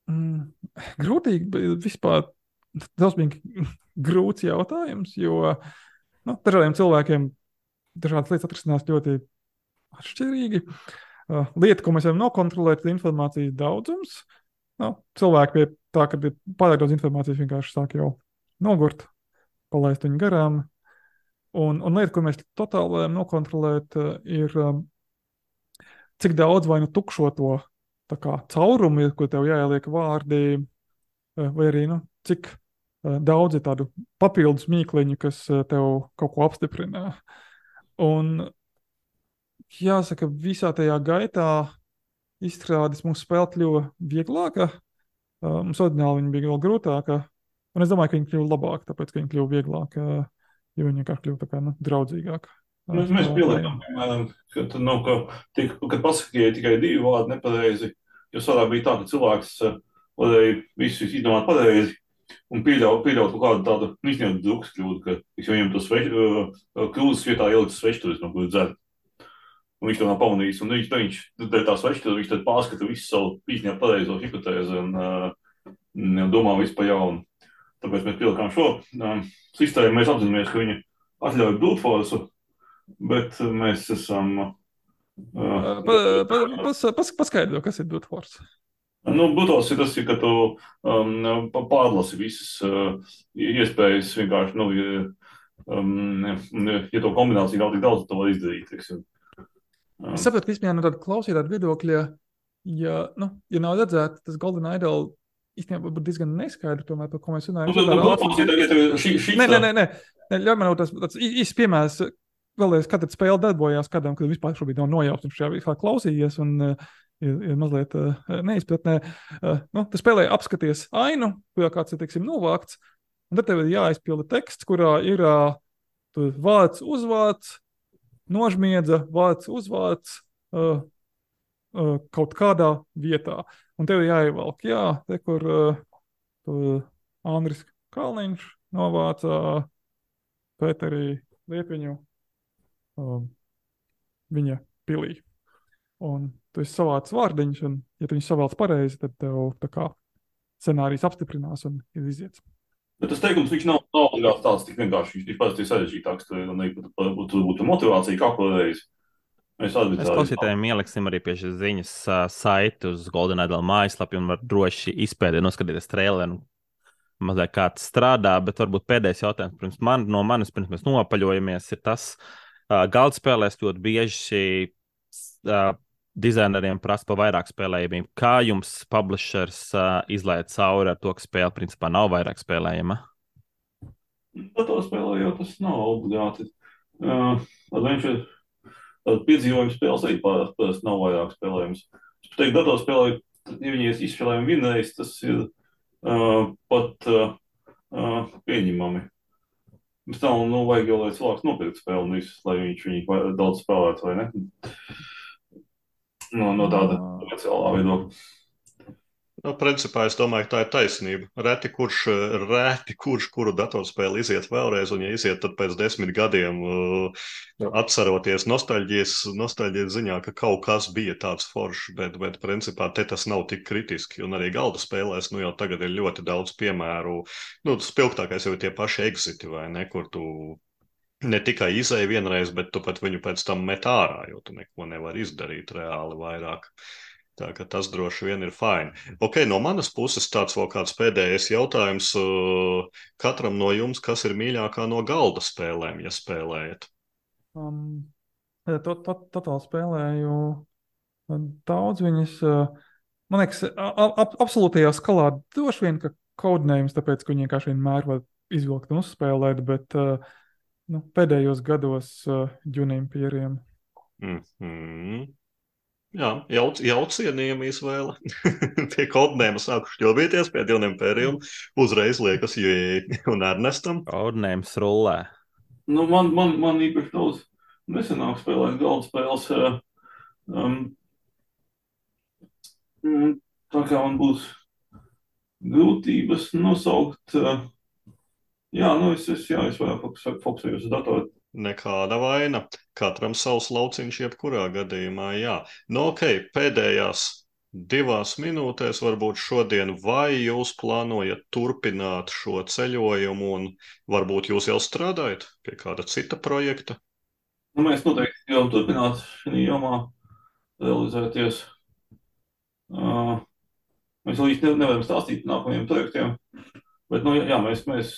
mm, grūtīgi, bet vispār drausmīgi grūts jautājums, jo nu, dažādiem cilvēkiem dažādas lietas atrisinās ļoti atšķirīgi. Uh, lieta, ko mēs varam nokontrolēt, ir informācijas daudzums. Nu, cilvēki pie tā, kad ir pārāk daudz informācijas, vienkārši sāk jau nogurt, palaist viņu garām. Un, un lieta, ko mēs totāli varam nokontrolēt, uh, ir um, cik daudz vai nu tukšo to tā kā caurumu, ko tev jāieliek vārdi, uh, vai arī nu, cik uh, daudz ir tādu papildus mīkliņu, kas uh, tev kaut ko apstiprina. Un jāsaka, visā tajā gaitā izstrādes mūsu spēle kļuva vieglāka. Uh, mums oriģināli viņa bija vēl grūtāka. Un es domāju, ka viņa kļuva labāka, tāpēc, ka viņa kļuva vieglāka, jo viņa vienkārši kļuva tā kā nu, draudzīgāka.
Mēs, mēs pieliekam, piemēram, ka, nu, ka tik, kad pasakiet tikai divi vārdi nepareizi, jo savā bija tā, ka cilvēks varēja visu izdomāt pareizi un pieļaut, pieļaut kaut kādu tādu izņemtu drukas kļūdu, ka viņam to sveš, kļūdas vietā ielikt svešturis, no kur dzer. Un viņš to nav pamanījis, un viņš, viņš tā svešturis, viņš tad pārskata visu savu izņemt pareizo hipotēzi un uh, domā visu pa jaunu. Tāpēc mēs pielikām šo uh, sistēmu, mēs apzināmies, ka viņa atļauj brute force, bet mēs esam... Uh,
pa, pa, pas, pas, paskaidro, kas ir brute force.
Nu, brutals ir tas, ka tu um, pārlasi visas uh, iespējas vienkārši, nu, ja, um, ja to kombināciju nav tik daudz, to var izdarīt, teiksim. Um.
Es saprotu, ka īstenībā no tāda klausītāja viedokļa, ja, nu, ja nav redzēta, tas Golden Idol īstenībā būtu diezgan neskaidri, tomēr, par ko mēs runājam.
Nu, nu, brutals ir, ja tev šī, šī
nē, nē, nē, nē, nē, ļauj man tas, tāds īsts piemērs, vēlreiz, kad spēle darbojās kādam, kad vispār šobrīd nav nojauts un šajā vispār klausījies un uh, ir, ir mazliet uh, neizpratnē. Uh, nu, tu spēlē apskaties ainu, kurā kāds ir, teiksim, novākts, un tad tev ir jāizpilda teksts, kurā ir uh, vārds, uzvārds, nožmiedza, vārds, uzvārds uh, uh, kaut kādā vietā. Un tev ir jāievelk, jā, te, kur uh, Andris Kalniņš novāca uh, Pēterī Liepiņu uh, viņa pilī. Un tu esi savāds vārdiņš, un ja tu viņus savāc pareizi, tad tev tā kā scenārijs apstiprinās un ir iziets.
Bet tas teikums, viņš nav obligāti tāds tik vienkārši, viņš parasti ir sarežģītāks, un būtu, būtu motivācija kāko reizi. Mēs
Mēs klausītājiem ieliksim arī pie šīs ziņas uh, saiti uz Golden Idol mājaslapi un var droši izpēdēt, noskatīties traileru, mazliet kā tas strādā, bet varbūt pēdējais jautājums pirms man, no manis, pirms mēs nopaļojamies, ir tas, uh, galdspēlēs ļoti bieži uh, dizaineriem prasa par vairāk spēlējumiem. Kā jums publishers uh, izlaid cauri ar to, ka spēle principā nav vairāk spēlējama?
Datorspēlē jau tas nav obligāti. Uh, Adventure piedzīvojums spēles arī parasti nav vairāk spēlējums. Es pateiktu, datorspēlē, ja viņi ir izspēlējumi vienreiz, tas ir uh, pat uh, uh, pieņemami. Bet tā, nu, vajag jau, lai cilvēks nopirkt spēli un visu, lai viņš viņu daudz spēlētu, vai ne? No, no tāda komerciālā viedokļa.
Nu, principā es domāju, ka tā ir taisnība. Reti kurš, reti kurš, kuru datorspēli iziet vēlreiz, un ja iziet, tad pēc desmit gadiem uh, atceroties nostalģijas, nostalģijas ziņā, ka kaut kas bija tāds foršs, bet, bet principā te tas nav tik kritiski. Un arī galda spēlēs, nu jau tagad ir ļoti daudz piemēru. Nu, spilgtākais jau ir tie paši exiti, vai ne, kur tu ne tikai izēji vienreiz, bet tu pat viņu pēc tam met ārā, jo tu neko nevar izdarīt reāli vairāk. Tā ka tas droši vien ir fine. Ok, no manas puses tāds vēl kāds pēdējais jautājums katram no jums, kas ir mīļākā no galda spēlēm, ja spēlējat?
Um, to, to, totāli spēlēju daudz viņas. Man liekas, ap, absolūtajā skalā droši vien, ka Codenames, tāpēc, ka viņi vienkārši vienmēr var izvilkt un uzspēlēt, bet nu, pēdējos gados Dune Imperium.
Mm-hmm. Jā, jauc, jaucienījama izvēle. Pie kodnēma sāku šķobīties pie Dune Imperium. Uzreiz liekas, jē, un Ernestam.
Ordinējums rullē.
Nu, man, man, man īpaši daudz nesenāk spēlēt galda spēles. Um, tā kā man būs grūtības nosaukt. Uh, jā, nu es, es, jā, es vairāk fokusējos uz datoru.
Nekāda vaina. Katram savs lauciņš jebkurā gadījumā, jā. Nu, ok, pēdējās divās minūtēs varbūt šodien, vai jūs plānojat turpināt šo ceļojumu un varbūt jūs jau strādājat pie kāda cita projekta?
Nu, mēs noteikti jau turpināt šī jomā realizēties. Uh, mēs vēl īsti nevaram stāstīt par nākamajiem projektiem, bet, nu, jā, mēs, mēs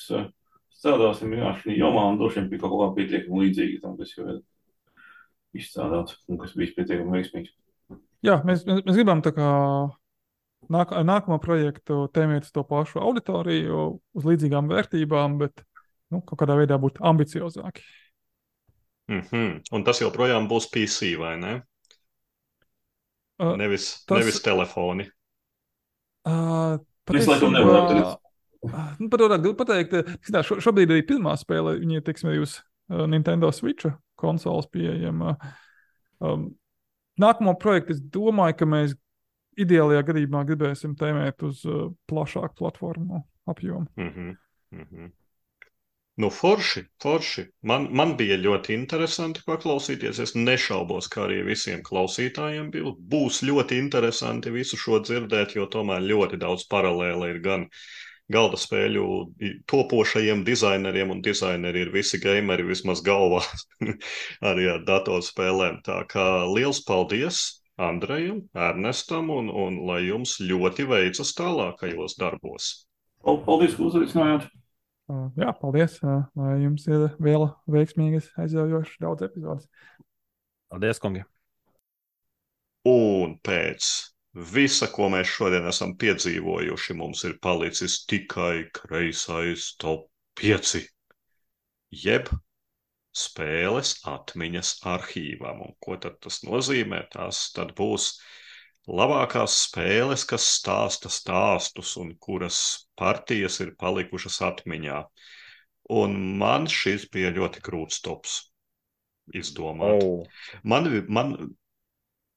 strādāsim jā, šī jomā un droši vien pie kaut kā pietiekami līdzīgi tam, kas jau ir izstrādāts un kas bijis pietiekami veiksmīgs.
Jā, mēs, mēs, mēs gribam tā kā nāk, nākamo projektu tēmēt uz to pašu auditoriju, uz līdzīgām vērtībām, bet nu, kaut kādā veidā būt ambiciozāki.
Mm-hmm. Un tas joprojām būs P C, vai ne?
Uh,
nevis,
tas,
nevis telefoni.
Uh,
Mēs laikam nevaram tagad.
Nu, par to gribētu pateikt, ka šo, šobrīd arī pirmā spēle, viņi ir, teiksim, arī uz uh, Nintendo Switch konsoles pieejama. Um, nākamo projektu es domāju, ka mēs ideālajā gadījumā gribēsim tēmēt uz uh, plašāku platformu apjomu.
Mm-hmm. Mm-hmm. Nu, forši, forši. Man, man bija ļoti interesanti paklausīties. Es nešaubos, ka arī visiem klausītājiem bija. Būs ļoti interesanti visu šo dzirdēt, jo tomēr ļoti daudz paralēli ir gan galda spēļu topošajiem dizaineriem, un dizaineri ir visi gameri vismaz galvā arī ar datorspēlēm. Tā kā liels paldies Andrejam, Ernestam, un, un lai jums ļoti veicas tālākajos darbos.
Paldies, ka uzaicinājāt.
Uh, jā, paldies. Uh, lai jums ir vēl veiksmīgas, aizraujošas daudz epizodes.
Paldies, kungi.
Un pēc visa, ko mēs šodien esam piedzīvojuši, mums ir palicis tikai kreisais top pieci. Jeb spēles atmiņas arhīvam. Un ko tad tas nozīmē? Tās tad būs labākās spēles, kas stāsta stāstus un kuras partijas ir palikušas atmiņā. Un man šis bija ļoti grūts tops izdomāt.
Oh.
Man, man,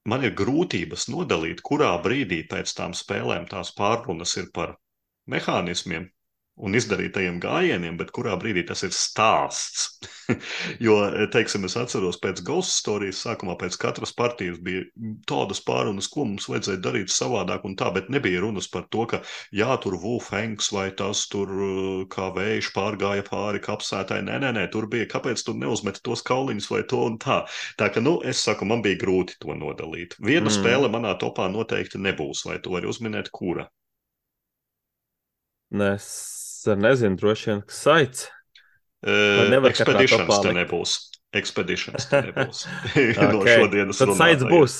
man ir grūtības nodalīt, kurā brīdī pēc tām spēlēm tās pārrunas ir par mehānismiem un izdarītajiem gājieniem, bet kurā brīdī tas ir stāsts. Jo, teiksim, es atceros pēc Ghost Stories sākumā pēc katras partijas bija tādas pārunas, ko mums vajadzēja darīt savādāk un tā, bet nebija runas par to, ka jā, tur Wu Fengs vai tas tur kā vējš pārgāja pāri kapsētai. Nē, nē, nē, tur bija, kāpēc tur neuzmeti tos kauliņus vai to un tā. Tā ka, nu, es saku, man bija grūti to nodalīt. Viena mm. spēle manā topā noteikti nebūs, vai tu vari uzminēt, kura?
Es nezinu, droši vien, kas saits.
Uh, Expeditions te nebūs. Expeditions te nebūs.
Okay.
No šodienas
tad saits būs.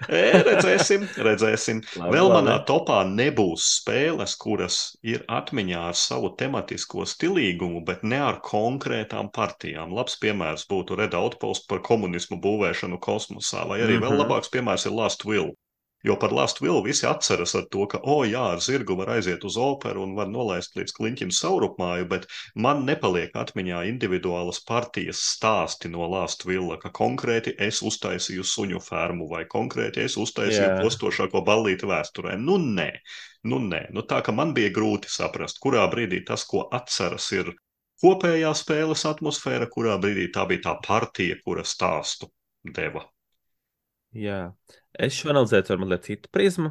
e, redzēsim, redzēsim.
Labi,
Vēl
labi.
manā topā nebūs spēles, kuras ir atmiņā ar savu tematisko stilīgumu, bet ne ar konkrētām partijām. Labs piemērs būtu Red Outpost par komunismu būvēšanu kosmosā, vai arī mm-hmm. vēl labāks piemērs ir Last Will. Jo par Last Will visi atceras ar to, ka, o jā, ar zirgu var aiziet uz operu un var nolaist līdz kliņķim saurupmāju, bet man nepaliek atmiņā individuālas partijas stāsti no Last Willa, ka konkrēti es uztaisīju suņu fermu vai konkrēti es uztaisīju
Jā.
postošāko ballīti vēsturē. Nu nē, nu nē. Nu tā, ka man bija grūti saprast, kurā brīdī tas, ko atceras, ir kopējā spēles atmosfēra, kurā brīdī tā bija tā partija, kura stāstu deva.
Jā, es šo analizēju ar mazliet citu prizmu.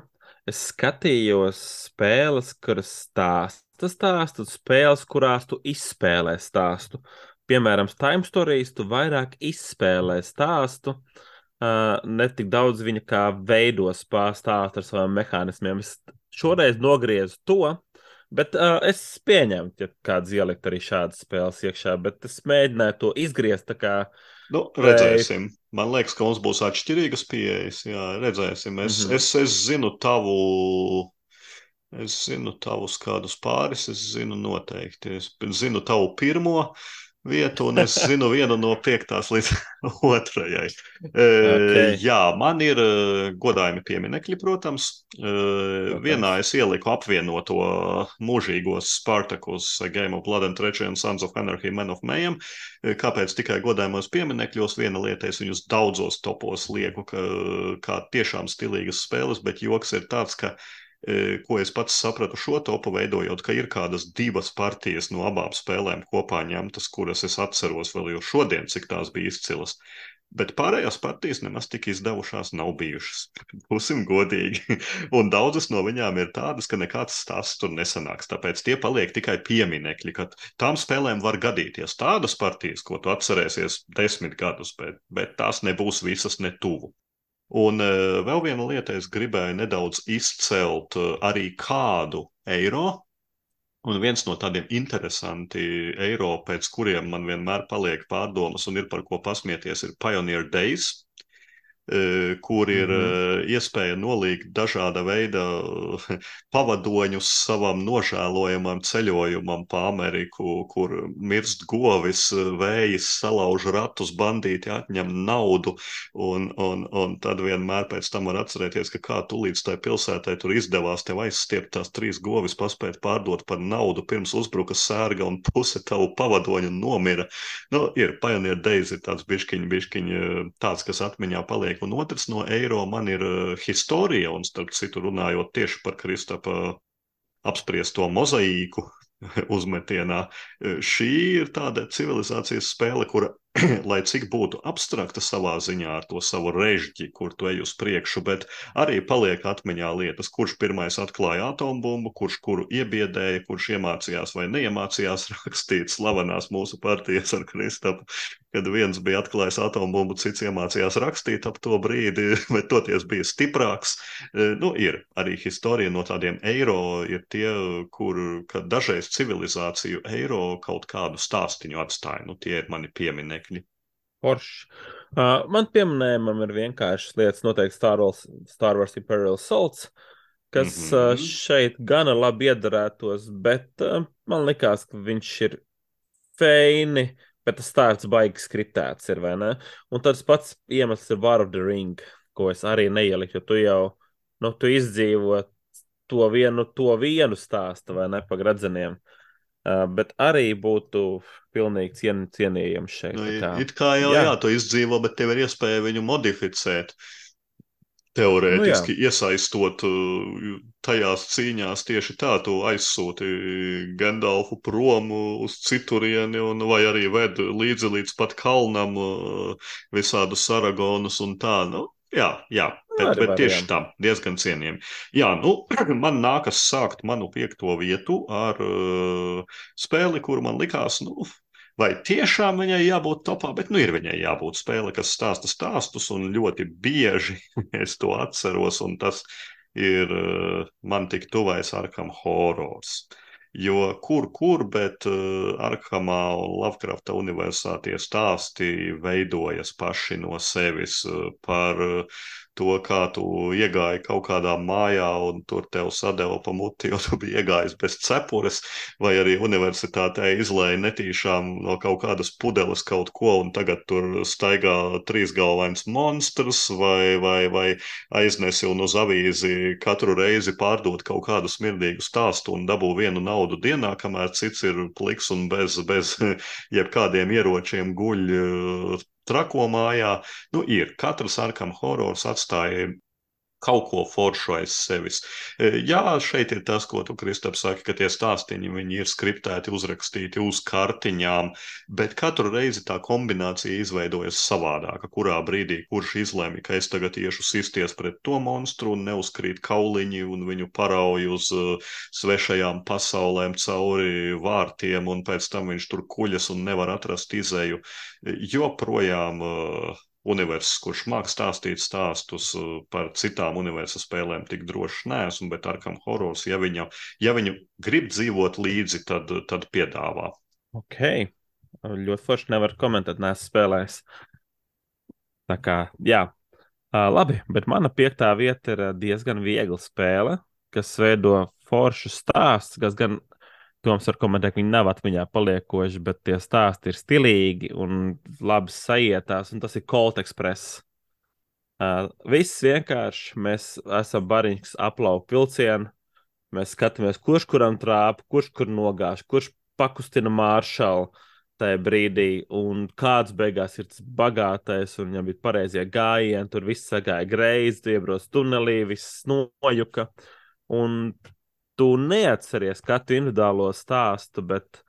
Es skatījos spēles, kuras stāsta stāstu, spēles, kurās tu izspēlē stāstu. Piemēram, Time Stories tu vairāk izspēlē stāstu, uh, ne tik daudz viņa kā veidos pārstāstu ar saviem mehānismiem. Es šoreiz nogriezu to, bet uh, es pieņemu, ja kāds ielikt arī šādas spēles iekšā, bet es mēģināju to izgriezt tā kā
Nu, redzēsim. Man liekas, ka mums būs atšķirīgas pieejas. Jā, redzēsim. Es,
Mhm.
es, es zinu tavu, es zinu tavus kādus pāris, es zinu noteikti. Es zinu tavu pirmo, vietu, un es zinu vienu no piektās līdz otrajai.
Okay.
Jā, man ir godājumi pieminekļi, protams. protams. Vienā es ieliku apvienoto mūžīgos Spartacus, Game of Blood and Treachery un Sons of Anarchy, Men of Mayhem. Kāpēc tikai godājumos pieminekļos? Viena lieta, es viņus daudzos topos lieku, ka, kā tiešām stilīgas spēles, bet joks ir tāds, ka ko es pats sapratu šo topu veidojot, ka ir kādas divas partijas no abām spēlēm kopā ņemtas, kuras es atceros vēl jau šodien, cik tās bija izcilas. Bet pārējās partijas nemaz tik izdevušās nav bijušas. Būsim godīgi. Un daudzas no viņām ir tādas, ka nekāds stāsts tur nesanāks. Tāpēc tie paliek tikai pieminekļi, ka tām spēlēm var gadīties tādas partijas, ko tu atcerēsies desmit gadus, bet, bet tās nebūs visas ne tuvu. Un uh, vēl viena lieta, es gribēju nedaudz izcelt uh, arī kādu eiro, un viens no tādiem interesanti eiro, pēc kuriem man vienmēr paliek pārdomas un ir par ko pasmieties, ir Pioneer Days, uh, kur ir uh, iespēja nolīgt dažāda veida pavadoņus savam nožēlojamam ceļojumam pa Ameriku, kur mirst govis, vējs salauž ratus, bandīti atņem naudu, un, un, un tad vienmēr pēc tam var atcerēties, ka kā tu līdz tai pilsētai tur izdevās tev aizstiept tās trīs govis, paspēt pārdot par naudu, pirms uzbruka sērga un puse tavu pavadoņu nomira. Nu, ir Pioneer Days, ir tāds biškiņ, biškiņ tāds, kas atmiņā paliek. Un otrs no eiro man ir uh, Historia, un starp citu runājot tieši par Kristapa apspriesto mozaīku uzmetienā. Šī ir tāda civilizācijas spēle, kura, lai cik būtu abstrakta savā ziņā ar to savu režģi, kur tu ej uz priekšu, bet arī paliek atmiņā lietas, kurš pirmais atklāja atombumbu, kurš kuru iebiedēja, kurš iemācījās vai neiemācījās rakstīt slavenās mūsu partijas ar Kristapu, kad viens bija atklājis atombumbu, cits iemācījās rakstīt ap to brīdi, bet toties bija stiprāks. Nu, ir arī Historia no tādiem eiro, ir tie, kur, kad dažreiz civilizāciju eiro kaut kādu stāstiņu atstāja. Nu, tie ir mani pieminekļi.
Porš. Uh, man pieminējumam ir vienkāršas lietas, noteikti Star Wars, Star Wars Imperial Assaults, kas mm-hmm. uh, šeit gana labi iedarētos, bet uh, man likās, ka viņš ir feini, bet tas stāsts baigi skriptēts ir, vai ne? Un tas pats iemesls ir War of the Ring, ko es arī neieliku, jo tu jau, nu, tu izdzīvo to vienu, to vienu stāstu, vai ne, pa gradzeniem. Uh, bet arī būtu pilnīgi cien, cienījams šeit.
Nu,
kā,
it kā jau jā. jā, tu izdzīvo, bet tev ir iespēja viņu modificēt. Teorētiski nu, iesaistot tajās cīņās tieši tā, tu aizsūti Gandalfu prom uz citurieni, un, vai arī ved līdzi līdz pat kalnam visādus Aragonus un tā, nu. Jā, jā, bet, bet tieši tā, diezgan cienījami. Jā, nu, man nākas sākt manu piekto vietu ar uh, spēli, kur man likās, nu, vai tiešām viņai jābūt topā, bet nu ir viņai jābūt spēle, kas stāsta stāstus, un ļoti bieži es to atceros, un tas ir uh, man tik tuvais Arkham Horrors. Jo kur, kur, bet uh, Arkhamā un Lovecrafta universā tie stāsti veidojas paši no sevis uh, par uh, to, kā tu iegāji kaut kādā mājā un tur tev sadeva pa muti, jo tu biji iegājis bez cepures, vai arī universitātē izlēja netīšām no kaut kādas pudeles kaut ko, un tagad tur staigā trīsgalvains monstrs, vai, vai, vai aiznesi un uz avīzi katru reizi pārdot kaut kādu smirdīgu stāstu un dabū vienu naudu dienā, kamēr cits ir pliks un bez, bez jebkādiem ieročiem guļ trako mājā. Nu, ir. Katrs Arkham Horrors atstāja kaut ko foršu aiz sevis. Jā, šeit ir tas, ko tu, Kristap, saki, ka tie stāstiņi, viņi ir skriptēti, uzrakstīti uz kartiņām, bet katru reizi tā kombinācija izveidojas savādāka, kurā brīdī, kurš izlēma, ka es tagad iešu sisties pret to monstru un neuzkrīt kauliņi un viņu parauj uz uh, svešajām pasaulēm cauri vārtiem, un pēc tam viņš tur kuļas un nevar atrast izēju. Joprojām uh, universs, kurš māk stāstīt stāstus par citām universa spēlēm, tik drošs neesmu, bet Arkham Horrors, ja viņu, ja viņu grib dzīvot līdzi, tad, tad piedāvā.
Ok, ļoti forši nevar komentēt, neesmu spēlējis. Tā kā, jā, uh, labi, bet mana piektā vieta ir diezgan viegla spēle, kas veido foršu stāsts, kas gan Toms var komentēt, ka viņi nav atmiņā paliekoši, bet tie stāsti ir stilīgi un labi sajietās, un tas ir Colt Express. Uh, viss vienkārši, mēs esam bariņš aplauku vilcienu, mēs skatāmies, kurš kuram trāpa, kurš kur nogāž, kurš pakustina maršalu tajā brīdī, un kāds beigās ir tas bagātais, un viņam bija pareizie gājieni, tur viss sagāja greizi, tu iebrauc tunelī, viss nojuka, un tu neatceries katru individuālo stāstu, bet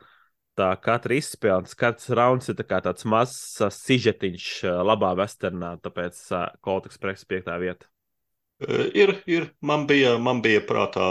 tā katra izspēle, katrs rauns ir tā kā tāds mazs sižetiņš labā westernā, tāpēc Colt Express piektā vieta.
Ir, ir. Man bija, man bija prātā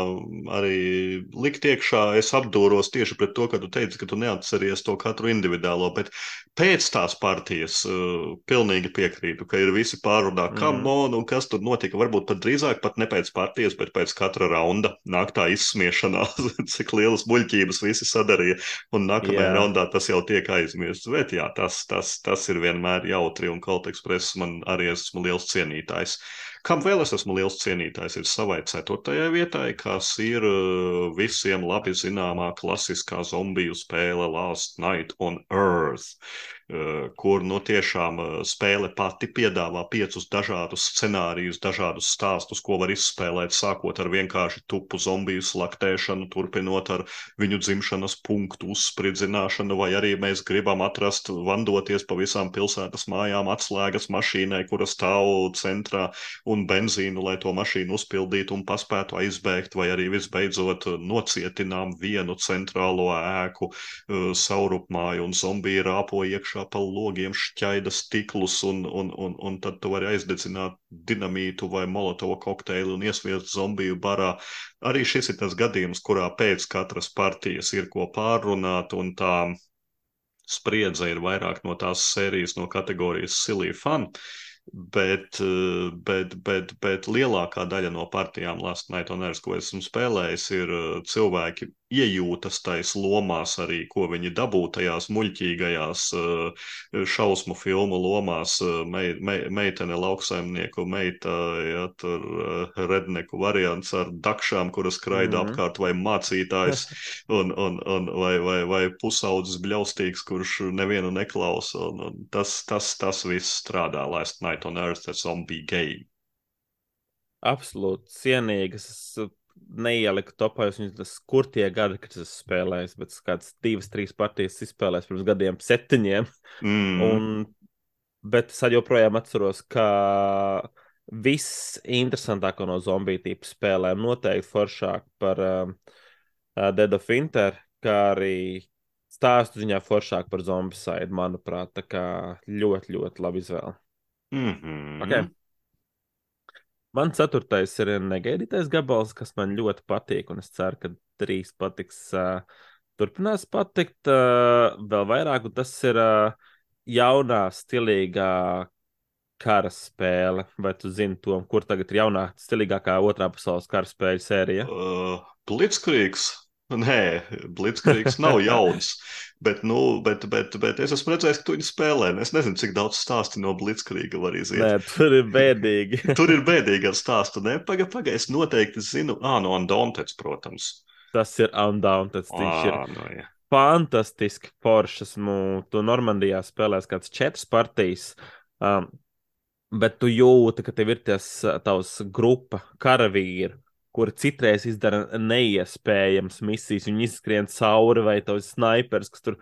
arī likt iekšā. Es apdūros tieši pret to, ka tu teici, ka tu neatceries to katru individuālo, bet pēc tās partijas uh, pilnīgi piekrītu, ka ir visi pārrunā,
Mm.
kam on un kas tur notika. Varbūt pat drīzāk pat ne pēc partijas, bet pēc katra raunda nāk tā izsmiešanās, cik lielas muļķības visi sadarīja, un nākamajā
Jā.
raundā tas jau tiek aizmirsts. Bet jā, tas, tas, tas ir vienmēr jautri, un Colt Express man arī esmu liels cienītājs. Kam vēl es esmu liels cienītājs, ir savai ceturtajai vietai, kas ir uh, visiem labi zināmā klasiskā zombiju spēle Last Night on Earth, uh, kur nu tiešām uh, spēle pati piedāvā piecus dažādus scenārijus, dažādus stāstus, ko var izspēlēt, sākot ar vienkārši tupu zombiju slaktēšanu, turpinot ar viņu dzimšanas punktu uzspridzināšanu, vai arī mēs gribam atrast, vandoties pa visām pilsētas mājām, atslēgas mašīnai, kura stāv centrā, un benzīnu, lai to mašīnu uzpildītu un paspētu aizbēgt, vai arī visbeidzot nocietinām vienu centrālo ēku uh, saurupmāju, un zombiji rāpo iekšā pa logiem, šķaida stiklus, un, un, un, un tad tu vari aizdedzināt dinamītu vai molotova kokteili un iesviest zombiju barā. Arī šis ir tas gadījums, kurā pēc katras partijas ir ko pārrunāt, un tā spriedze ir vairāk no tās sērijas, no kategorijas silly fun. Bet, eh, bet, bet, bet lielākā daļa no partijām Last Night on Earth, ko esmu spēlējis, ir eh, cilvēki iejūtas tais lomās arī, ko viņi dabū tajās muļķīgajās eh, šausmu filmu lomās. eh, Mei, mei, meitene lauksaimnieku, meita, ja, tur eh, redneku variants ar dakšām, kuras skraida
Mhm.
apkārt, vai mācītājs, un, un, un, vai, vai, vai pusaudzis bļaustīgs, kurš nevienu neklausa. Un, un tas, tas, tas viss strādā Last Night on Earth, a zombie game.
Absolūti cienīgas. Es neieliku topā, jo tas kur tie gadi, kad es spēlēju, bet kāds divas, trīs partijas izspēlēs pirms gadiem septiņiem.
Mm.
Un, bet es joprojām atceros, ka viss interesantāko no zombiju tipu spēlēm noteikti foršāk par um, uh, Dead of Winter, kā arī stāstu ziņā foršāk par Zombicide, manuprāt. Tā kā ļoti, ļoti labi izvēle.
Mm-hmm.
Okay. Man ceturtais ir negaidītais gabals, kas man ļoti patīk, un es ceru, ka trīs patiks, uh, turpinās patikt uh, vēl vairāk, un tas ir uh, jaunā, stilīgā kara spēle. Vai tu zini to, kur tagad ir jaunā, stilīgākā otrā pasaules kara spēļu sērija?
Uh, Blitzkriegs. Nē, Blitzkriegs nav jauns, bet, nu, bet, bet, bet es esmu redzējis, ka tu viņu spēlē. Es nezinu, cik daudz stāsti no Blitzkriega var iziet.
Nē, tur ir bēdīgi.
Tur ir bēdīgi ar stāstu. Nē, paga, paga, es noteikti zinu. Ā, no Undaunted, protams.
Tas ir Undaunted. Viņš ir
Ā, no, jā.
fantastiski foršs. Nu, tu Normandijā spēlēs kāds četras partijas, um, bet tu jūti, ka tev ir tas tavs grupa karavīri, kuri citreiz izdara neiespējams misijas. Viņi izskrien cauri, vai tavs snipers, kas tur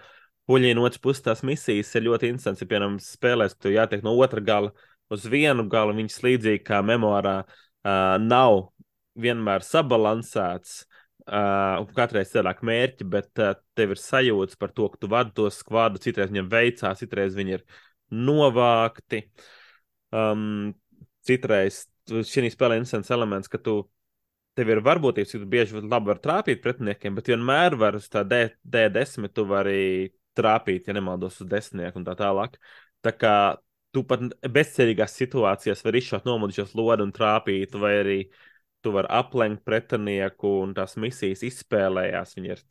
puļina otrs puses tās misijas, ir ļoti interesants. Ja, piemēram, spēlēs, ka tu jātiek no otra gala uz vienu galu, viņas līdzīgi kā memorā uh, nav vienmēr sabalansēts, uh, un katreiz cilvēku mērķi, bet uh, tev ir sajūtas par to, ka tu vadi to skvadu, citreiz viņam veicās, citreiz viņi ir novākti. Um, citreiz šī spēlē interesants elements, ka tu tev ir varbūtības, ka tu bieži labi var trāpīt pretiniekiem, bet vienmēr var uz tā D desmit tu vari trāpīt, ja nemaldos uz desmitnieku un tā tālāk. Tā kā tu pat bezcerīgās situācijās vari izšaut nomodušos lodi un trāpīt, vai arī tu vari aplenkt pretinieku un tās misijas izspēlējās. Viņi ir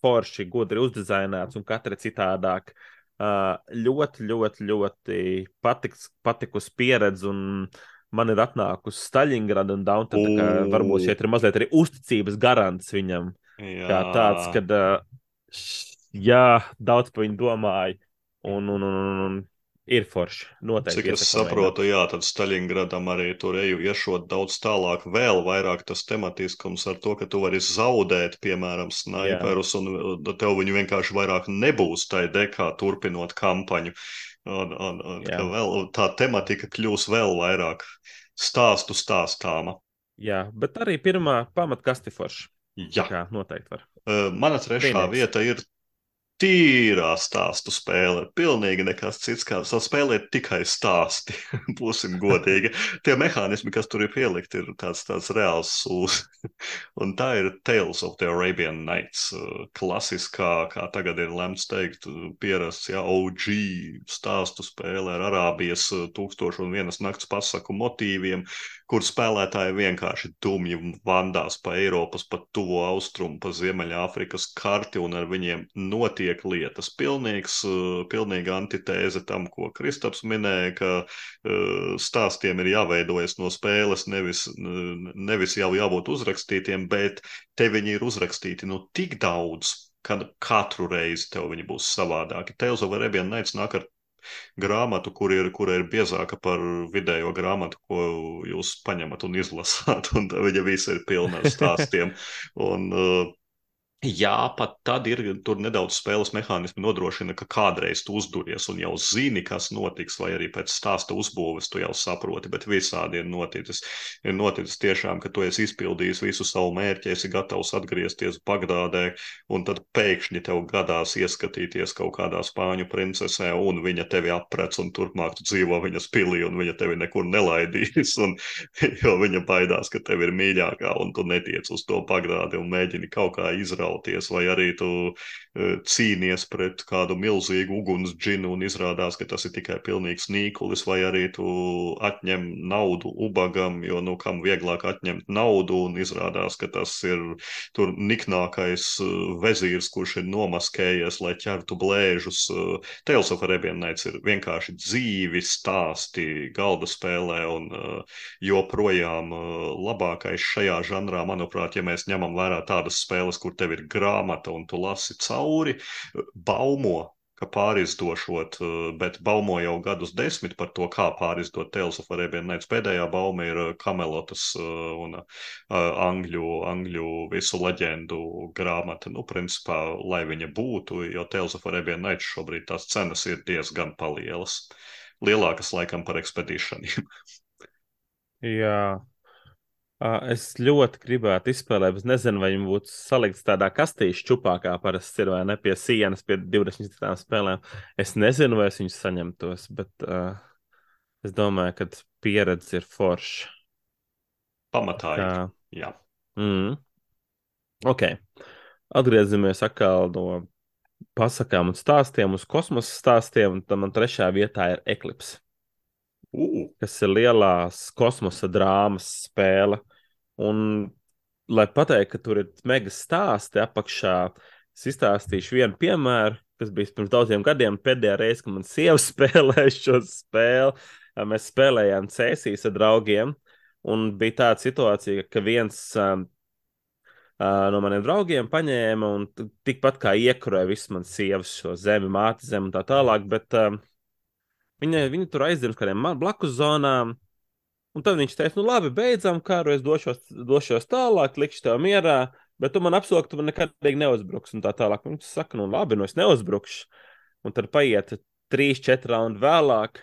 forši, gudri uzdizainēts un katra citādāk. Uh, ļoti, ļoti, ļoti patiks, patikus pieredze, un man ir atnākusi Staļingrada un Daunta, tā kā varbūt šeit ir mazliet arī uzticības garants viņam.
Jā.
Kā tāds, kad uh, Jā, daudz par viņu domāju. Un, un, un, un, un ir forši. Noteikti
Cik es
iesaku
saprotu,
pamēģināt.
jā, tad Staļingradam arī tur eju iešot daudz tālāk, vēl vairāk tas tematiskums ar to, ka tu vari zaudēt, piemēram,
Jā,
snaiperus, un uh, tev viņu vienkārši vairāk nebūs tai dekā turpinot kampaņu. Un, un, un
jā,
ka vēl tā tematika kļūs vēl vairāk stāstu stāstāma.
jā. Bet arī pirmā pamatkaste forši. Tā
Jā,
kā noteikti var.
Uh, mana trešā
Brīnīgs.
vieta ir tīrā stāstu spēle. Pilnīgi nekas cits, kā spēlēt tikai stāsti. Būsim godīgi. Tie mehānismi, kas tur ir pielikti, ir tāds, tāds reāls sūs. Un tā ir Tales of the Arabian Nights. Klasiskā, kā tagad ir lemts teikt, pierasts, ja, O G stāstu spēle ar Arābijas tūkstošu un vienas nakts pasaku motīviem, kur spēlētāji vienkārši dumji vandās pa Eiropas, pa tuvo austrumu, pa Ziemeļāfrikas karti, un ar viņiem notiek lietas. Pilnīgs, pilnīga antitēze tam, ko Kristaps minēja, ka stāstiem ir jāveidojas no spēles, nevis, nevis jau jābūt uzrakstītiem, bet te viņi ir uzrakstīti nu tik daudz, ka katru reizi tev viņi būs savādāki. Tales of Arabian Nights nāk ar grāmatu, kur ir, kur ir biezāka par vidējo grāmatu, ko jūs paņemat un izlasāt, un viņa visa ir pilna ar stāstiem. Un, uh, jā, pat tad ir tur nedaudz spēles mehānismi nodrošina, ka kādreiz tu uzduries un jau zini, kas notiks, vai arī pēc stāsta uzbūves tu jau saproti, bet visādi ir noticis. Ir noticis tiešām, ka tu esi izpildījis visu savu mērķi, esi gatavs atgriezties Bagdādē, un tad pēkšņi tev gadās ieskatīties kaut kādā spāņu princesē, un viņa tevi aprec, un turpmāk tu dzīvo viņas pilī, un viņa tevi nekur nelaidīs, un, jo viņa baidās, ka tev ir mīļākā, un tu netiec uz to Bagdādi un mēģini kaut kā izraut. Vai arī tu uh, cīnies pret kādu milzīgu uguns džinu un izrādās, ka tas ir tikai pilnīgs nīkulis, vai arī tu atņem naudu ubagam, jo, nu, kam vieglāk atņemt naudu, un izrādās, ka tas ir tur niknākais uh, vezīrs, kurš ir nomaskējies, lai ķertu blēžus. Uh, Tales of Arabian Nights ir vienkārši dzīvi stāsti galda spēlē, un uh, joprojām uh, labākais šajā žanrā, manuprāt, ja mēs ņemam vērā tādas spēles, kur tev ir grāmata un tu lasi cauri, baumo, ka pārizdošot, bet baumo jau gadus desmit par to, kā pārizdot Tales of Arabian Nights. Pēdējā bauma ir Kamelotas un angļu, angļu visu leģendu grāmata. Nu, principā, lai viņa būtu, jo Tales of Arabian Nights šobrīd tās cenas ir diezgan palielas. Lielākas laikam par ekspedīšaniem.
Jā. Es ļoti gribētu izspēlēt, bet nezinu, vai viņi būtu salikts tādā kastīšu čupākā parasti ir, vai ne, pie sienas, pie divdesmit citām spēlēm. Es nezinu, vai es viņus saņemtos, bet uh, es domāju, ka pieredze ir forša.
Pamatā ir,
Kā...
jā.
Mm. Ok. Atgriezamies atkal no pasakām un stāstiem uz kosmosa stāstiem, un tam man trešā vietā ir Eclipse. Uh. Kas ir lielās kosmosa drāmas spēle. Un, lai pateiktu, ka tur ir mega stāsti apakšā, es izstāstīšu vienu piemēru, kas bija pirms daudziem gadiem. Pēdējā reize, kad man sieva spēlēja šo spēli, mēs spēlējām cēsīs ar draugiem, un bija tāda situācija, ka viens um, uh, no maniem draugiem paņēma un tikpat kā iekurēja visu man sievas šo zemi, māti zemi un tā tālāk, bet um, viņa, viņa tur aizdzird kādiem blakus zonām. Un tad viņš teica, nu labi, beidzam karu, es došos, došos tālāk, likšu tev mierā, bet tu man apsoli, ka tu man nekādīgi neuzbruks un tā tālāk. Viņš saka, nu labi, nu es neuzbrukšu. Un tad paiet trīs, četri raundi vēlāk.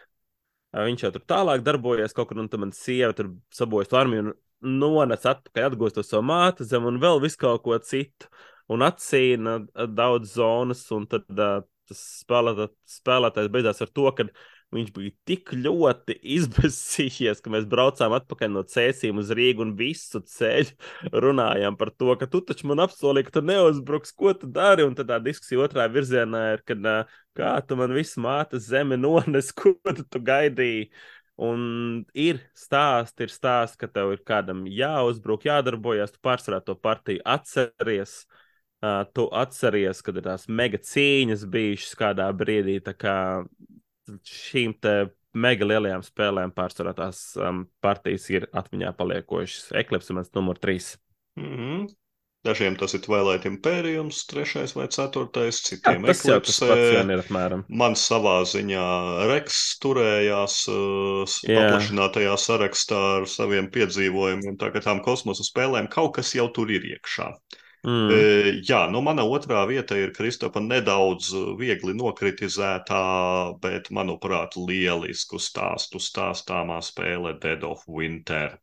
Viņš jau tur tālāk darbojas kaut kur, un tad man sieva tur sabojas armiju un nonec atpakaļ, atgūst to savu māti zem un vēl visu kaut ko citu. Un atsīna daudz zonas, un tad uh, tas spēlētājs, spēlētājs beidzās ar to, ka viņš bija tik ļoti izbēsījies, ka mēs braucām atpakaļ no cēsīm uz Rīgu un visu ceļu runājām par to, ka tu taču man apsolīji, ka tu neuzbruks, ko tu dari, un tad tā diskusija otrā virzienā ir, kad kā tu man visu mātes zemi nones, ko tu, tu gaidīji. Un ir stāsti, ir stāsti, ka tev ir kādam jāuzbruk, jādarbojas, tu pārsvarā to partiju atceries, uh, tu atceries, kad ir tās mega cīņas bijušas kādā brīdī, tā kā šīm te mega lielajām spēlēm pārsvarā tās um, partijas ir atmiņā paliekošas. Eclipse ir mans numur trīs.
Mm-hmm. Dažiem tas ir Twilight Imperiums, trešais vai ceturtais,
Jā,
citiem
tas jau tas pats
Eclipse.
vien ir apmēram.
Man savā ziņā Reks turējās uh,
Jā.
paplašinātajā sarakstā ar saviem piedzīvojumiem, tā kā tām kosmosa spēlēm kaut kas jau tur ir iekšā.
Mm.
E, jā, nu mana otrā vieta ir Kristofa nedaudz viegli nokritizētā, bet, manuprāt, lielisku stāstu stāstāmā spēle Dead of Winter.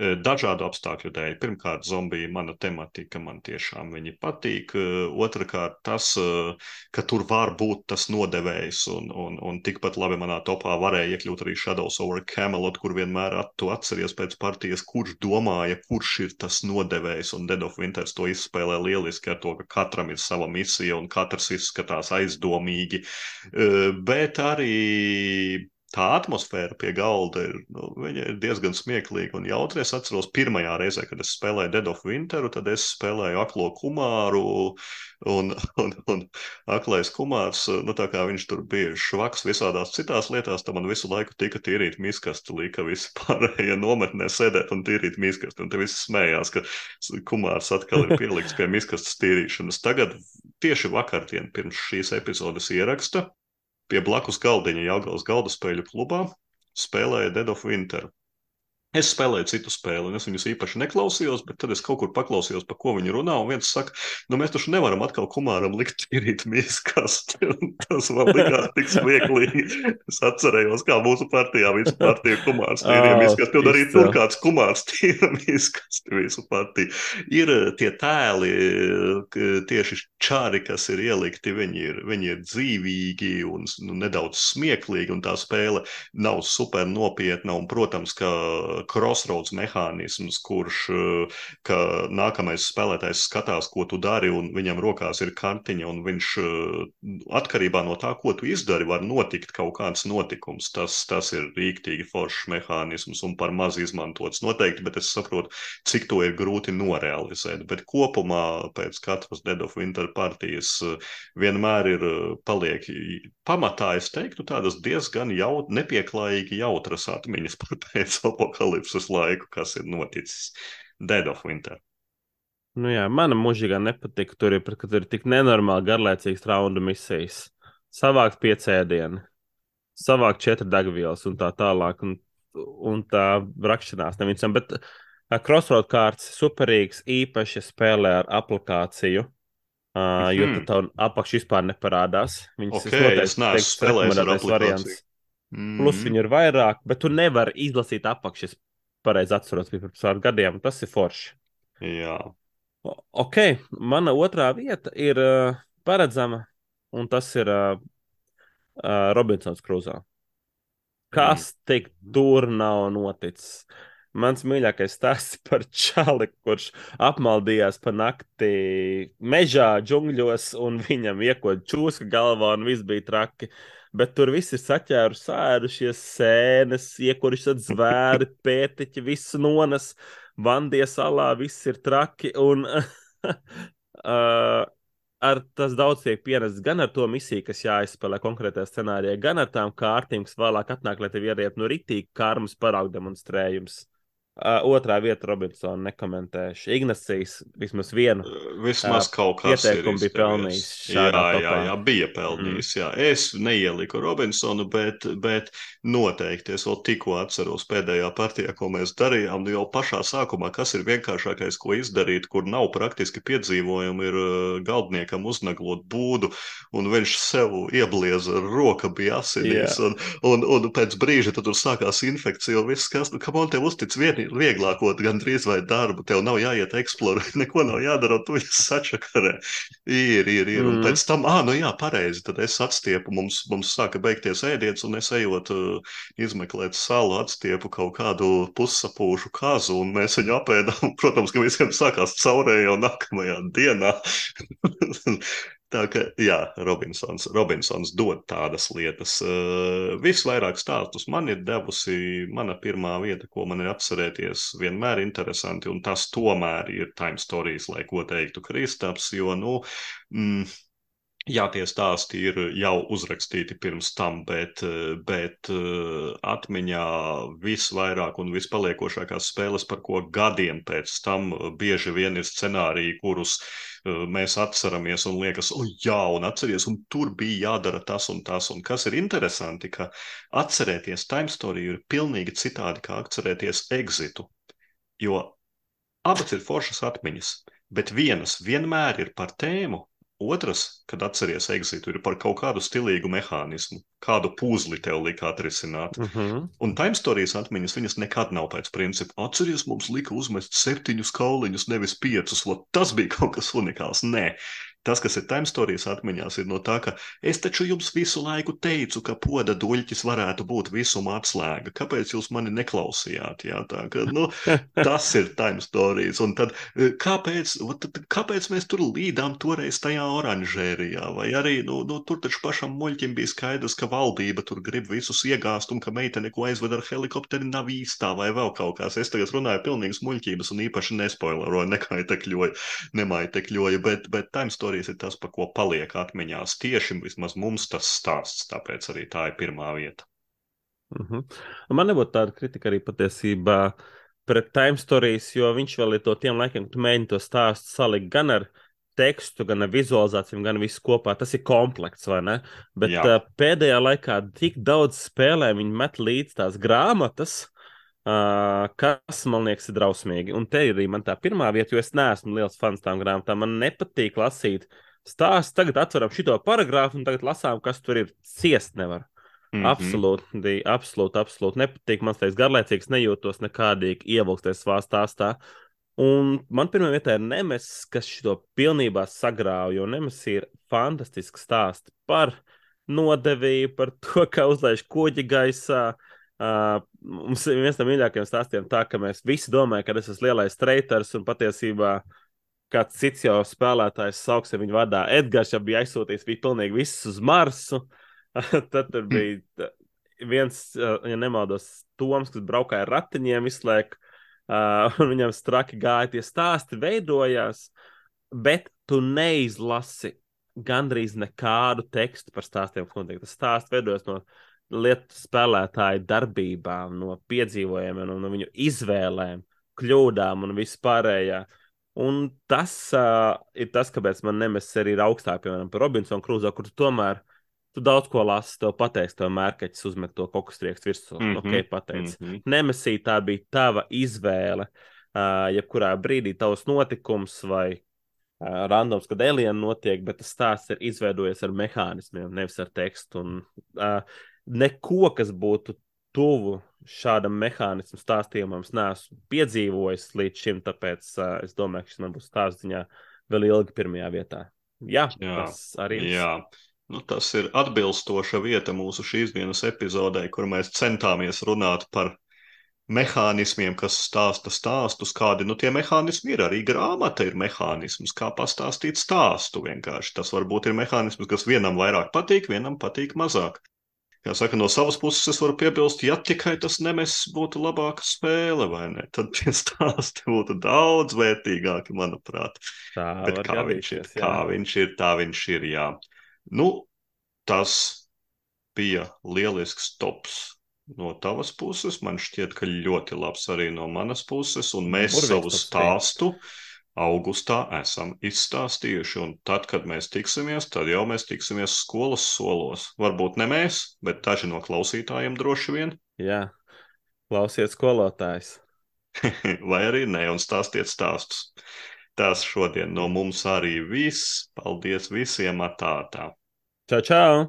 E, dažādu apstākļu dēļ. Pirmkārt, zombija mana tematika, man tiešām viņi patīk. E, otrakārt, tas, e, ka tur var būt tas nodevējs, un, un, un tikpat labi manā topā varēja iekļūt arī Shadows over Camelot, kur vienmēr at, tu atceries pēc partijas, kurš domāja, kurš ir tas nodevējs, un Dead of Winters to izspēlē lieliski ar to, ka katram ir sava misija, un katrs izskatās aizdomīgi. E, bet arī tā atmosfēra pie galda ir, nu, viņa ir diezgan smieklīga un jautra. Es atceros pirmajā reizē, kad es spēlēju Dead of Winteru, tad es spēlēju aklo kumāru, un, un, un aklais kumārs, nu tā kā viņš tur bija švaks visādās citās lietās, tad man visu laiku tika tīrīt miskasti, lika visi pārējie nometnē sēdēt un tīrīt miskasti, un te visi smējās, ka kumārs atkal ir pieliks pie miskastes tīrīšanas. Tagad tieši vakardien pirms šīs epizodes ieraksta pie blakus galdiņa Jelgavas galda spēļu klubā spēlēja Dead of Winter. Es spēlēju citu spēli, un es viņus īpaši neklausījos, bet tad es kaut kur paklausījos, pa ko viņi runā, un viens saka, nu mēs taču nevaram atkal kumāram likt tīrīt miskasti, un tas man likās tik smieklīgi. Es atcerējos, kā mūsu partijā visu partiju kumārs tīrīja
Oh,
miskasti, un arī
izcili.
tur kāds kumārs tīra miskasti visu partiju. Ir tie tēli, k- tieši čāri, kas ir ielikti, viņi ir, viņi ir dzīvīgi un nu, nedaudz smieklīgi, un tā spēle nav super nopietna, un, protams, ka crossroads mehānisms, kurš, eh, ka nākamais spēlētājs skatās, ko tu dari, un viņam rokās ir kartiņa, un viņš eh, atkarībā no tā, ko tu izdari, var notikt kaut kāds notikums. Tas, tas ir rīktīgi foršs mehānisms un par maz izmantots noteikti, bet es saprotu, cik to ir grūti norealizēt. Bet kopumā pēc katras Dead of Winter partijas eh, vienmēr ir eh, paliek pamatā, es teiktu, tādas diezgan jaut, nepieklājīgi jautras atmiņas par pēc apokalipses laiku, kas ir noticis Dead of Winter.
Nu jā, mana mūžīgā nepatika tur ir, ka tur ir tik nenormāli garlaicīgas raundu misijas. Savākt piecēdienu, savākt četri degvielas un tā tālāk, un, un tā rakšanās nevincam. Bet uh, Crossroad kārts superīgs, īpaši spēlē ar aplikāciju, uh, jo
Mhm.
tad tā apakš vispār neparādās. Viņas
Ok,
es noteikti
es neesmu
teiktu,
spēlējis ar
rekomendētais
aplikāciju.
variants. Plus
Mm.
viņu ir vairāk, bet tu nevari izlasīt apakšas. Pareizi atceros, bija pirms pāris gadiem, tas ir forši.
Jā.
O- Ok, mana otrā vieta ir uh, paredzama, un tas ir uh, uh, Robinsons Krūzā. Kas tik tur nav noticis? Mans mīļākais stāsts par čali, kurš apmaldījās pa nakti mežā, džungļos, un viņam iekod čūska galvā, un viss bija traki. Bet tur viss ir saķēru sērušies, sēnes, iekoruši zvēri, pētiķi, visu nonas, Vandie salā, viss ir traki, un uh, ar tas daudz tiek pienests gan ar to misiju, kas jāizspēlē konkrētajā scenārijā, gan ar tām kārtīm, kas vēlāk atnāk, lai tev ieriet no ritīgi karmas paraugu demonstrējums. Uh, otrā vieta Robinsona nekomentēšu. Ignacijas vismaz vienu
Vismaz
uh,
kaut kas ir
pieteikumu bija
izdevies.
pelnījis
Jā,
šādā
jā,
topā.
jā, bija pelnījis. Mm. Jā. Es neieliku Robinsonu, bet, bet noteikti es vēl tikko atceros pēdējā partijā, ko mēs darījām. Nu jau pašā sākumā, kas ir vienkāršākais, ko izdarīt, kur nav praktiski piedzīvojumi, ir uh, galdniekam uznaglot būdu, un viņš sev ieblieza, roka bija asinīs,
Jā.
un, un, un pēc brīža tad tur sākās infekcija, un viss, kas, nu, kam on tev uztic vieni, vieglāko gandrīz vai darbu, tev nav jāiet eksplorēt, neko nav jādara, un tu viņus sačakarē. Ir, ir, ir. Un
Mm.
pēc tam, ā, nu jā, pareizi, tad es atstiepu, mums, mums sāka beigties ēdiens, un es ejot uh, izmeklēt salu, atstiepu kaut kādu pussapūšu kazu, un mēs viņu apēdām. Protams, ka visiem sākās caurēja jau nākamajā dienā. Tā kā, jā, Robinsons, Robinsons dod tādas lietas. Uh, visvairāk stāstus man ir devusi mana pirmā vieta, ko man ir atcerēties, vienmēr interesanti, un tas tomēr ir Time Stories, lai ko teiktu Kristaps, jo, nu, mm, Jā, tie stāsti ir jau uzrakstīti pirms tam, bet, bet atmiņā visvairāk un vispaliekošākās spēles, par ko gadiem pēc tam bieži vien ir scenāriji, kurus mēs atceramies un liekas, o jā, un atceries, un tur bija jādara tas un tas. Un kas ir interesanti, ka atcerēties Time Story ir pilnīgi citādi, kā atcerēties Exitu, jo abas ir foršas atmiņas, bet vienas vienmēr ir par tēmu, otras, kad atceries Exitu, ir par kaut kādu stilīgu mehānismu, kādu puzli tev lika atrisināt.
Uh -huh.
Un Time Stories atmiņas, viņas nekad nav pēc principa. Atceries, mums lika uzmest septiņus kauliņus, nevis piecus, lot tas bija kaut kas unikāls. Nē. Tas, kas ir Time Stories atmiņās, ir no tā, ka es taču jums visu laiku teicu, ka poda duļķis varētu būt visuma atslēga. Kāpēc jūs mani neklausījāt? Jā, tā, ka, nu, tas ir Time Stories. Un tad, kāpēc, tad, kāpēc mēs tur līdām toreiz tajā oranžērijā? Vai arī, nu, nu tur taču pašam muļķim bija skaidrs, ka valdība tur grib visus iegāzt un ka meitene, ko aizved ar helikopteri, nav īstā vai vēl kaut kās. Es tagad runāju pilnīgas muļķības un īpaši nespoileroju, nekaitekļoju, nemaitekļoju, bet, bet Time Stories ir tas, pa ko paliek atmiņās. Tieši vismaz mums tas stāsts, tāpēc arī tā ir pirmā vieta.
Uh -huh. Man nebūtu tāda kritika arī patiesībā pret Time Stories, jo viņš vēl ir to tiem laikiem, kad tu mēģini to stāstu salikt gan ar tekstu, gan ar vizualizācijām, gan visu kopā. Tas ir komplekts, vai ne? Bet
Jā.
uh, pēdējā laikā tik daudz spēlē viņi met līdz tās grāmatas, Uh, kas, man liekas, ir drausmīgi. Un te ir arī man tā pirmā vieta, jo es neesmu liels fans tām grāmatām. Man nepatīk lasīt stāstu. Tagad atveram šito paragrāfu un tagad lasām, kas tur ir. Ciest nevar. Mm-hmm. Absolūti, absolūti, absolūti nepatīk. Man liekas, garlaicīgs, nejūtos nekādīgi ievilkties savā stāstā. Un man pirmā vietā ir Nemesis, kas šito pilnībā sagrāva, jo Nemesis ir fantastisks stāsts par nodevību, par to, kā uzlaiž kuģi gaisā. Uh, mums ir viens no mīļākajiem stāstiem tā, ka mēs visi domājam, ka tas ir lielais treiters un patiesībā kāds cits jau spēlētājs sauksim viņu vadā. Edgars jau bija aizsūtījis, bija pilnīgi viss uz Marsu. Tad tur bija viens, ja nemaldos, Toms, kas braukāja ar ratiņiem visu laiku, uh, un viņam straki gāja, tie stāsti veidojās, bet tu neizlasi gandrīz nekādu tekstu par stāstiem, kas notiek. Tas stāsts veidojas no lietu spēlētāju darbībām, no piedzīvojumiem, no, no viņu izvēlēm, kļūdām un vispārējā. Un tas uh, ir tas, kāpēc man Nemesis arī ir augstāk, piemēram, par Robinsonu Krūzo, kur tu tomēr tu daudz ko lasi, tev pateiks, tev mērķis uzmet to kokustriekstu virsū. Mm -hmm. Ok, pateic. Mm -hmm. Nemesī tā bija tava izvēle, uh, jebkurā brīdī tavs notikums vai uh, randoms, kad alieni notiek, bet tas stāsts ir izveidojies ar mehānismiem, nevis ar tekstu. Un, uh, neko, kas būtu tuvu šādam mehānismu stāstījumam, es neesmu piedzīvojis līdz šim, tāpēc uh, es domāju, ka šis man būs stāstziņā vēl ilgi pirmajā vietā. Jā, jā tas arī ir.
Jā. Nu, tas ir atbilstoša vieta mūsu šīs dienas epizodē, kur mēs centāmies runāt par mehānismiem, kas stāsta stāstus, kādi, nu, tie mehānismi ir. Arī grāmata ir mehānisms, kā pastāstīt stāstu vienkārši. Tas varbūt ir mehānisms, kas vienam vairāk patīk, vienam patīk mazāk. Kā saka, no savas puses es varu piebilst, ja tikai tas Nemesis būtu labāka spēle, vai ne? Tad tie stāsti būtu daudz vērtīgāki, manuprāt.
Tā
Bet kā viņš ir, jā. kā viņš ir, tā viņš ir, jā. Nu, tas bija lielisks tops no tavas puses. Man šķiet, ka ļoti labs arī no manas puses, un mēs
Burvīgs
savu
tops,
stāstu augustā esam izstāstījuši, un tad, kad mēs tiksimies, tad jau mēs tiksimies skolas solos. Varbūt ne mēs, bet daži no klausītājiem droši vien.
Jā, klausiet skolotājs.
Vai arī ne, un stāstiet stāstus. Tas šodien no mums arī viss. Paldies visiem, atā, tā.
Čau, čau!